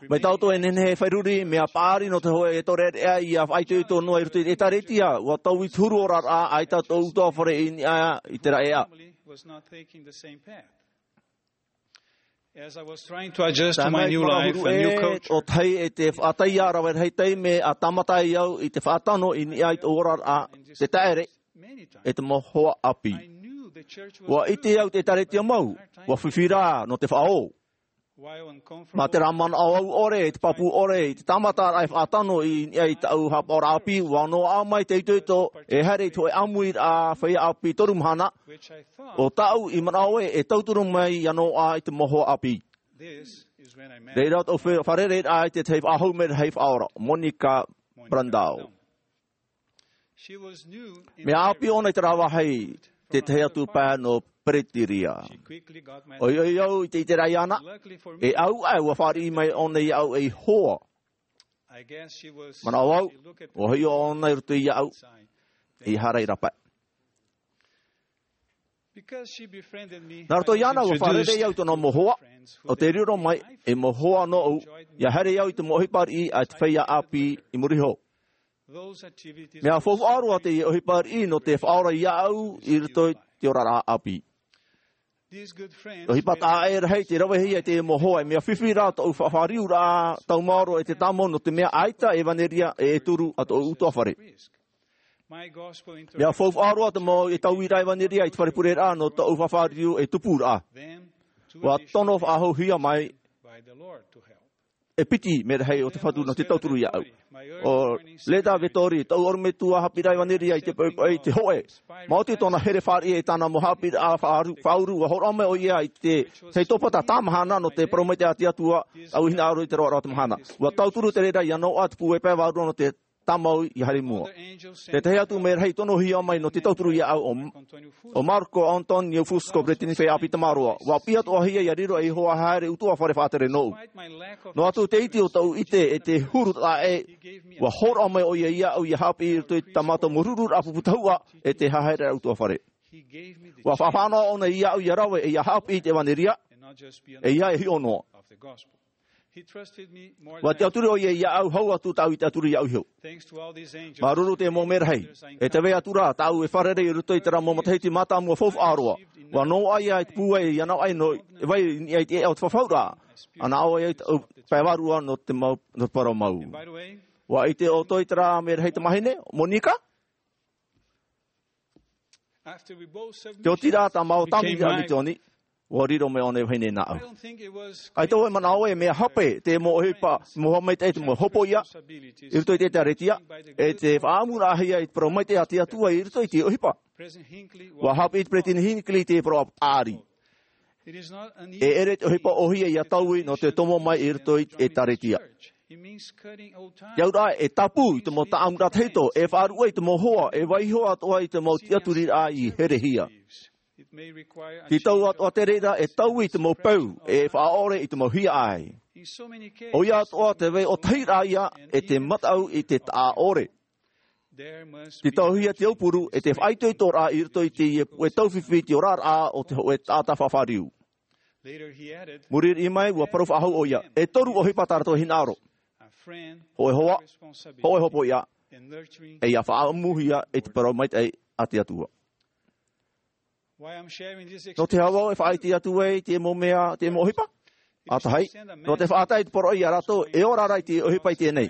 Mai tā ʻoutou e nehenehe e faʻaruru, mea paʻari nō te hōʻē ʻeʻereʻa ʻia faʻaitoito noa i roto i te ʻĒtārētia, ʻua tau i te huru oraraʻa, ʻaita tōʻu ʻutuāfare i niʻa i terā ʻēʻa. As I was trying to adjust to my new life, a new culture, ʻo tahi e te faʻataia rave rahi taime a tāmata ai au i te faʻatano i niʻa i te oraraʻa, te taʻere, e te mau hoa ʻāpī. ʻUa ʻite au te ʻĒtārētia mau, ʻua fifi rā nō te faʻaō. Mā terā manaʻo au ʻore, te pāpū ʻore, i te tāmataraʻa e faʻatano i niʻa i tāʻu haʻapaʻoraʻa ʻāpī, ʻua noaʻa mai te itoito e haere i te hōʻē ʻāmuiraʻa feiā ʻāpī toru mahana, ʻo tāʻu i manaʻo ē, e tauturu mai ia noaʻa i te mau hoa ʻāpī. Reira tōʻu fa-, fārereiraʻa i te tahi faʻahou mērahi faʻaora, Monica Brandau. Mea ʻāpī ʻōna i terā vāhi, te tahi atu pae nō Peretānia. ʻOiʻoi au i te ʻiteraʻa iāna, e au aʻe ʻua fāriʻi mai ʻōna iāʻu ei hoa. Manaʻo au, ʻua hiʻo ʻōna i roto iāʻu, ʻeiaha rā i rāpae. Nā roto iāna ʻua fārerei au i tōna mau hoa, ʻo tē riro mai ei mau hoa nōʻu, ʻia haere au i te mau ʻohipa riʻi a te feiā ʻāpī i muri iho. Mea faufaʻa roa teie ʻohipa riʻi nō te faʻaora iāʻu i roto i te oraraʻa ʻāpī. ʻOhipa taʻa ʻē rahi tei ravehia e te mau hoa, e mea fifi rā tōʻu faʻafāriuraʻa taumaoro e te tāmau, nō te mea ʻaita ʻevanelia e turu a tōʻu ʻutuāfare. Mea faufaʻa roa te mau e tauiraʻa ʻevanelia i te fare pureraʻa nō tōʻu faʻafāriu e tupuraʻa. ʻUa tono faʻahouhia mai e piti mērahi o te Fatu nō te tauturu iāʻu. ʻO Leda Vettori, tōʻu ʻorometua haʻapiʻiraʻa ʻevanelia i te poʻipoʻi, te hōʻē. Maoti tōna here fāriʻi e tāna mau haʻapiʻiraʻa faʻaru-, faʻauru, ʻua hōroʻa mai ʻoia i te, te tōpata tāmahana nō te parau maitaʻi a te Atua, ʻua hinaʻaro i te roaraʻa o te mahana. ʻUa tauturu te reira ia noaʻa te pūai pae vārua nō te tāmau ʻia haere i mua. Te tahi atu mērahi tonohia mai nō te tauturu iāʻu ʻo, ʻo Marco Antonio Fusco, peresideni feiā ʻāpī tamaroa. ʻUa piʻi atoʻahia ʻia riro ei hoa haere ʻutuāfare faʻatere nōʻu. Noa atu te iti o tōʻu ʻite e te huru taʻa ʻē, ʻua hōroʻa mai ʻoia iāʻu ʻia haʻapiʻi i roto i tā mātou mau rururaʻa pupu tahuʻa e te haereraʻa ʻutuāfare. ʻUa faʻafānaʻo ʻōna iāʻu ʻia rave ʻeiaha haʻapiʻi i te ʻevanelia, ʻeiaha e hiʻo noa. ʻUa tiʻaturi ʻoia iāʻu, hau atu tāʻu i tiʻaturi iāʻu iho. Māuruuru te mau mērahi. E tē vai atu ra tāʻu e fārerei i roto i terā mau matahiti mātāmua faufaʻa roa. ʻUa noaʻa ia i te pūai i ana ʻai nō, e vai i niʻa i te ʻēʻa o te fafauraʻa. ʻA nā ʻō ai tāʻu pae vārua nō te mau, nō te parau mau. ʻUa ʻite ʻoutou i terā mērahi tamāhine, Monika? Te oti rā tā māua tāvini i te misioni, ʻua riro mai ʻōna e vahine nāʻu. ʻAita vau e manaʻo e mea hape te mau ʻohipa, mau haʻamaitaʻi te mau hopoiʻa i roto i te ʻĒkālesia, e te faʻaʻamuraʻahia i te parau maitaʻi a te Atua i roto i te ʻohipa. ʻUa haʻapiʻi te Peresideni Hinckley i te parau ʻāpī. E ʻere te ʻohipa ʻōhie ia taui nō te tomo mai i roto i te ʻĒkālesia. Te auraʻa e tāpū i te mau taʻamuraʻa tahito, e faʻaruʻe i te mau hoa, e vaiiho atoʻa i te mau tiʻaturiraʻa i herehia. Te tau atoʻa te reira e taui i te mau peu, e faʻaʻore i te mau hiaʻai. ʻOia atoʻa te vai ʻōtahiraʻa ia e te mataʻu i te taʻaʻore. Te tauhia te aupuru e te faʻaitoitoraʻa i roto i teie puʻe taufifi i te oraraʻa o te hōʻē taʻata fafariu. Muri riʻi mai, ʻua parau faʻahou ʻoia, e toru ʻohipa tā rātou e hinaʻaro. Hōʻē hoa, hōʻē hopoiʻa, e ia faʻaʻamuhia i te parau maitaʻi a te Atua. Nō te aha vau e faʻaʻite atu ai te mau mea, te mau ʻohipa? ʻA tahi, nō te faʻatae i te poroʻi ia rātou e ora ra i te ʻohipa i teie nei.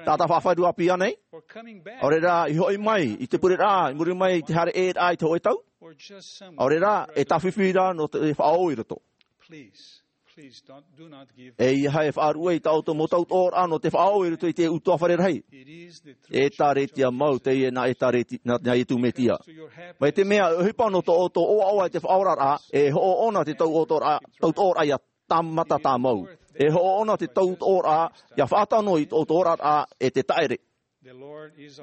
Taʻata fafariu āpī ānei? ʻAore rā, i hoʻi mai i te pureraʻa, i muri mai i te haere ʻē ra i te hōʻē tau? ʻAore rā, e tāfifi ra nō te faʻaō i roto. E ʻeiaha e faʻaruʻe i tā ʻoutou mau tautoʻoraʻa nō te faʻaō i roto i te ʻutuāfare rahi. ʻĒkālesia mau teie nā ʻĒkālesia, nā, nā Iesu Mesia. Mai te mea e ʻohipa nō tō ʻoutou ʻoaʻoa i te faʻaoraraʻa, e hoʻo ʻōna te tautoʻoraʻa, tautoʻoraʻa ia tāmata tāmau. E hoʻo ʻōna te tautoʻoraʻa ia faʻatano i tō ʻoutou oraraʻa e te taʻere.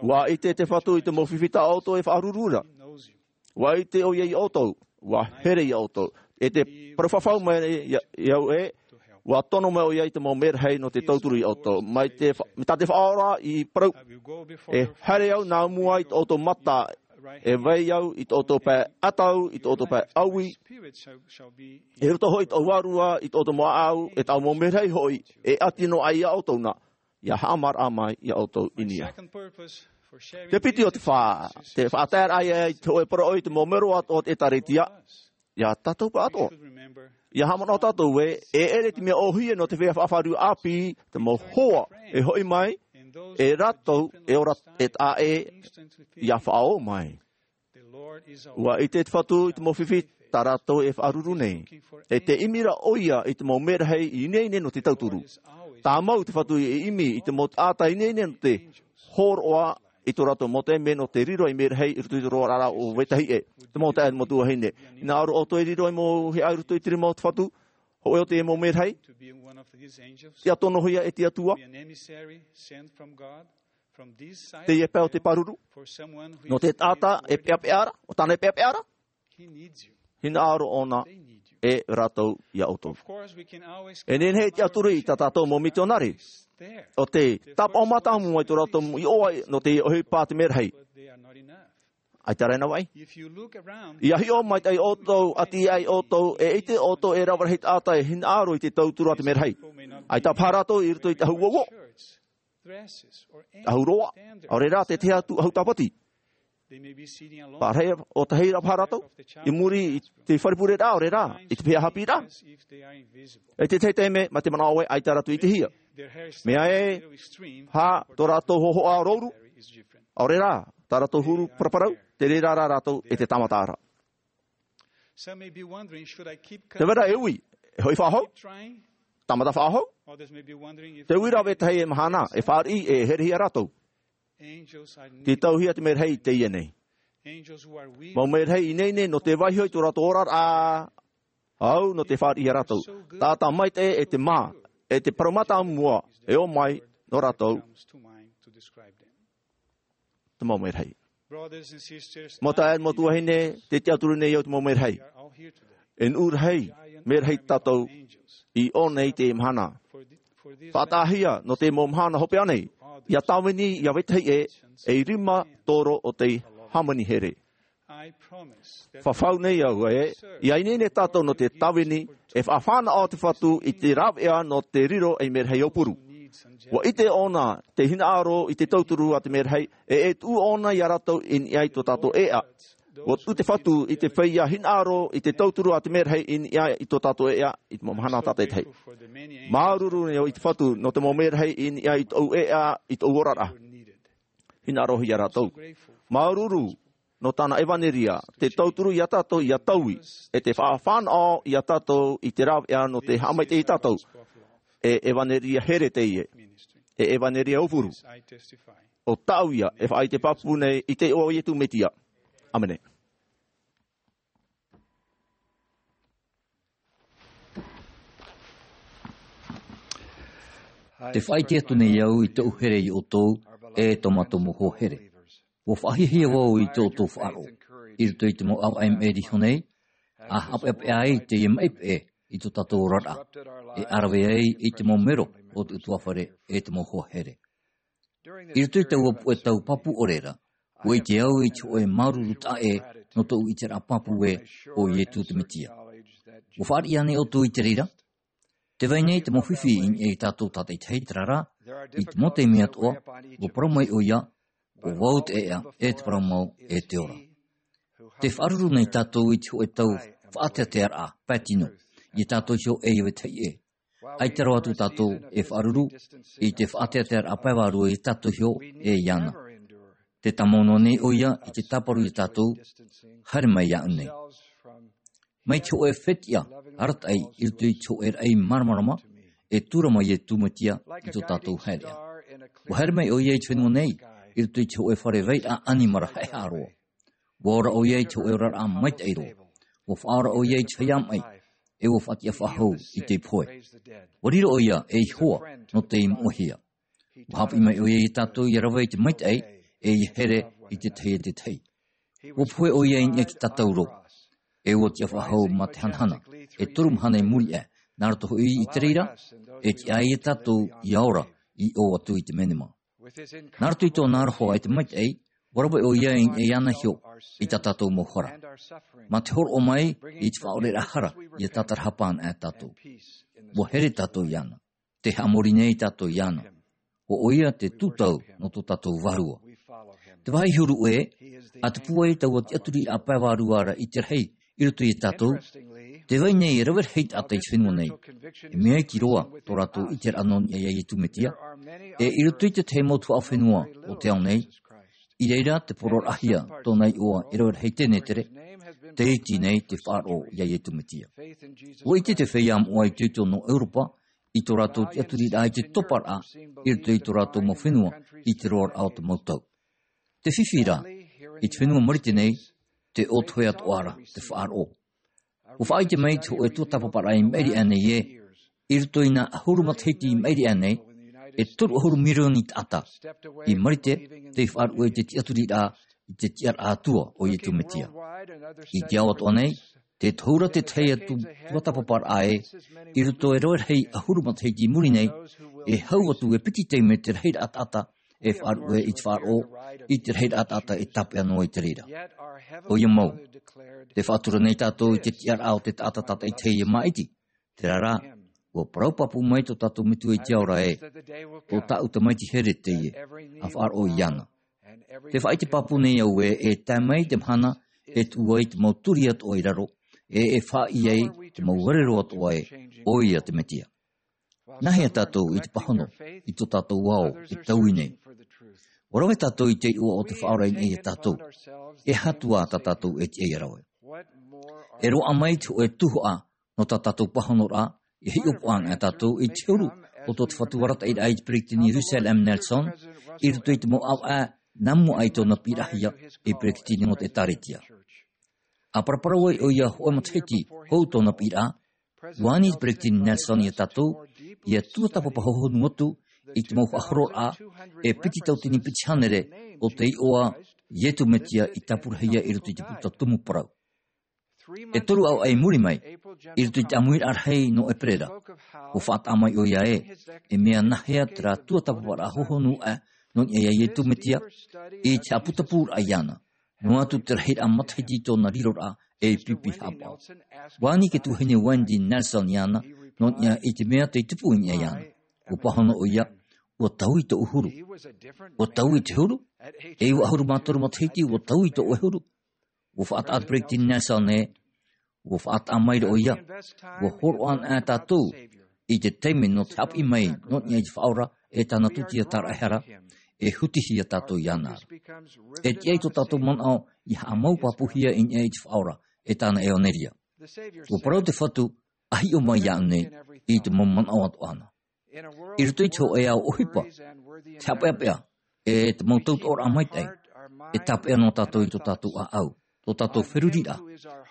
ʻUa ʻite te Fatu i te mau fifi tā ʻoutou e faʻaruru ra. ʻUa ʻite ʻoia ia ʻoutou, ʻua here ia ʻoutou. E te parau fafau mai ia, ia au ē, ʻua tono mai ʻoia i te mau mērahi nō te tauturu ia ʻoutou. Mai te fa-, mai tā te Faʻaora i parau, e haere au nā mua i tō ʻoutou mata, e vai au i tō ʻoutou pae ʻatau, i tō ʻoutou pae ʻaui, i roto hoʻi i tō ʻoutou vārua, i tō ʻoutou mau ʻāʻau, e tāʻu mau mērahi hoʻi, e ʻati noa aʻe ia ʻoutou na, ia haʻamāraʻa mai ia ʻoutou i niʻa. Te piti o te fā, te faʻataeraʻa ia i te hōʻē poroʻi i te mau mero atoʻa o te ʻĒkālesia, ia tātou pāʻatoʻa. Ia haʻamanaʻo tātou ē, e ʻere te mea ʻōhie nō te feiā fafariu āpī, te mau hoa, e hoʻi mai, e rātou, e ora, e taʻa ʻē, ia faʻaō mai. ʻUa ʻite te Fatu i te mau fifi tā rātou e faʻaruru nei. E te ʻimi ra ʻoia i te mau mērahi ineine nō te tauturu. Tāmau te Fatu e ʻimi i te mau taʻata ineine nō te hōroʻa i tō rātou mau taime nō te riro i mērahi i roto i te roaraʻa o vetahi ʻē. Te mau taeaʻe, mau tuahine. Hinaʻaro ʻoutou e riro i mau hiaʻai i roto i te rima o te Fatu, hōʻē o te mau mērahi. Ia tonohia e te Atua. Teie pae o te pāruru. Nō te taʻata e peʻapeʻa ra, ʻo tāna e peʻapeʻa ra. Hinaʻaro ʻōna e rātou ia ʻoutou. E nehenehe e tiʻaturi i tā tātou mau mitionare. ʻO te tāpaʻo mātāmua i tō rātou iʻoa nō te ʻohipa a te mērahi. ʻAita rā e nā vaʻi. Ia hiʻo maitaʻi ʻoutou, ʻati aʻe ʻoutou, e ʻite ʻoutou e rave rahi taʻata e hinaʻaro i te tauturu a te mērahi. ʻAita paha rātou i roto i te ʻahu uouo, ʻahu roa, ʻaore rā te tahi atu ʻahu tāpati. Pārahi ʻōtahi ra paha rātou, i muri i te fare pureraʻa, ʻaore rā, i te pae haʻapiʻiraʻa. E te tahi taime, mā te manaʻo ē, ʻaita rātou i ʻitehia. Mea ē, hā, tō rātou hōhoʻa rouru, ʻaore rā, tā rātou huru paraparau, te reira rā rātou e te tāmata ra. Te vai ra e ui, e hoʻi faʻahou, tāmata faʻahou. Te ui rā vetahi e mahana, e fāriʻi, e herehia rātou. Te tauhia te mērahi i teie nei. Mau mērahi ineine nō te vaiiho i tō rātou oraraʻa, au nō te fāriʻi ia rātou. Taʻata maitaʻi e te mā, e te parau mātāmua, e ō mai nō rātou. Te mau mērahi. Mau taeaʻe, mau tuahine, tē tiʻaturi nei au te mau mērahi. E nuʻu rahi, mērahi tātou i ʻō nei i teie mahana. Faʻataʻahia nō te mau mahana hopeʻa nei, ia tāvini ia vetahi ʻē, ei rima toro o te hāmani here. Fafau nei au e, ia ineine tātou nō te tāvini, e faʻafānaʻo te Fatu i te rāveʻa nō te riro ei merahi aupuru. Ua ʻite ʻōna te hinaʻaro i te tauturu a te merahi, e, e tuʻu ʻōna ia rātou i niʻa i tō tātou ʻēʻa. Ua tuʻu te Fatu i te feiā hinaʻaro i te tauturu a te merahi i niʻa i tō tātou ʻēʻa, i te mau mahana tātaʻitahi. Māuruuru nei au i te Fatu nō te mau merahi i niʻa i tōʻu ʻēʻa, i tōʻu oraraʻa. Hinaʻarohia rātou. Māuruuru nō tāna ʻevaneria, te tauturu ia tātou ia taui, e te faʻafānaʻo ia tātou i te rāveʻa nō te haʻamaitaʻi ia tātou. E ʻevaneria here teie, e ʻevaneria aupuru. ʻO tāʻu ia e faʻaʻite pāpū nei i te iʻoa o Iesu Mesia. ʻĀmene. Te faʻaʻite atu nei au i tōʻu here ia ʻoutou, e tō mātou mau hoa here. Ua faʻahiahia vau i tō ʻoutou faʻaroʻo. I roto i te mau ʻāvaʻe maʻiri iho nei, ʻa haʻapeʻapeʻa ai teie maʻi peʻe i tō tātou oraraʻa. E ʻārave ai i te mau mero o te ʻutuāfare e te mau hoa here. I roto i taua puʻe tau pāpū ʻore ra, ua ʻite au i te hōʻē māuruuru taʻa ʻē nō tōʻu ʻiteraʻa pāpū ē ʻo Iesu te Mesia. Ua fāriʻi ānei ʻoutou i te reira? Tē vai nei te mau fifi i niʻa ia tātou tātaʻitahi, terā rā, i te mau taime atoʻa, ua parau mai ʻoia, ʻo vau te ʻēʻa, e te parau mau, e te ora. Tē faʻaruru nei tātou i te hōʻē tau faʻateatearaʻa pae tino, ia tātou iho e ia vetahi ʻē. ʻAita roa atu tātou e faʻaruru i te faʻateatearaʻa pae vārua ia tātou iho e iāna. Tē tāmau noa nei ʻoia i te tāparu ia tātou, haere mai iāʻu nei. Mai te hōʻē fetiʻa arataʻi i roto i te hōʻē raʻi māramarama, e tūrama Iesu Mesia i tō tātou haereʻa. Ua haere mai ʻoia i te fenua nei, i roto i te hōʻē fare vairaʻa ʻanimara haʻehaʻa roa. Ua ora ʻoia i te hōʻē oraraʻa maitaʻi roa. Ua faʻaora ʻoia i te feiā maʻi, e ua faʻatiʻa faʻahou i te ipu hoe. Ua riro ʻoia ei hoa nō tei moʻehia. Ua haʻapiʻi mai ʻoia ia tātou ia rave i te maitaʻi, e ia here i te tahi e te tahi. Ua pohe ʻoia i niʻa i te tātauro, e ua tiʻa faʻahou mā te hanahana, e toru mahana i muri aʻe, nā roto hoʻi i te reira, e tiʻa ai ia tātou ia ora i ʻō atu i te menema. Nā roto i tōna aroha e te maitaʻi, ua rave ʻoia i niʻa iāna iho i tā tātou mau hara. Mā te hōroʻa mai i te faʻaʻoreraʻa hara, ia tātarahapa anaʻe tātou. Ua here tātou iāna. Tē haʻamori nei tātou iāna. ʻO ʻoia te tūtau nō tō tātou Vārua. Te vāhi huru ē, ʻa tupu ai taua tiʻaturiraʻa pae vārua ra i te rahi i roto ia tātou, tē vai nei e rave rahi taʻata i te fenua nei. E mea iti roa tō rātou ʻiteraʻa nō niʻa ia Iesu Mesia. E i roto i te tahi mau tuhaʻa fenua o te ao nei, i reira te poroʻahia tōna iʻoa e rave rahi tenetere, tē iti nei te faʻaroʻo ia Iesu Mesia. Ua ʻite te feiā moʻa itoito nō ʻEuropa i tō rātou tiʻaturiraʻa i te toparaʻa i roto i tō rātou mau fenua i te roaraʻa o te mau tau. Te fifi rā, i te fenua Marite nei, te ʻōtohe atoʻa ra te faʻaroʻo. Ua faʻaʻite mai te hōʻē tuatāpaparaʻa i maʻiri aʻe nei ē, i roto i nā ʻahuru matahiti i maʻiri aʻe nei, e toru ʻahuru mirioni taʻata i Marite tei faʻaruʻe i te tiʻaturiraʻa i te tiʻaraʻa Atua ʻo Iesu Mesia. I te ao atoʻa nei, tē tohu ra te tahi atu tuatāpaparaʻa ē, i roto e rave rahi ʻahuru matahiti i muri nei, e hau atu e piti taime te rahiraʻa taʻata e faʻaruʻe i te faʻaroʻo, i te rahiraʻa taʻata e tāpeʻa noa i te reira. ʻOia mau, tē faʻatura nei tātou i te tiʻaraʻa o te taʻata tātaʻitahi e māʻiti, terā rā, ua parau pāpū mai tō tātou Metua i te ao ra ē, tō tāʻu Tamaiti here teie, ʻa faʻaroʻo iāna. Tē faʻaʻite pāpū nei au ē, e tae mai te mahana e tuʻu ai te mau turi atoʻa i raro, e e faʻaʻī ai te mau rerero atoʻa ē, ʻoia te Mesia. Nāhea tātou i te pāhono i tō tātou ao e taui nei? Ua rave tātou i te iʻoa o te Faʻaora i niʻa ia tātou. E aha atu ā tā tātou e tiʻa ia rave? E roaʻa mai te hōʻē tuhaʻa nō tā tātou pāhonoraʻa, e hiʻopoʻa anaʻe tātou i te huru o tō te Fatu arataʻiraʻa i te Peretiteni Russell M. Nelson, i roto i te mau ʻāvaʻe nā mua aʻe i tōna piʻirahia ei Peretiteni nō te ʻĒkālesia. ʻA paraparau ai ʻoia hōʻē matahiti hou tōna piʻiraʻa, ua ani te Peretiteni Nelson ia tātou, ia tuatāpapa hohonu atu i te mau faʻahororaʻa, e piti tauatini piti hānere o te iʻoa Iesu Mesia i tāpurahia i roto i te puta tumu parau. E toru ʻāvaʻe i muri mai, i roto i te ʻāmuiraʻa rahi nō ʻEperēra, ua faʻataʻa mai ʻoia ē, e mea nāhea terā tuatāpaparaʻa hohonu aʻe nō niʻa ia Iesu Mesia, i te haʻaputapūraʻa iāna. Noa atu te rahiraʻa matahiti i tōna riroraʻa e pipi haʻapaʻo. Ua ani te tuahine Wendy Nelson iāna, nō niʻa i te mea tei tupu i niʻa iāna. Ua pāhono ʻoia, ua taui tōʻu huru. Ua taui te huru? E iva ʻahuru mā toru matahiti, ua taui tōʻu huru. Ua faʻataʻa te Peresideni Nelson ē, ua faʻataʻa maira ʻoia, ua hōroʻa anaʻe tātou i te taime nō te haʻapiʻi mai nō niʻa i te Faʻaora e tāna tūtia tāraʻehara, e hutihia tātou iāna ra. E tiʻa i tō tātou manaʻo ia haʻamau pāpūhia i niʻa i te Faʻaora e tāna ʻevanelia. Ua parau te Fatu, ʻa hiʻo mai iāʻu nei i te mau manaʻo atoʻa na. I roto i te hōʻē ao ʻohipa, te haʻapeʻapeʻa, e te mau tautoʻoraʻa maitaʻi, e tāpeʻa noa tātou i tō tātou ʻāʻau, tō tātou feruriraʻa,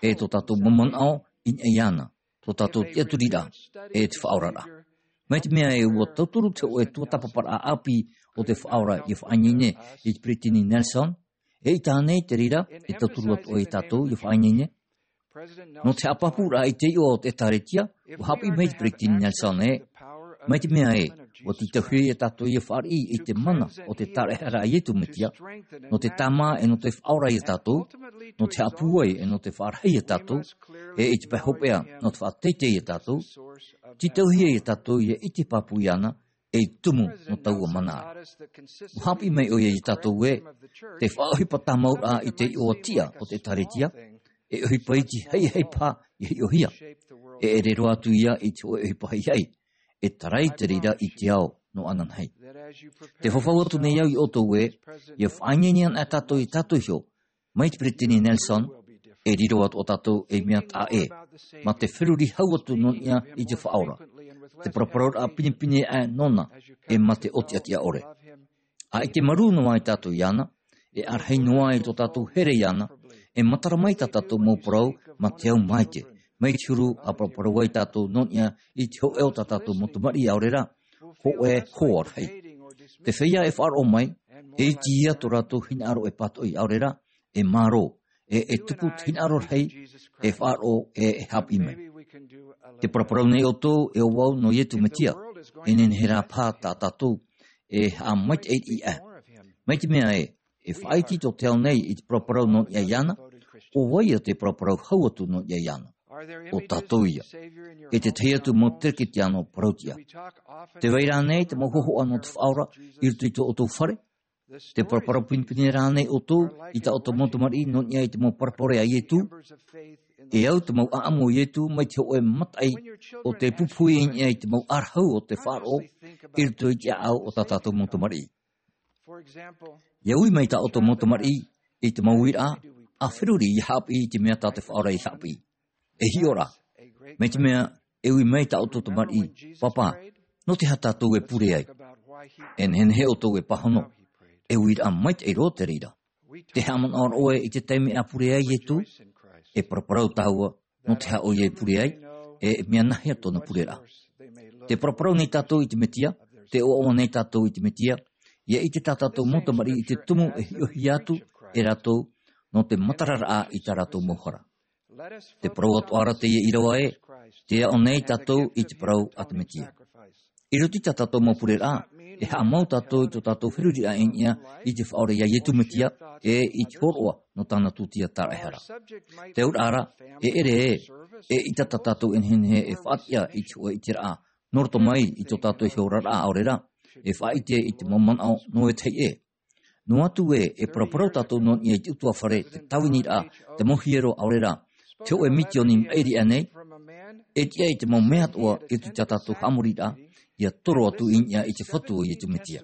e tō tātou mau manaʻo i niʻa iāna, tō tātou tiʻaturiraʻa, e te faʻaoraraʻa. Mai te mea ē ua tauturu te hōʻē tuatāpaparaʻa ʻāpī o te Faʻaora ia faʻaineine i te Peresideni Nelson, e ʻaita ānei te reira e tauturu atu ai ia tātou ia faʻaineine? Nō te haʻapāpūraʻa i te iʻoa o te ʻĒtārētia, ua haʻapiʻi mai te Peresideni Nelson ē, mai te mea ē, ua tītauhia ia tātou ia fāriʻi i te mana o te tāraʻehara a Iesu Mesia, nō te tāmā e nō te faʻaora ia tātou, nō te haʻapūai e nō te faʻarahi ia tātou, e i te pae hopeʻa nō te faʻateitei ia tātou, tītauhia ia tātou ia ʻite pāpū iāna, e tumu nō taua mana ra. Ua haʻapiʻi mai ʻoia ia tātou ē, te faʻaʻohipa tāmauraʻa i te iʻoa tiʻa o te ʻĒtārētia, e ʻohipa iti haʻihaʻi paha ia hiʻohia, e ʻere roa atu ia i te hōʻē ʻohipa haʻihaʻi, e tarai te reira i te ao nō ananahi. Tē fafau atu nei au ia ʻoutou ē, ia faʻaineine anaʻe tātou ia tātou iho, mai te Peresideni Nelson, e riro atoʻa tātou ei mea taʻa ʻē, mā te feruri hau atu nō niʻa i te Faʻaora, te paraparauraʻa pinepine aʻe nōna, e mā te ʻotiʻotiʻa ʻore. ʻA ʻite marū noa ai tātou iāna, e ʻārahi noa i tō tātou here iāna, e matara mai tā tātou mau parau mā te ao maitaʻi, mai te huru ʻa paraparau ai tātou nō niʻa i te hōʻē o tā tātou mau tamariʻi aore rā, hōʻē hoa rahi. Te feiā e faʻaroʻo mai, e iti ia tō rātou hinaʻaro e pātoʻi aore rā, e mārō, e, e tupu te hinaʻaro rahi, e faʻaroʻo, e, e haʻapiʻi mai. Tē paraparau nei ʻoutou e ʻo vau nō Iesu Mesia, e nehenehe rā paha tā tātou e haʻamaitaʻi aʻe. Mai te mea ē, e faʻaiti tō te ao nei i te paraparau nō niʻa iāna, ʻo vai ïa tē paraparau hau atu nō niʻa iāna? ʻO tātou ïa. E te tahi atu mau tereketiano parauʻtiʻa. Tē vai ra ānei te mau hōhoʻa nō te Faʻaora i roto i tō ʻoutou fare? Tē paraparau pinepine ra ānei ʻoutou i tā ʻoutou mau tamariʻi nō niʻa i te mau parabole a Iesu? E au te mau ʻāʻamu o Iesu mai te hōʻē mataʻi o te pupuhi i niʻa i te mau ʻārahu o te faʻaroʻo i roto i te ʻāʻau o tā tātou mau tamariʻi. Ia ui mai tā ʻoutou mau tamariʻi i te mau uiraʻa, ʻa feruri ia haʻapiʻi i te mea tā te Faʻaora i haʻapiʻi. E hiʻo ra. Mai te mea, e ui mai tā ʻoutou tamariʻi, Pāpā, nō te aha tātou e pure ai? E nehenehe ʻoutou e pāhono. E uiraʻa maitaʻi roa te reira. Tē haʻamanaʻo ra ʻoe i te taime a pure ai Iesu? E paraparau tāua, nō te aha ʻoia i pure ai, e mea nāhea tōna pureraʻa? Tē paraparau nei tātou i te Mesia, tē ʻoaʻoa nei tātou i te Mesia, ia ʻite tā tātou mau tamariʻi i te tumu e hiʻohia atu e rātou, nō te matararaʻa i tā rātou mau hara. Te parau atoʻa ra teie ʻīrava ē, tē aʻo nei tātou i te parau a te Mesia. I roto i tā tātou mau pureraʻa, e haʻamau tātou i tō tātou feruriraʻa i niʻa i te Faʻaora ia Iesu Mesia, e i te hōroʻa nō tāna tūtia tāraʻehara. Te auraʻa ra, e ʻere ē, eʻita tā tātou e nehenehe e faʻatiʻa i te hōʻē ʻiteraʻa, nō roto mai i tō tātou iho oraraʻa ʻaore rā, e faʻaʻite i te mau manaʻo nō ētahi ʻē. Noa atu ē, e paraparau tātou nō niʻa i te ʻutuāfare, te tāviniraʻa, te mau hiero ʻaore rā, te hōʻē misioni maʻiri aʻe nei, e tiʻa i te mau mea atoʻa i roto i tā tātou haʻamoriraʻa, ia toro atu i niʻa i te Fatu o Iesu Mesia.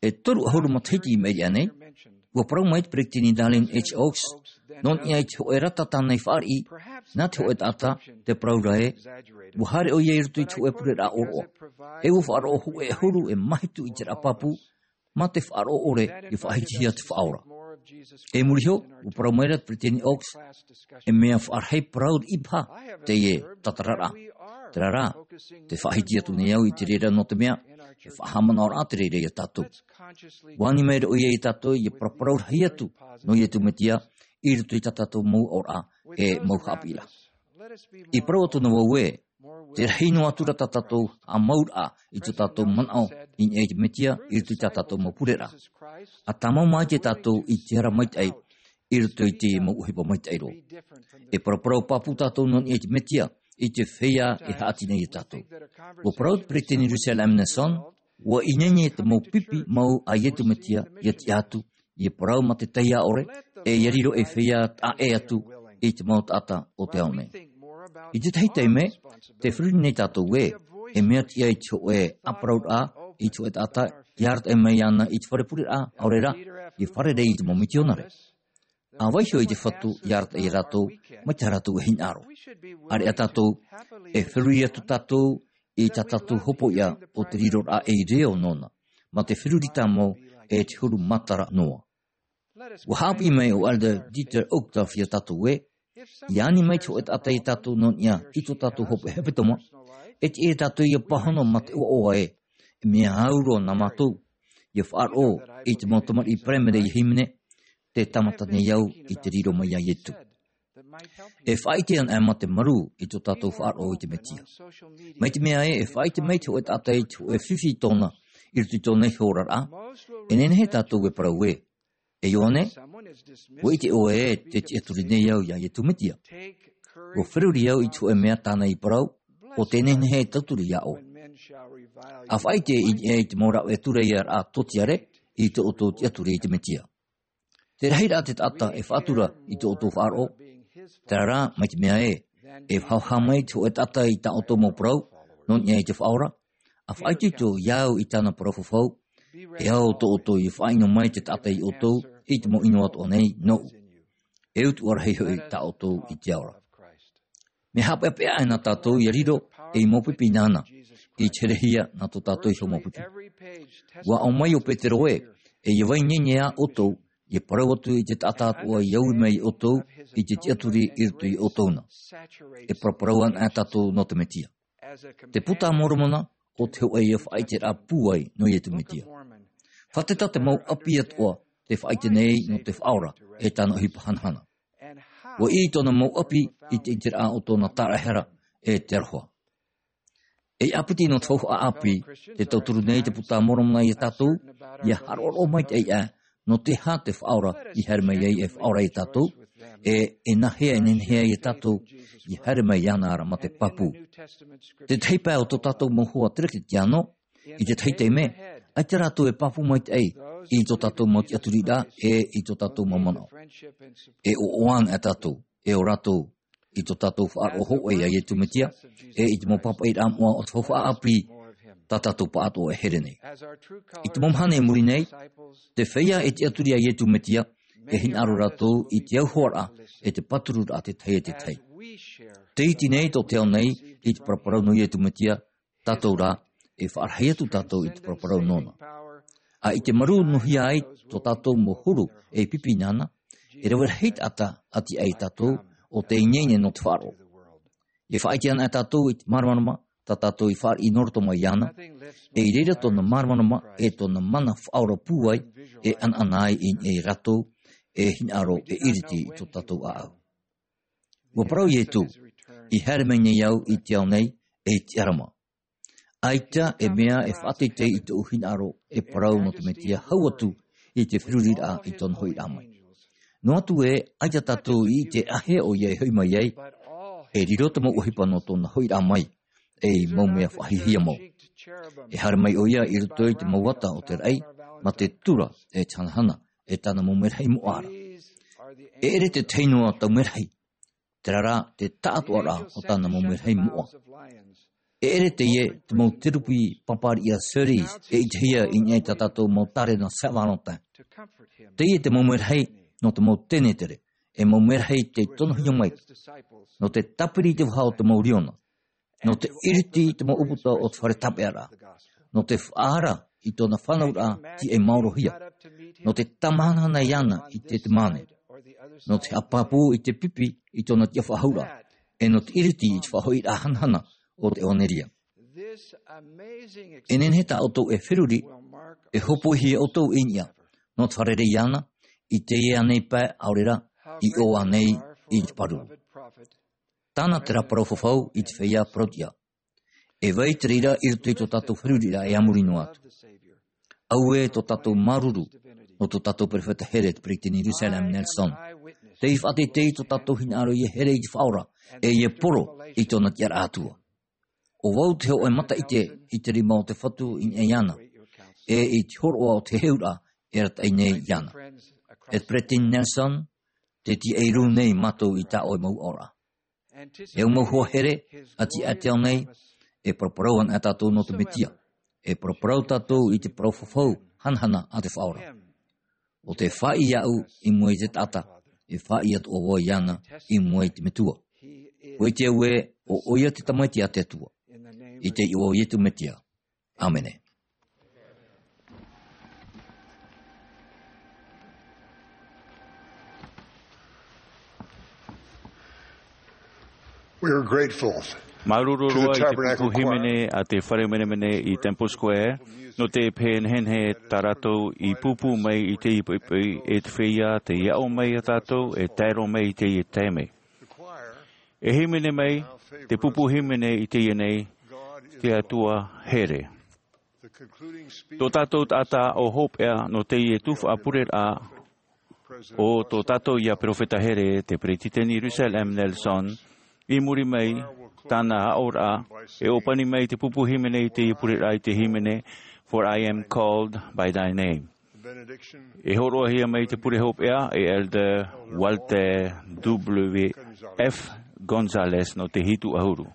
E toru ʻahuru matahiti i maʻiri aʻe nei, ʻua parau mai te Peresideni Dallin H. Oaks, nō niʻa i te hōʻē rata tāna i fāriʻi, nā te hōʻē taʻata, tē parau ra ē, ʻua haere ʻoia i roto i te hōʻē pureraʻa ʻōroʻa. E ʻua faʻaroʻo hōʻē ʻahuru e mahitu ʻiteraʻa pāpū, mā te faʻaroʻo ʻore ia faʻahitihia te Faʻaora. E muri iho, ʻua parau mai ra te Peresideni Oaks, e mea faʻarahi parau riʻi paha teie tatararaʻa. Terā rā, tē faʻahiti atu nei au i te reira nō te mea, e faʻahaʻamanaʻo ra te reira ia tātou. ʻUa ani mai ra ʻoia ia tātou ia paraparau rahi atu nō Iesu Mesia i roto i tā tātou mau aʻoraʻa e mau haʻapiʻiraʻa. I parau atu na vau ē, tē rahi noa atu ra tā tātou haʻamauraʻa i tō tātou manaʻo i niʻa i te Mesia i roto i tā tātou mau pureraʻa. ʻA tāmau maitaʻi tātou i te ara maitaʻi, i roto i te mau ʻohipa maitaʻi roa. E paraparau pāpū tātou nō niʻa i te Metia, i te feiā e haʻati nei iā tātou. ʻUa parau te peresideni Russell M. Nelson, ʻua ineine te mau pipi mau a Iesu Metia, ʻia tiʻa atu, ʻia parau mā te taiā ʻore, e ʻia riro ei feiā taʻa ʻē atu i te mau taʻata o te ao nei. I tētahi taime, tē feruri nei tātou ē, e mea tiʻa i te hōʻē ʻāparauraʻa, i te hōʻē taʻata, ʻia arataʻi mai iāna i te fare pureraʻa, ʻaore rā, ʻia fārerei i te mau mitionare. ʻA vaiiho i te Fatu ʻia arataʻi iā rātou, mai tā rātou e hinaʻaro. ʻĀreʻa tātou, e feruri atu tātou, i tā tātou hopoiʻa o te riroraʻa ei reo nōna, mā te feruri tāmau e te huru matara noa. ʻUa haʻapiʻi mai ʻo Elder Dieter Uchtdorf iā tātou ē, ʻia ani mai te hōʻē taʻata iā tātou nō niʻa i tō tātou hopoiʻa hepetoma, e tiʻa iā tātou ʻia pāhono mā te ʻoaʻoa ē, e mea au roa nā mātou, ʻia faʻaroʻo i te mau tamariʻi paraimere ʻia hīmene, tē tāmata nei au i te riro mai iā Iesu. E faʻaʻite ana mā te marū i tō tātou faʻaroʻo i te Metia. Mai te mea ē, e faʻaʻite mai te hōʻē taʻata i te hōʻē fifi tōna, i roto i tōna iho oraraʻa, e nehenehe tātou e parau ē, e Ioane, ʻua ʻite ʻoe ē, tē tiʻaturi nei au iā Iesu Metia. ʻUa feruri au i te hōʻē mea tāna i parau, ʻo tē nehenehe e tauturu iā ʻoe. ʻA faʻaʻite i, i te mau rāveʻa tūreia rā tōtiare, i tō ʻoutou tiʻaturi i te Metia. Tē rahi rā te taʻata e faʻatura i tō ʻoutou faʻaroʻo. Terā rā, mai te mea ē, e haʻahaʻa mai te hōʻē taʻata i tā ʻoutou mau parau, nō niʻa i te Faʻaora, ʻa faʻaitoito iā ʻu i tāna parau fafau, e ao tō ʻoutou ʻia faʻaʻino mai te taʻata iā ʻoutou, i te mau ʻino atoʻa nei, nōʻu. E utuʻa rahi hoʻi tā ʻoutou i te ao ra. Mea haʻapeʻapeʻa aʻe nā tātou ʻia riro ei mau pipi nāna, i te herehia nā tō tātou iho mau pipi. ʻUa ʻō mai ʻo Petero ē, e ʻia vai ineine ā ʻoutou, ʻia parau atu i te taʻata atoʻa i ui mai iā ʻoutou, i te tiʻaturi i roto iā ʻoutou na. E paraparau ana tātou nō te Metia. Te Puta a Moromona, ʻo te hōʻē ïa faʻaʻiteraʻa pūai nō Iesu Metia. Fātata te mau ʻapi atoʻa, tē faʻaʻite nei nō te Faʻaora, e tāna ʻohipa hanahana. ʻUa ʻī tōna mau ʻapi i te ʻiteraʻa o tōna tāraʻehara e te aroha. E ʻāpiti nō te faufaʻa ʻāpī, tē tauturu nei te Puta a Moromona iā tātou, ʻia haʻaroʻaroʻa maitaʻi aʻe, nō te aha te Faʻaora i haere mai ai e faʻaora iā tātou, e, e nāhea, e nehenehe ai iā tātou, i haere mai iāna ra mā te pāpū. Te tahi pae o tō tātou mau hoa Teretetiāno, i te tahi taime, ʻaita rātou e pāpū maitaʻi, i tō tātou mau tiʻaturiraʻa, e i tō tātou mau manaʻo. E ʻoaʻoa ana tātou, e ʻo rātou, i tō tātou faʻaroʻo hōʻē iā Iesu Metia, e i te mau pāpaʻiraʻa moʻa o te faufaʻa ʻāpī, tā tātou pāʻatoʻa e here nei. I te mau mahana i muri nei, te feiā e tiʻaturi iā Iesu Metia, e hinaʻaro rātou i te auhoaraʻa, e te pātururaʻa te tahi e te tahi. Tē iti nei tō te ao nei, i te paraparau nō Iesu Metia, tātou rā, e faʻarahi atu tātou i te paraparau nōna. ʻA i te marū nuhia ai tō tātou mau huru e pipi nāna, e rave rahi taʻata ʻati ai tātou ʻo tē ineine nō te faʻaroʻo. E faʻaʻite ana tātou i te māramarama, tā tātou i fāriʻi nō roto mai iāna, e i reira tōna māramarama, e tōna mana faʻaora pūai, e ʻanaʻana ai i, e rātou, e hinaʻaro, e iriti i tō tātou ʻāʻau. ʻUa parau Iesu, i haere mai nei au i te ao nei, e tiʻa ra mā. ʻAita e mea e faʻateitei i tōʻu hinaʻaro e parau nō te Mesia hau atu i te feruriraʻa i tōna hoʻiraʻa mai. Noa atu ē, ʻaita tātou i ʻite āhea ʻoia e hoʻi mai ai, e riro te mau ʻohipa nō tōna hoʻiraʻa mai, ei mau mea faʻahiahia mau. E haere mai ʻoia i roto i te mau ata o te raʻi, mā te tura e te hanahana, e tāna mau merahi moʻa ra. E ʻere te tahi noa tau merahi, terā rā te taʻatoʻaraʻa o tāna mau merahi moʻa. E ʻere teie te mau terupi pāpāriʻi a Ceres e ʻitehia i niʻa i tā tātou mau tārena Saint Valentin. Teie te mau merahi nō te mau tenetere, e mau merahi tei tonohia mai, nō te tāpiri i te vaha o te mau riona, nō te iriti i te mau ʻūputa o te fare tāpeʻaraʻa, nō te faʻaara i tōna fānauraʻa tīaʻi maorohia, nō te tāmāhanahana iāna i te, te māne, nō te haʻapāpū i te pipi i tōna tiʻafaʻahouraʻa, e nō te iriti i te faʻahoʻiraʻa hanahana o te ʻevanelia. E nehenehe tā ʻoutou e feruri, e hōpoihia ʻoutou i niʻa, nō te fārerei iāna, i teie nei pae ʻaore rā, i ʻō ānei i te pāruru. Tāna terā parau fafau i te feiā parautiʻa. E vai te reira i roto i tō tātou feruriraʻa e a muri noa atu. Auē tō tātou māuruuru, nō tō tātou perofeta here te peretiteni Russell M. Nelson. Tei faʻateitei tō tātou hinaʻaro ʻia here i te Faʻaora, ʻe ʻia poro i tōna tiʻaraʻa Atua. ʻO vau te hōʻē mataʻite i te rima o te Fatu i niʻa iāna, ʻe i te hōroʻa o te heheuraʻa e arataʻi nei iāna. E Peresideni Nelson, tē tiaʻi rū nei mātou i tā ʻoe mau aʻoraʻa. E ʻua mau hoa here, ʻa tiʻa atu nei, e paraparau ana tātou nō te Mesia. E paraparau tātou i te parau fafau hanahana a te Faʻaora. ʻO tē faʻaʻī iāʻu i mua i te taʻata, e faʻaʻī atoʻa vau iāna i mua i te Metua. ʻUa ʻite au ē, ʻo ʻoia te Tamaiti a te Atua. I te iʻoa o Iesu Mesia. ʻĀmene. We are grateful Māuruuru to the roa i te Tabernacle pupu Choir. Hīmene a te Fare Menemene i Temple Square, nō te pehenehenehe tā rātou i pūpū mai i teie poʻipoʻi e te feiā tei aʻo mai ia tātou e tae roa mai i teie taime. E hīmene mai te pupu hīmene i teie nei, Te Atua Here. Tō tātou taʻata ʻo hopeʻa nō teie tuhaʻa pureraʻa, ʻo tō tātou ia perofeta here, te Peresideni Russell M. Nelson, i muri mai tāna aʻoraʻa, e ʻōpani mai te pupu hīmene i teie pureraʻa i te hīmene, For I am called by thy name. E hōroʻahia mai te pure hopeʻa e Elder Walter W F Gonzalez nō te hitu ʻahuru.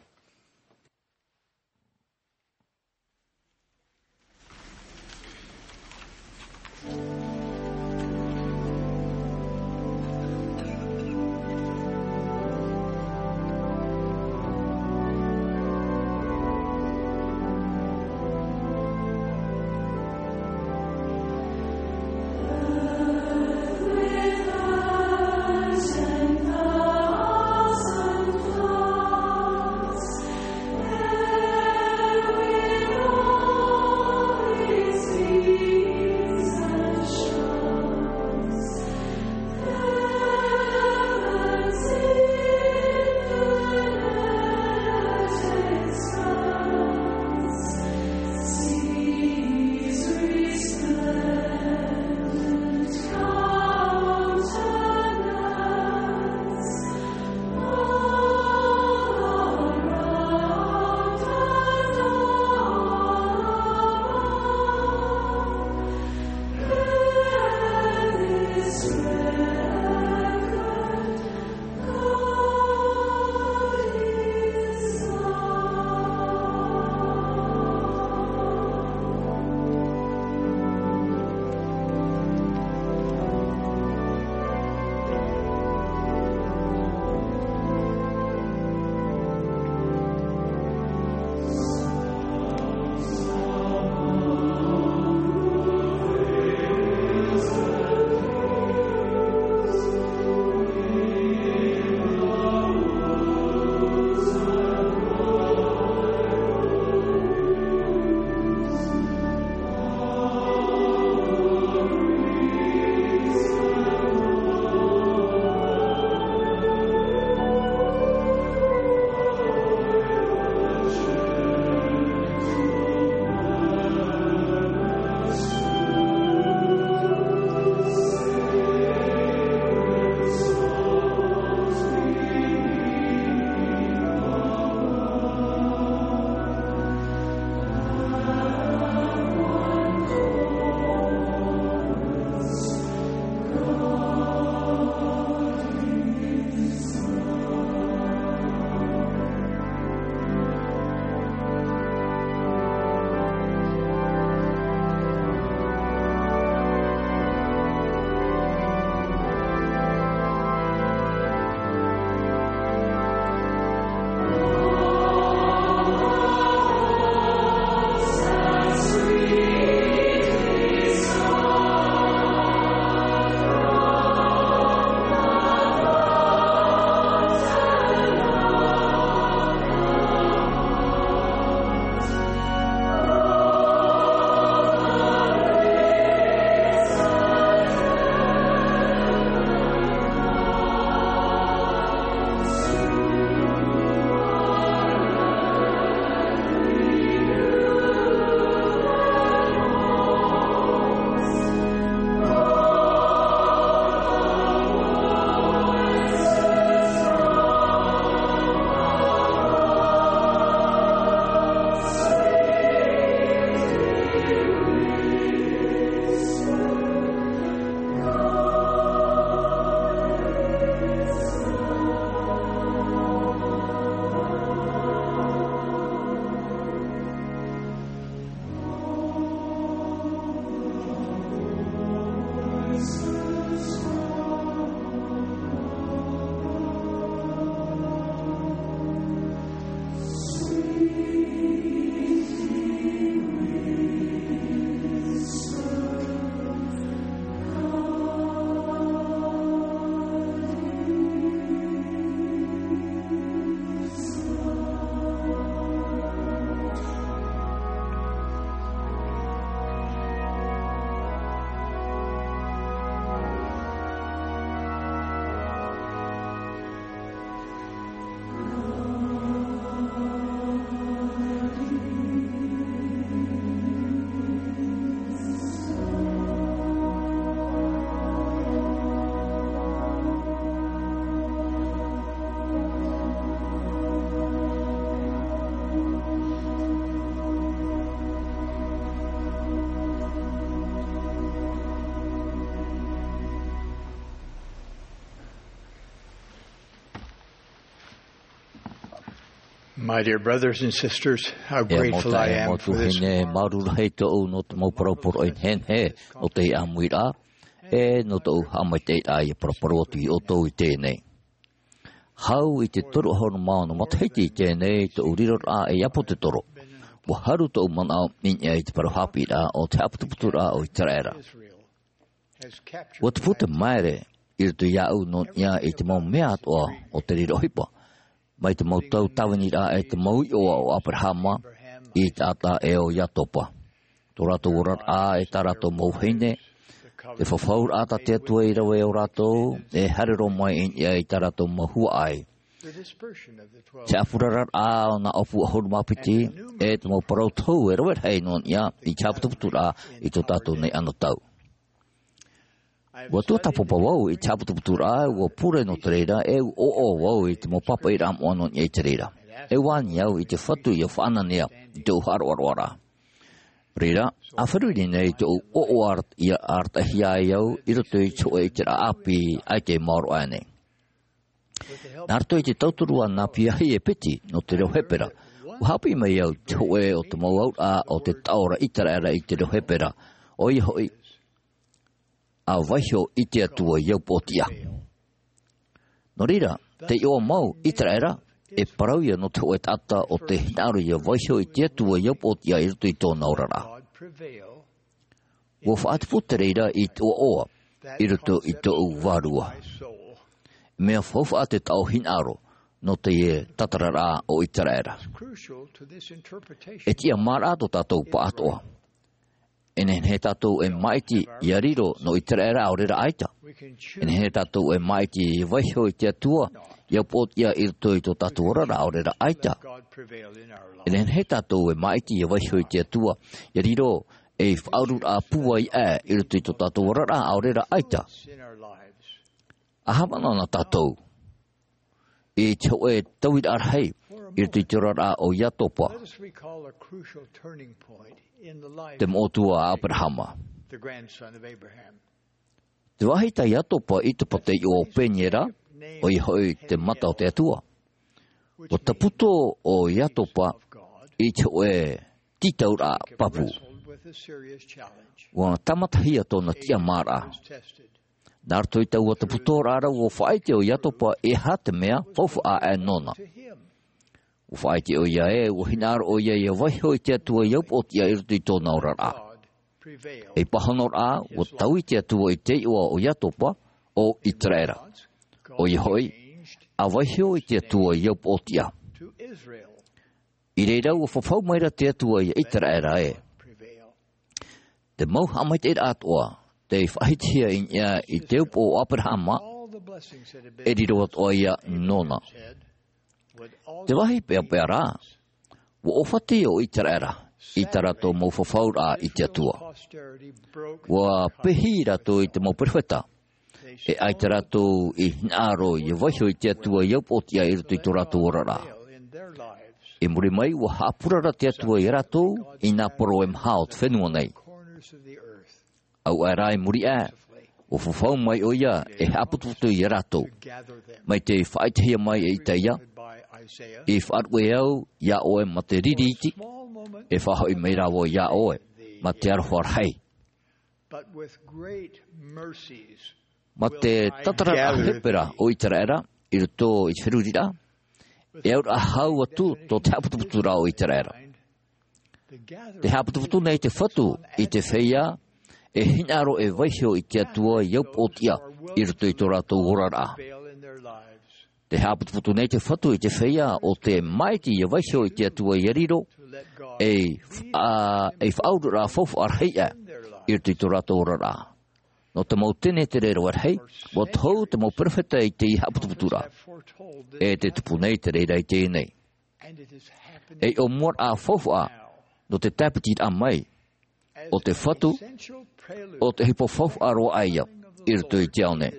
My dear brothers and sisters, how E grateful I mautaʻi, e am for this. Tuahine, māuruuru rahi tōʻu nō te mau parau poroʻi nehenehe, nō te ʻāmuiraʻa, e nō tōʻu haʻamaitaʻiraʻa i paraparau atu iā ʻoutou i teie nei. Hau i te toru ʻahuru mā ono matahiti i teie nei tōʻu riroraʻa ei ʻāpōsetolo. ʻUa haru tōʻu manaʻo i niʻa i te parau haʻapiʻiraʻa o te haʻaputuputuraʻa o ʻĪteraʻera. ʻUa tupu te māere i roto iāʻu nō niʻa i te mau mea atoʻa o te riro ʻohipa, mai te mau tau tāviniraʻa e te mau iʻoa o ʻĀperahama, Isaaka e ʻo Iakoba. Tō rātou oraraʻa e tā rātou mau vahine, te fafauraʻa tā te Atua i rave iā rātou, e haere roa mai i niʻa i tā rātou mau huaʻai. Te ʻāpuraraʻa o nā ʻōpū ʻahuru mā piti, e te mau parau tohu e rave rahi nō niʻa i te haʻaputuputuraʻa i tō tātou nei anotau. ʻUa tuatāpapa vau i te haʻaputuputuraʻa, ʻua pure nō te reira, e ʻua ʻoaʻoa vau i te mau pāpaʻiraʻa moʻa nō niʻa i te reira. E ʻua ani au i te Fatu ʻia faʻananea i tōʻu haʻaroaroaraʻa. Reira, ʻa feruri nei tōʻu ʻoaʻoa ʻia arataʻihia ai au i roto i te hōʻē ʻiteraʻa ʻāpī ʻaita i maoro aʻe nei. Nā roto i te tauturu a nā Piahi e Peti nō te reo Hepera, ʻua haʻapiʻi mai au i te hōʻē o te mau auraʻa o te taʻo ra ʻĪteraʻera i te reo Hepera, ʻoia hoʻi, ʻa vaiho i te Atua i au pōtiʻa. Nō reira, te iʻoa mau ʻĪteraʻera, e parau ia nō te hōʻē taʻata o tē hinaʻaro ʻia vaiho i te Atua i au pōtiʻa i roto i tōna oraraʻa. ʻUa faʻatupu te reira i te ʻoaʻoa i roto i tōʻu vārua. Mea faufaʻa te taʻo hinaʻaro nō te tātararaʻa o ʻĪteraʻera. E tiʻamāraʻa tō tātou pāʻatoʻa. E nehenehe tātou e māʻiti ʻia riro nō ʻĪteraʻera ʻaore rā ʻaita. E nehenehe tātou e māʻiti ʻia vaiho i te Atua i au pōtiʻa i roto i tō tātou oraraʻa ʻaore rā ʻaita. E nehenehe tātou e māʻiti ʻia vaiho i te Atua ʻia riro ei faʻaururaʻa pūai aʻe i roto i tō tātou oraraʻa ʻaore rā ʻaita. ʻA haʻamanaʻo na tātou i te hōʻē tauiraʻa rahi i roto i te oraraʻa o Iakoba, te moʻotua a ʻĀperahama. Te vāhi tā Iakoba i te pātaiʻo o Peniera, ʻoia hoʻi te mata o te Atua. ʻUa taputo ʻo Iakoba i te hōʻē tītauraʻa pāpū. ʻUa tāmatahia tōna tiʻamāraʻa. Nā roto i taua taputoraʻa ra ʻua faʻaʻite ʻo Iakoba e aha te mea faufaʻa aʻe nōna. ʻUa faʻaʻite ʻoia ē, ʻua hinaʻaro ʻoia ʻia vaiho i te Atua i au pōtiʻa i roto i tōna oraraʻa. Ei pāhonoraʻa, ʻua taui te Atua i te iʻoa o Iakoba, ʻo ʻĪteraʻera. ʻOia hoʻi, ʻa vaiho i te Atua i au pōtiʻa. I reira ʻua fafau maira te Atua iā ʻĪteraʻera ē. Te mau haʻamaitaʻiraʻa atoʻa, tei faʻahitihia i niʻa i te upoʻo o ʻĀperahama, e riro atoʻa ia nōna. Te vāhi peʻapeʻa rā, ʻua ʻōfati ʻo ʻĪteraʻera, i tā rātou mau fafauraʻa i te Atua. ʻUa pehi rātou i te mau perofeta, e ʻaita rātou i hinaʻaro ʻia vaiho i te Atua i au pōtiʻa i roto i tō rātou oraraʻa. I muri mai, ua haʻapurara te Atua iā rātou i nā poro e maha o te fenua nei. Au aʻe rā i muri aʻe, ua fafau mai ʻoia e haʻaputuputu iā rātou. Mai te faʻaʻitehia mai e Isaia, i faʻaruʻe au iā ʻoe mā te riri iti, e faʻahoʻi mai rā vau iā ʻoe mā te aroha rahi. Mā te tātararaʻa hepera o Iseraela i roto i te feruriraʻa, e auraʻa hau atu tō te haʻaputuputuraʻa o Iseraela. Te haʻaputuputu nei te Fatu i te feiā e hinaʻaro e vaiiho i te Atua i au pōtiʻa i roto i tō rātou oraraʻa. Te haʻaputuputu nei te Fatu i te feiā ʻo tē māʻiti ʻia vaiiho i te Atua ʻia riro ei, ā, ei faʻaururaʻa faufaʻa rahi aʻe i roto i tō rātou oraraʻa. Nō te mau tenetere rave rahi, ua tohu te mau perofeta i teie haʻaputuputuraʻa, e tē tupu nei te reira i teie nei. Ei ʻōmuaraʻa faufaʻa nō te tāpitiraʻa mai o te Fatu, ʻo te ʻohipa faufaʻa roa aʻe ia i roto i te ao nei.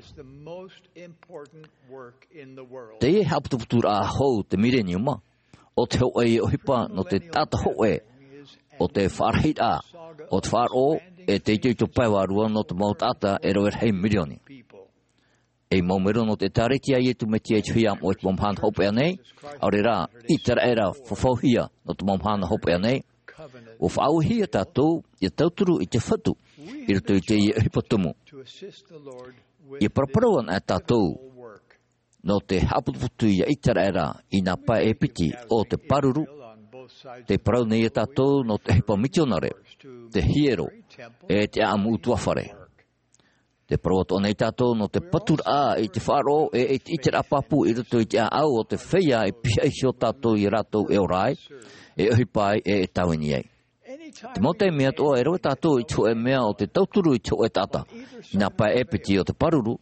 Teie haʻaputuputuraʻa hou te Mileniuma, ʻo te hōʻē ʻohipa nō te taʻata hōʻē o te faʻarahiraʻa o te faʻaroʻo e te itoito pae vārua nō te mau taʻata e rave rahi mirioni. Ei mau mero nō te ʻĒtārētia a Iesu Mesia i te feiā moʻa i te mau mahana hopeʻa nei, ʻaore rā, Iseraela fafauhia nō te mau mahana hopeʻa nei, ua faʻaauhia tātou ʻia tauturu i te Fatu i roto i teie ʻohipa tumu. ʻIa paraparau anaʻe tātou nō te haʻaputuputu ia Iseraela i nā pae e piti o te pāruru. Tē parau nei ia tātou nō te ʻohipa mitionare, te hiero, e te ʻāʻamu ʻutuāfare. Tē parau atoʻa nei tātou nō te paturaʻa i te faʻaroʻo e i te ʻiteraʻa pāpū i roto i te ʻāʻau o te feiā e pihaʻi iho tātou ia rātou e ora ai, e ʻohipa ai, e e tāvini ai. Te mau taime atoʻa e rave tātou i te hōʻē mea o te tauturu i te hōʻē taʻata i nā pae e piti o te pāruru,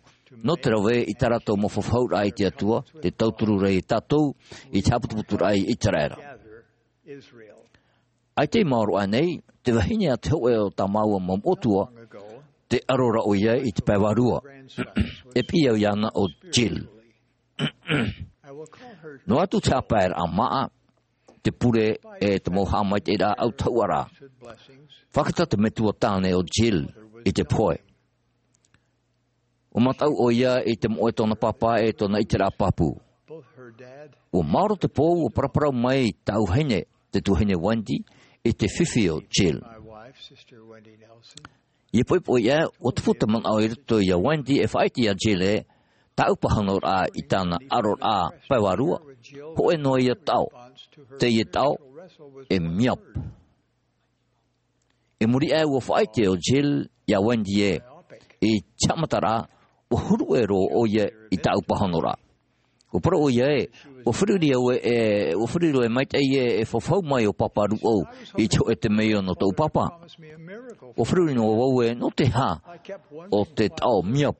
nō te rave i tā rātou mau fafauraʻa i te Atua, tē tauturu ra ia tātou i te haʻaputuputuraʻa i Iseraela. ʻAita i maoro aʻe nei te vahine a te hōʻē o tā māua mau moʻotua, tē ʻaro ra ʻoia i te pae vārua. E piʻi au iāna ʻo Jill. Noa atu te haʻapaeraʻa māʻa, te pure, e te mau haʻamaitaʻiraʻa autahuʻaraʻa. Fakatata te metua tāne ʻo Jill i te pohe. ʻUa mataʻu ʻoia i te moʻe tōna pāpā e tōna ʻiteraʻa pāpū. ʻUa maoro te pō, ʻua paraparau mai tāʻu vahine, te tuahine Wendy, i te fifi o Jill. ʻIa poʻipoʻi aʻe, ʻua tupu te manaʻo i roto ia Wendy e faʻaʻite ia Jill ē, tāʻu pāhonoraʻa i tāna ʻaroraʻa pae vārua, hōʻē noa ia taʻo, teie taʻo, e miap. I muri aʻe ʻua faʻaʻite ʻo Jill ia Wendy ē, i te haʻamataraʻa, ʻua huru ʻē roa ʻoia i tāʻu pāhonoraʻa. ʻUa parau ʻoia ē, ʻua feruri au ē, ʻua feruri au ē maitaʻi ē, e fafau mai ʻo Pāpā Rūʻau i te hōʻē temeio nō tōʻu pāpā. ʻUa feruri noa vau ē, nō te aha ʻo te taʻo miap,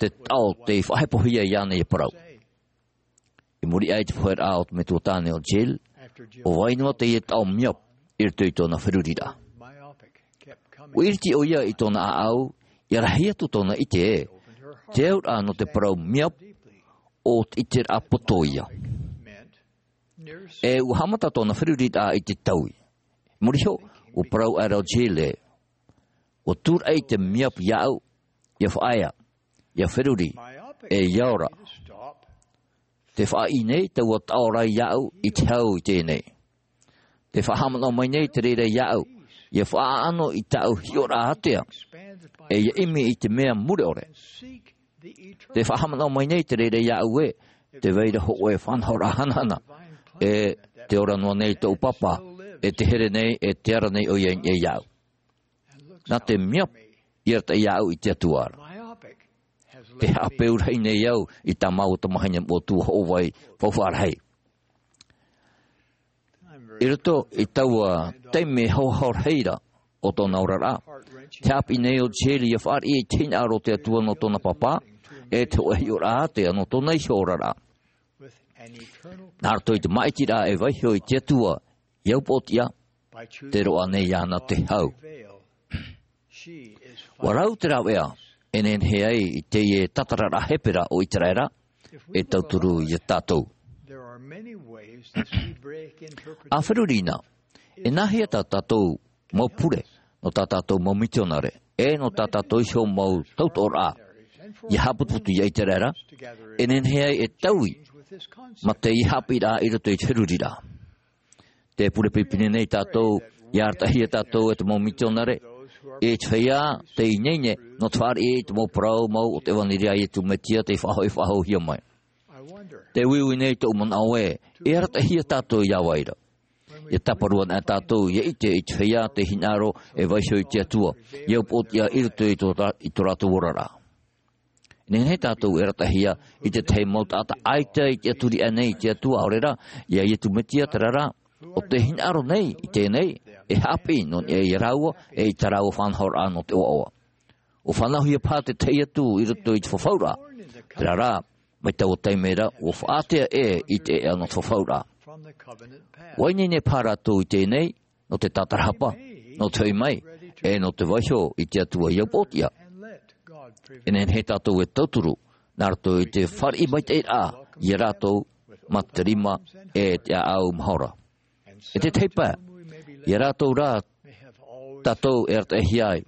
te taʻo tei faʻahepohia iāna ʻia parau. I muri aʻe i te poheraʻa o te metua tāne ʻo Jill, ʻua vai noa teie taʻo miap i roto i tōna feruriraʻa. ʻUa ʻiriti ʻoia i tōna ʻāʻau, ʻia rahi atu tōna ʻite ē, te auraʻa nō te parau miap, ʻo te ʻiteraʻa poto ia. E ʻua haʻamata tōna feruriraʻa i te taui. Muri iho, ʻua parau aʻera ʻo Jill ē, ʻua tūraʻi te miap iāʻu, ʻia faʻaea, ʻia feruri, e ʻia ora. Tē faʻaʻī nei taua taʻo ra iāʻu i te hau i teie nei. Tē faʻahaʻamanaʻo mai nei te reira iāʻu, ʻia faʻaʻano i tāʻu hiʻoraʻa ātea, e ʻia ʻimi i te mea mure ʻore. Tē faʻahaʻamanaʻo mai nei te reira iāʻu ē, tē vai ra hōʻē faʻanahoraʻa hanahana, e tē ora noa nei tōʻu pāpā, e tē here nei, e tē ara nei ʻoia i niʻa iāʻu. Nā te miap i arataʻi iāʻu i te Atua ra. Tē haʻapeu rahi nei au i tā māua tamahine moʻotua hoʻovai faufaʻa rahi. I roto i taua taime hauhau rahi ra o tōna oraraʻa, tē haʻapiʻi nei ʻo Jill ʻia fāriʻi i te hinaʻaro o te Atua nō tōna pāpā, e te hōʻē hiʻoraʻa ātea nō tōna iho oraraʻa. Nā roto i te māʻitiraʻa e vaiiho i te Atua i au pōtiʻa, tē roaʻa nei iāna te hau. ʻUa rau te rāveʻa e nehenehe ai i teie tātararaʻa hepera o Iseraela e tauturu ia tātou. A feruri na, e nāhea tā tātou mau pure, nō tā tātou mau mitionare, e nō tā tātou iho mau tautoʻoraʻa, ia haʻaputuputu ia ʻĪteraʻera, e nehenehe ai e taui, mā te ia haʻapiʻiraʻa i roto i te feruriraʻa. Te pure pīpine nei tātou, ia arataʻihia tātou e te mau mitionare, e te feiā, tei ineine, nō te fāriʻi i te mau parau mau o te ʻevanelia a Iesu Mesia tei faʻahou-, faʻahouhia mai. Te uiui nei tōʻu manaʻo ē, e arataʻihia tātou ia vai ra. Ia tāparu ana tātou, ia ʻite i te feiā, te hinaʻaro, e vaiho i te Atua, ia upoʻotiʻa i roto i tō rā-, i tō rātou oraraʻa. Nehenehe tātou e arataʻihia i te tahi mau taʻata ʻaita i tiʻaturi aʻe nei i te Atua, ʻaore rā, ia Iesu Mesia terā rā, ʻo te hinaʻaro nei, i teie nei, e haʻapiʻi nō niʻa ia rāua, e i tā rāua faʻanahoraʻa nō te ʻoaʻoa. ʻUa faʻanahohia paha te tahi atu i roto i te fafauraʻa. Terā rā, mai taua taime ra, ʻua faʻaātea ʻē i te ʻēʻa nō te fafauraʻa. ʻUa ineine paha rātou i teie nei, nō te tātarahapa, nō te hoʻi mai, e nō te vaiho i te Atua ia upoʻotiʻa. E nehenehe tātou e tauturu, nā roto i te fāriʻi maitaʻiraʻa, ia rātou, mā te rima, e te ʻāʻau mahora. E te tahi pae, ia rātou rā, tātou e arataʻihia ai,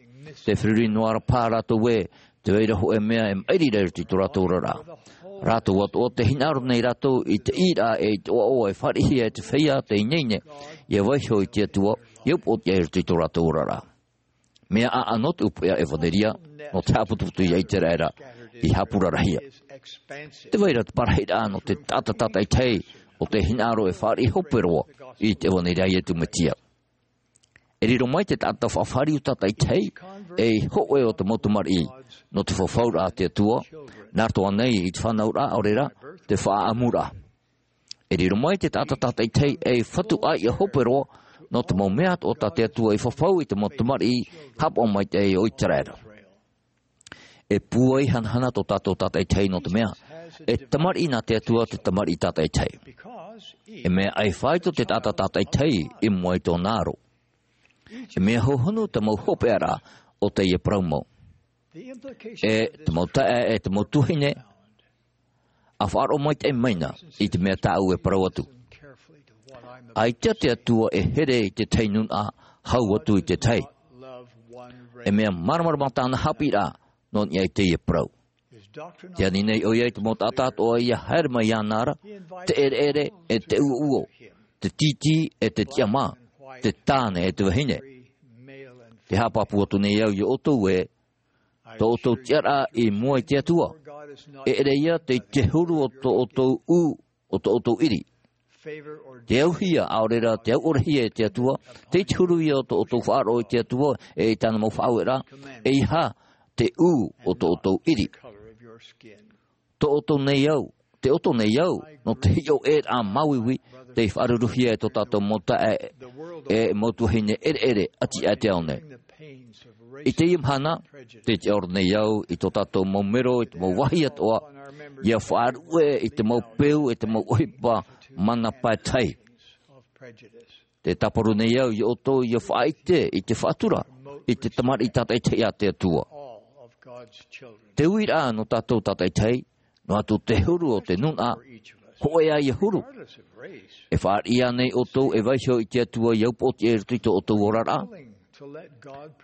te feruri noa ra paha rātou ē, tē vai ra hōʻē mea e maʻiri ra i roto i tō rātou oraraʻa. Rātou atoʻa te hinaʻaro nei rātou i te ʻīraʻa e i te ʻoaʻoa e fāriʻihia e te feiā, te ineine, ia vaiho i te Atua, ia upoʻotiʻa i roto i tō rātou oraraʻa. Mea ʻaʻano te ʻupuʻea ʻevanelia, nō te haʻaputuputu ia ʻĪteraʻera, i haʻapurarahia. Tē vai ra te parahiraʻa nō te taʻata tātaʻitahi, ʻo te hinaʻaro e fāriʻi hope roa, i te ʻevanelia a Iesu Mesia. E riro mai te taʻata faʻafāriu tātaʻitahi, ei hōʻē o te mau tamariʻi, nō te fafauraʻa a te Atua, nā roto ānei i te fānauraʻa, ʻaore rā, te faʻaʻamuraʻa. E riro mai te taʻata tātaʻitahi ei fatu ʻāiʻa hope roa, nō te mau mea atoʻa tā te Atua i fafau i te mau tamariʻi haʻapaʻo maitaʻi o ʻĪteraʻera. E pūai hanahana tō tātou tātaʻitahi nō te mea, e tamariʻi nā te Atua te tamariʻi tātaʻitahi. E mea ʻaifāito te taʻata tātaʻitahi i mua i tōna aro. E mea hōhonu te mau hopeʻaraʻa o teie parau mau. E te mau taeaʻe, e te mau tuahine, ʻa faʻaroʻo maitaʻi mai na i te mea tāʻu e parau atu. ʻAita te Atua e here i te tahi nūnaʻa hau atu i te tahi. E mea māramarama tāna haʻapiʻiraʻa nō niʻa i teie parau. Tē ani nei ʻoia i te mau taʻata atoʻa ia haere mai iāna ra, te ʻereʻere e te uoʻuo, te tītī e te tiʻamā, te tāne e te vahine. Te haʻapāpū atu nei au ia ʻoutou ē, tō ʻoutou tiʻaraʻa i mua i te Atua. E ʻere ia tei te huru o tō ʻoutou ʻū, o tō ʻoutou ʻiri. Te auhia, ʻaore rā, te auʻorehia e te Atua, tei te huru ia o tō ʻoutou faʻaroʻo i te Atua, e i tāna mau faʻaueraʻa, ʻeiaha te ʻū o tō ʻoutou ʻiri. Tō ʻoutou nei au, tō ʻoutou nei au, nō te hiʻo ʻē ā māuiui, tei faʻaruruhia e tō tātou mau taeaʻe, e mau tuahine ʻereʻere, ʻati aʻe te ao nei. I teie mahana, tē tiʻaoro nei au, i tō tātou mau mero, i te mau vāhi atoʻa, ia faʻaruʻe, i te mau peu, i te mau ʻohipa, mana paetahi. Tē tāparu nei au, ia ʻoutou, ia faʻaʻite, i te faʻatura, i te tamariʻi tātaʻitahi a te Atua. Te uiraʻa nō tātou tātaʻitahi, noa atu te huru o te nūnaʻa, hōʻē ā ia huru. E fāriʻi ānei ʻoutou e vaiho i te Atua ia upoʻotiʻa i roto i tō ʻoutou oraraʻa?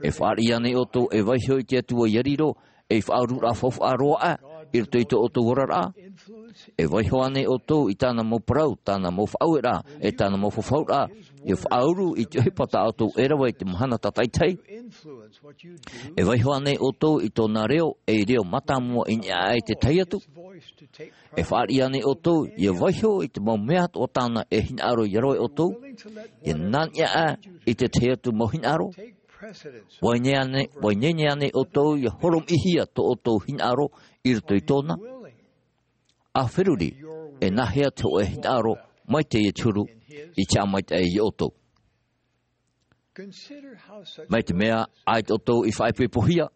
E fāriʻi ānei ʻoutou e vaiho i te Atua ia riro, ei faʻaururaʻa faufaʻa roa aʻe, i roto i tō ʻoutou oraraʻa? E vaiho ānei ʻoutou i tāna mau parau, tāna mau faʻaueraʻa, e tāna mau fafauraʻa, ia faʻauru i te ʻohipa tā ʻoutou e rave i te mahana tātaʻitahi? E vaiho ānei ʻoutou i tōna reo, ei reo mātāmua i niʻa aʻe i te tahi atu? E fāriʻi ānei ʻoutou, ia vaiho i te mau mea atoʻa tāna e hinaʻaro ia rave ʻoutou? Ia nā niʻa aʻe i te tahi atu mau hinaʻaro? ʻUa ineine ānei, ʻua ineine ānei ʻoutou, ia horomiʻihia tō ʻoutou hinaʻaro i roto i tōna? ʻA feruri, e nāhea te hōʻē hinaʻaro, mai teie te huru, i te haʻamaitaʻi ia ʻoutou. Mai te mea, ʻaita ʻoutou i faʻaipoipohia,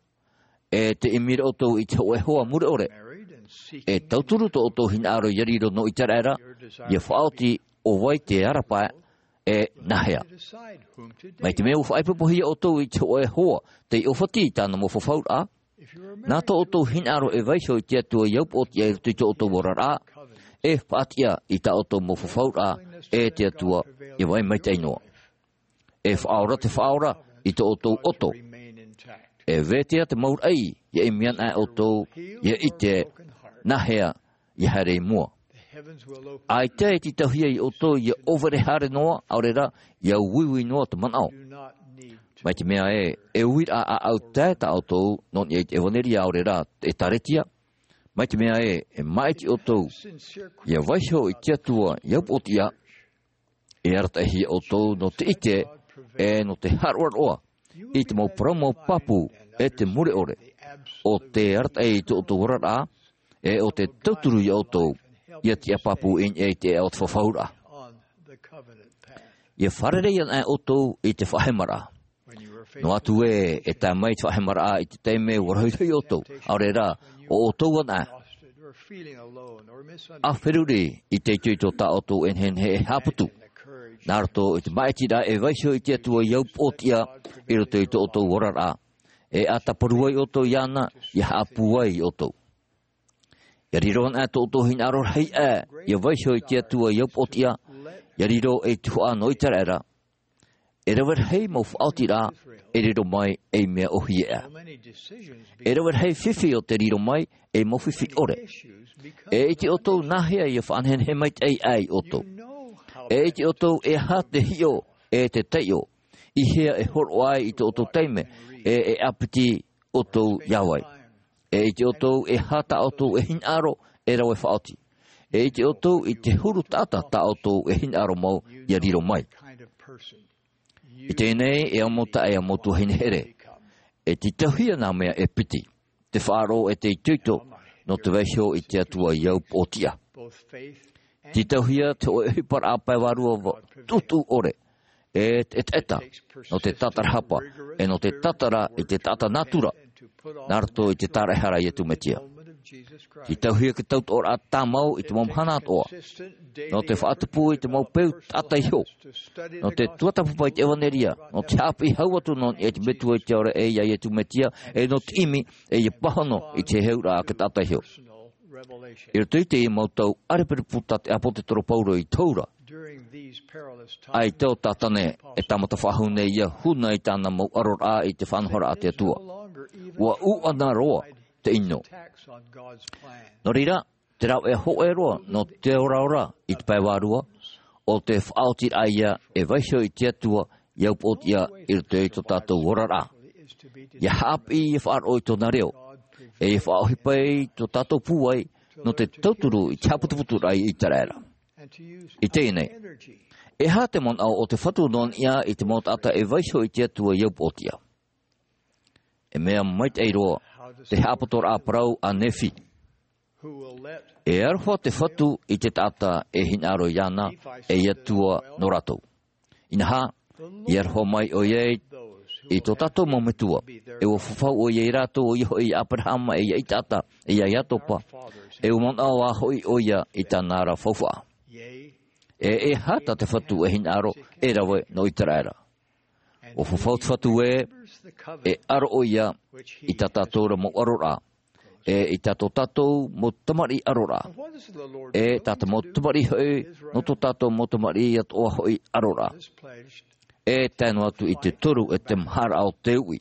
e te ʻimi ra ʻoutou i te hōʻē hoa mure ʻore. E tauturu tō ʻoutou hinaʻaro ia riro nō ʻĪteraʻera, ia faʻaoti ʻo vai te ara pae, e nāhea. Mai te mea ʻua faʻaipoipohia ʻoutou i te hōʻē hoa, tei ʻōfati i tāna mau fafauraʻa, nā tō ʻoutou hinaʻaro e vaiho i te Atua ia upoʻotiʻa i roto i tō ʻoutou oraraʻa, e faʻatiʻa i tā ʻoutou mau fafauraʻa, e te Atua, e vai maitaʻi noa. E faʻaora te Faʻaora i tō ʻoutou ʻoto. E vete te mau raʻi, ia ʻimi ana ʻoutou, ia ʻite, nā hea, ia haere i mua. ʻAita e tītauhia ia ʻoutou, ia ʻōvere haere noa, ʻaore rā, ia uiui noa te manaʻo. Mai te mea ē, e uiraʻa ʻāʻau tae tā ʻoutou, nō niʻa i te ʻevanelia ʻaore rā, ʻēkālesia. Mai te mea ē, e maʻiti ʻoutou, ia vaiho i te Atua, ia upoʻotiʻa, e arataʻihia ʻoutou, nō te ʻite, e nō te haʻaroʻaroʻa, i te mau parau mau pāpū, e te mure ʻore, ʻo tē arataʻi i tō ʻoutou oraraʻa, e ʻo tē tauturu ia ʻoutou, ia tiʻa pāpū i niʻa i te ʻēʻa o te fafauraʻa. Ia fārerei ana ʻoutou i te faʻahemaraʻa. Noa atu ē, e tae mai te faʻahemaraʻa i te taime ʻua rohirohi ʻoutou, ʻaore rā, ʻo ʻoutou ana. ʻA feruri i te itoito tā ʻoutou e nehenehe e haʻaputu. Nā roto i te māʻitiraʻa e vaiho i te Atua ia upoʻotiʻa, i roto i tō ʻoutou oraraʻa. E ʻa tāparu ai ʻoutou iāna, ia haʻapūai ʻoutou. Ia riro ana tō ʻoutou hinaʻaro rahi aʻe, ia vaiho i te Atua ia upoʻotiʻa, ia riro ei tuhaʻa nō ʻĪteraʻera. E rave rahi mau faʻaotiraʻa, e riro mai ei mea ʻōhie aʻe. E rave rahi fifi ʻo tē riro mai, ei mau fifi ʻore. E ʻite ʻoutou nā hea ia faʻanehenehe maitaʻi aʻe ia ʻoutou. E ʻite ʻoutou e aha te hiʻo, e te taiʻo. I hea e hōroʻa ai i tō ʻoutou taime, e, e ʻāpiti ʻoutou ia vai. E ʻite ʻoutou e aha tā ʻoutou e hinaʻaro e rave faʻaoti. E ʻite ʻoutou i te huru taʻata tā ʻoutou e hinaʻaro mau ia riro mai. I teie nei, e ʻamotaʻa e mau tuahine here. E tītauhia nā mea e piti. Te faʻaroʻo e te itoito, nō te vaiho i te Atua ia upoʻotiʻa. Tītauhia te hōʻē ʻohiparaʻa pae vārua va-, tūtū ʻore. E te ʻetaʻeta, nō te tātarahapa, e nō te tātara i te taʻata nātura, nā roto i te tāraʻehara a Iesu Mesia. Tītauhia te tautoʻoraʻa tāmau i te mau mahana atoʻa. Nō te faʻatupu i te mau peu taʻata iho. Nō te tuatāpapa i te ʻevanelia, nō te haʻapiʻi hau atu nō niʻa i te metua i te ao ra e ia Iesu Mesia, e nō te ʻimi, e ia pāhono i te heheuraʻa a te taʻata iho. I roto i teie mau tau ʻārepurepu tā te ʻāpōsetolo Paulo i te hau ra. ʻAita ʻo Satane e tāmata faʻahou nei ia huna i tāna mau ʻaroraʻa i te faʻanahoraʻa a te Atua. ʻUa ʻuʻana roa te ʻino. Nō reira, te rāveʻa hōʻē roa nō te oraora i te pae vārua, ʻo te faʻaotiraʻa ia e vaiho i te Atua ia upoʻotiʻa i roto i tō tātou oraraʻa. Ia haʻapiʻi, ia faʻaroʻo i tōna reo. E ia faʻaʻohipa i tō tātou pūai, nō te tauturu i te haʻaputuputuraʻa i ʻĪteraʻera. I teie nei, e aha te manaʻo o te Fatu nō niʻa i te mau taʻata e vaiho i te Atua ia upoʻotiʻa? E mea maitaʻi roa, te haʻapotoraʻa parau a Nephi. E aroha te Fatu i te taʻata e hinaʻaro iāna, e i tua nō rātou. Inaha, i aroha mai ʻoia i, i tō tātou mau metua, e ʻua fafau ʻoia ia rātou, ʻoia hoʻi ia Aperahama, e ia Isaaka, e ia Iakoba, e ʻua manaʻo ā hoʻi ʻoia i tāna ra faufaʻa. E, e aha tā te Fatu e hinaʻaro e rave nō ʻĪteraʻera? ʻUa fafau te Fatu ē, e aro ʻoia i tā tātou ra mau ʻaroraʻa, e i tā tō tātou mau tamariʻi ʻaroraʻa, e tā te mau tamariʻi hoʻi, nō tō tātou mau tamariʻi atoʻa hoʻi ʻaroraʻa. E tae noa atu i te toru e te maharaʻa o te uʻi.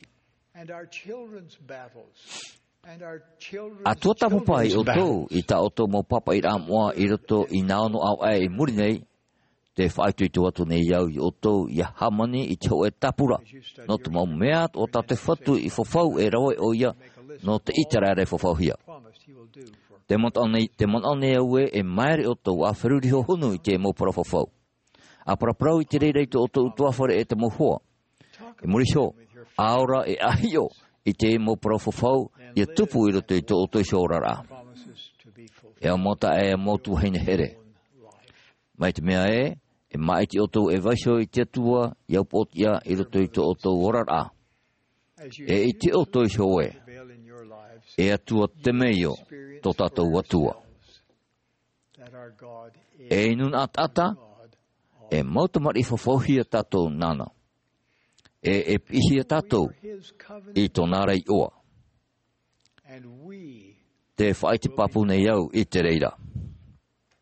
ʻA tuatāpapa ai ʻoutou i tā ʻoutou mau pāpaʻiraʻa moʻa i roto i nā ono ʻāvaʻe i muri nei, tē faʻaitoito atu nei au ia ʻoutou ia hāmani i te hōʻē tāpura, nō te mau mea atoʻa tā te Fatu i fafau e rave ʻoia, nō te ʻĪteraʻera e fafauhia. Tē manaʻo nei, tē manaʻo nei au ē, e māere ʻoutou ʻa feruri hohonu i te mau parau fafau. ʻA paraparau i te reira i tō ʻoutou ʻutuāfare e te mau hoa. I muri iho, ʻa ora e ʻa hiʻo i te mau parau fafau, ia tupu i roto i tō ʻoutou iho oraraʻa. E ʻamotaʻa e mau tuahine here. Mai te mea ē, e māʻiti ʻoutou e vaiho i te Atua, ia upoʻotiʻa i roto i tō ʻoutou oraraʻa. E ʻite ʻoutou iho ē, e Atua temeio tō tātou Atua. E nūnaʻa taʻata, e mau tamariʻi fafauhia tātou nāna. E, e piʻihia tātou i tōna ra iʻoa. Tē faʻaʻite pāpū nei au i te reira.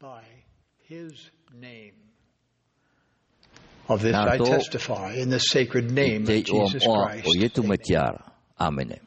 By his name. Of this I testify in the sacred name of Jesus Christ. Nā roto i te iʻoa moʻa o Iesu Mesia ra. ʻĀmene.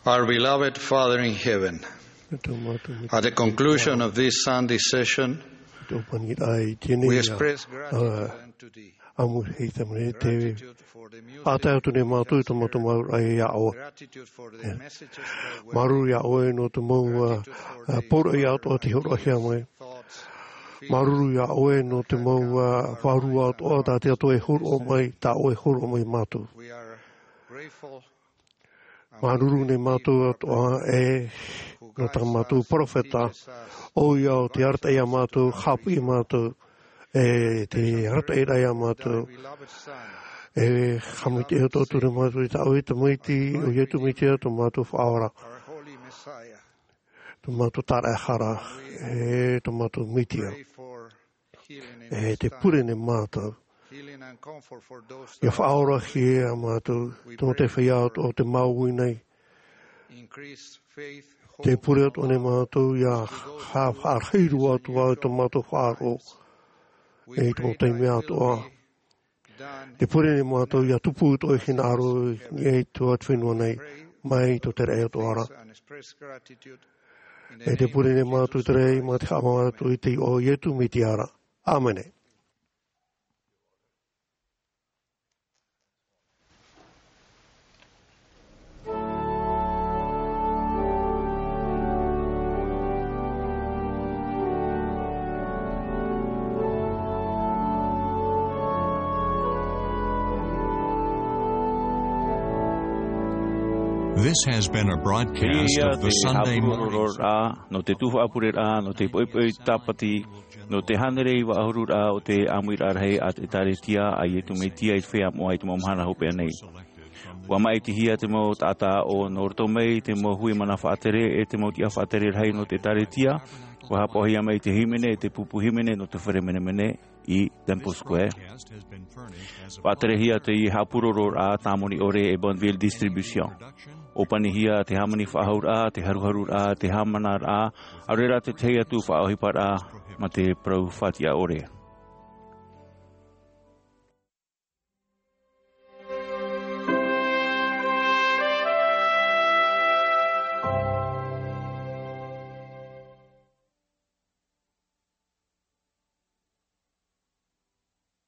Our beloved Father in heaven, at the conclusion of this Sunday session, we express gratitude unto thee. ʻĀmui hei tamariʻi te faʻatae atu nei mātou i tō mātou māuruuru iā ʻoe. Māuruuru iā ʻoe nō te mau poroʻi atoʻa tei hōroʻahia mai. Māuruuru iā ʻoe nō te mau vārua atoʻa tā te atua e hōroʻa mai, tā ʻoe e hōroʻa mai mātou. Māuruuru nei mātou atoʻa e nō tā mātou peropheta, ʻoia ʻo tei arataʻi iā mātou, haʻapiʻi iā mātou, e tei arataʻi iā mātou. E haʻamaitaʻi atoʻa atu nei mātou i tā ʻoe tamaiti, ʻo Iesu Mesia tō mātou Faʻaora, tō mātou Tāraʻehara, e tō mātou Mesia. E tē pure nei mātou. ʻIa faʻaorahia mātou, tō te feiā atoʻa tē māuiui nei. Tē pure atoʻa nei mātou, ʻia haʻa-, haʻarahi roa atu ā tō mātou faʻaroʻo. E i te mau taime atoʻa. Tē pure nei mātou, ʻia tupu tō ʻoe hinaʻaro i niʻa i tō te fenua nei, mai tō te raʻi atoʻa ra. E tē pure nei mātou te raʻi, mā te haʻamāuruuru i te iʻoa o Iesu Mesia ra. ʻĀmene. This has been a broadcast of the Sunday morning. Nō te tūfaʻapureʻraʻa, nō te poʻipoʻi tāpati, nō te hānere iva ʻahuru ra o te ʻāmuiraʻa rahi a te ʻĒkālesia a Iesu Mesia i te feiā moʻa i te mau mahana hopeʻa nei. ʻUa māʻitihia te mau taʻata aʻo nō roto mai i te mau hui mana faʻatere e te mau tiʻa faʻatere rahi nō te ʻĒkālesia, ʻua haʻapaʻohia mai te hīmene, te pupu hīmene nō te fare menemene i Temple Square. Faʻaterehia te haʻapurororaʻa tāmoni ʻore e Bonneville Distribution. ʻŌpanihia te hāmani faʻahouraʻa, te haruharuraʻa, te haʻamanaraʻa, ʻaore rā te tahi atu faʻaʻohiparaʻa mā te parau faʻatiʻa ʻore.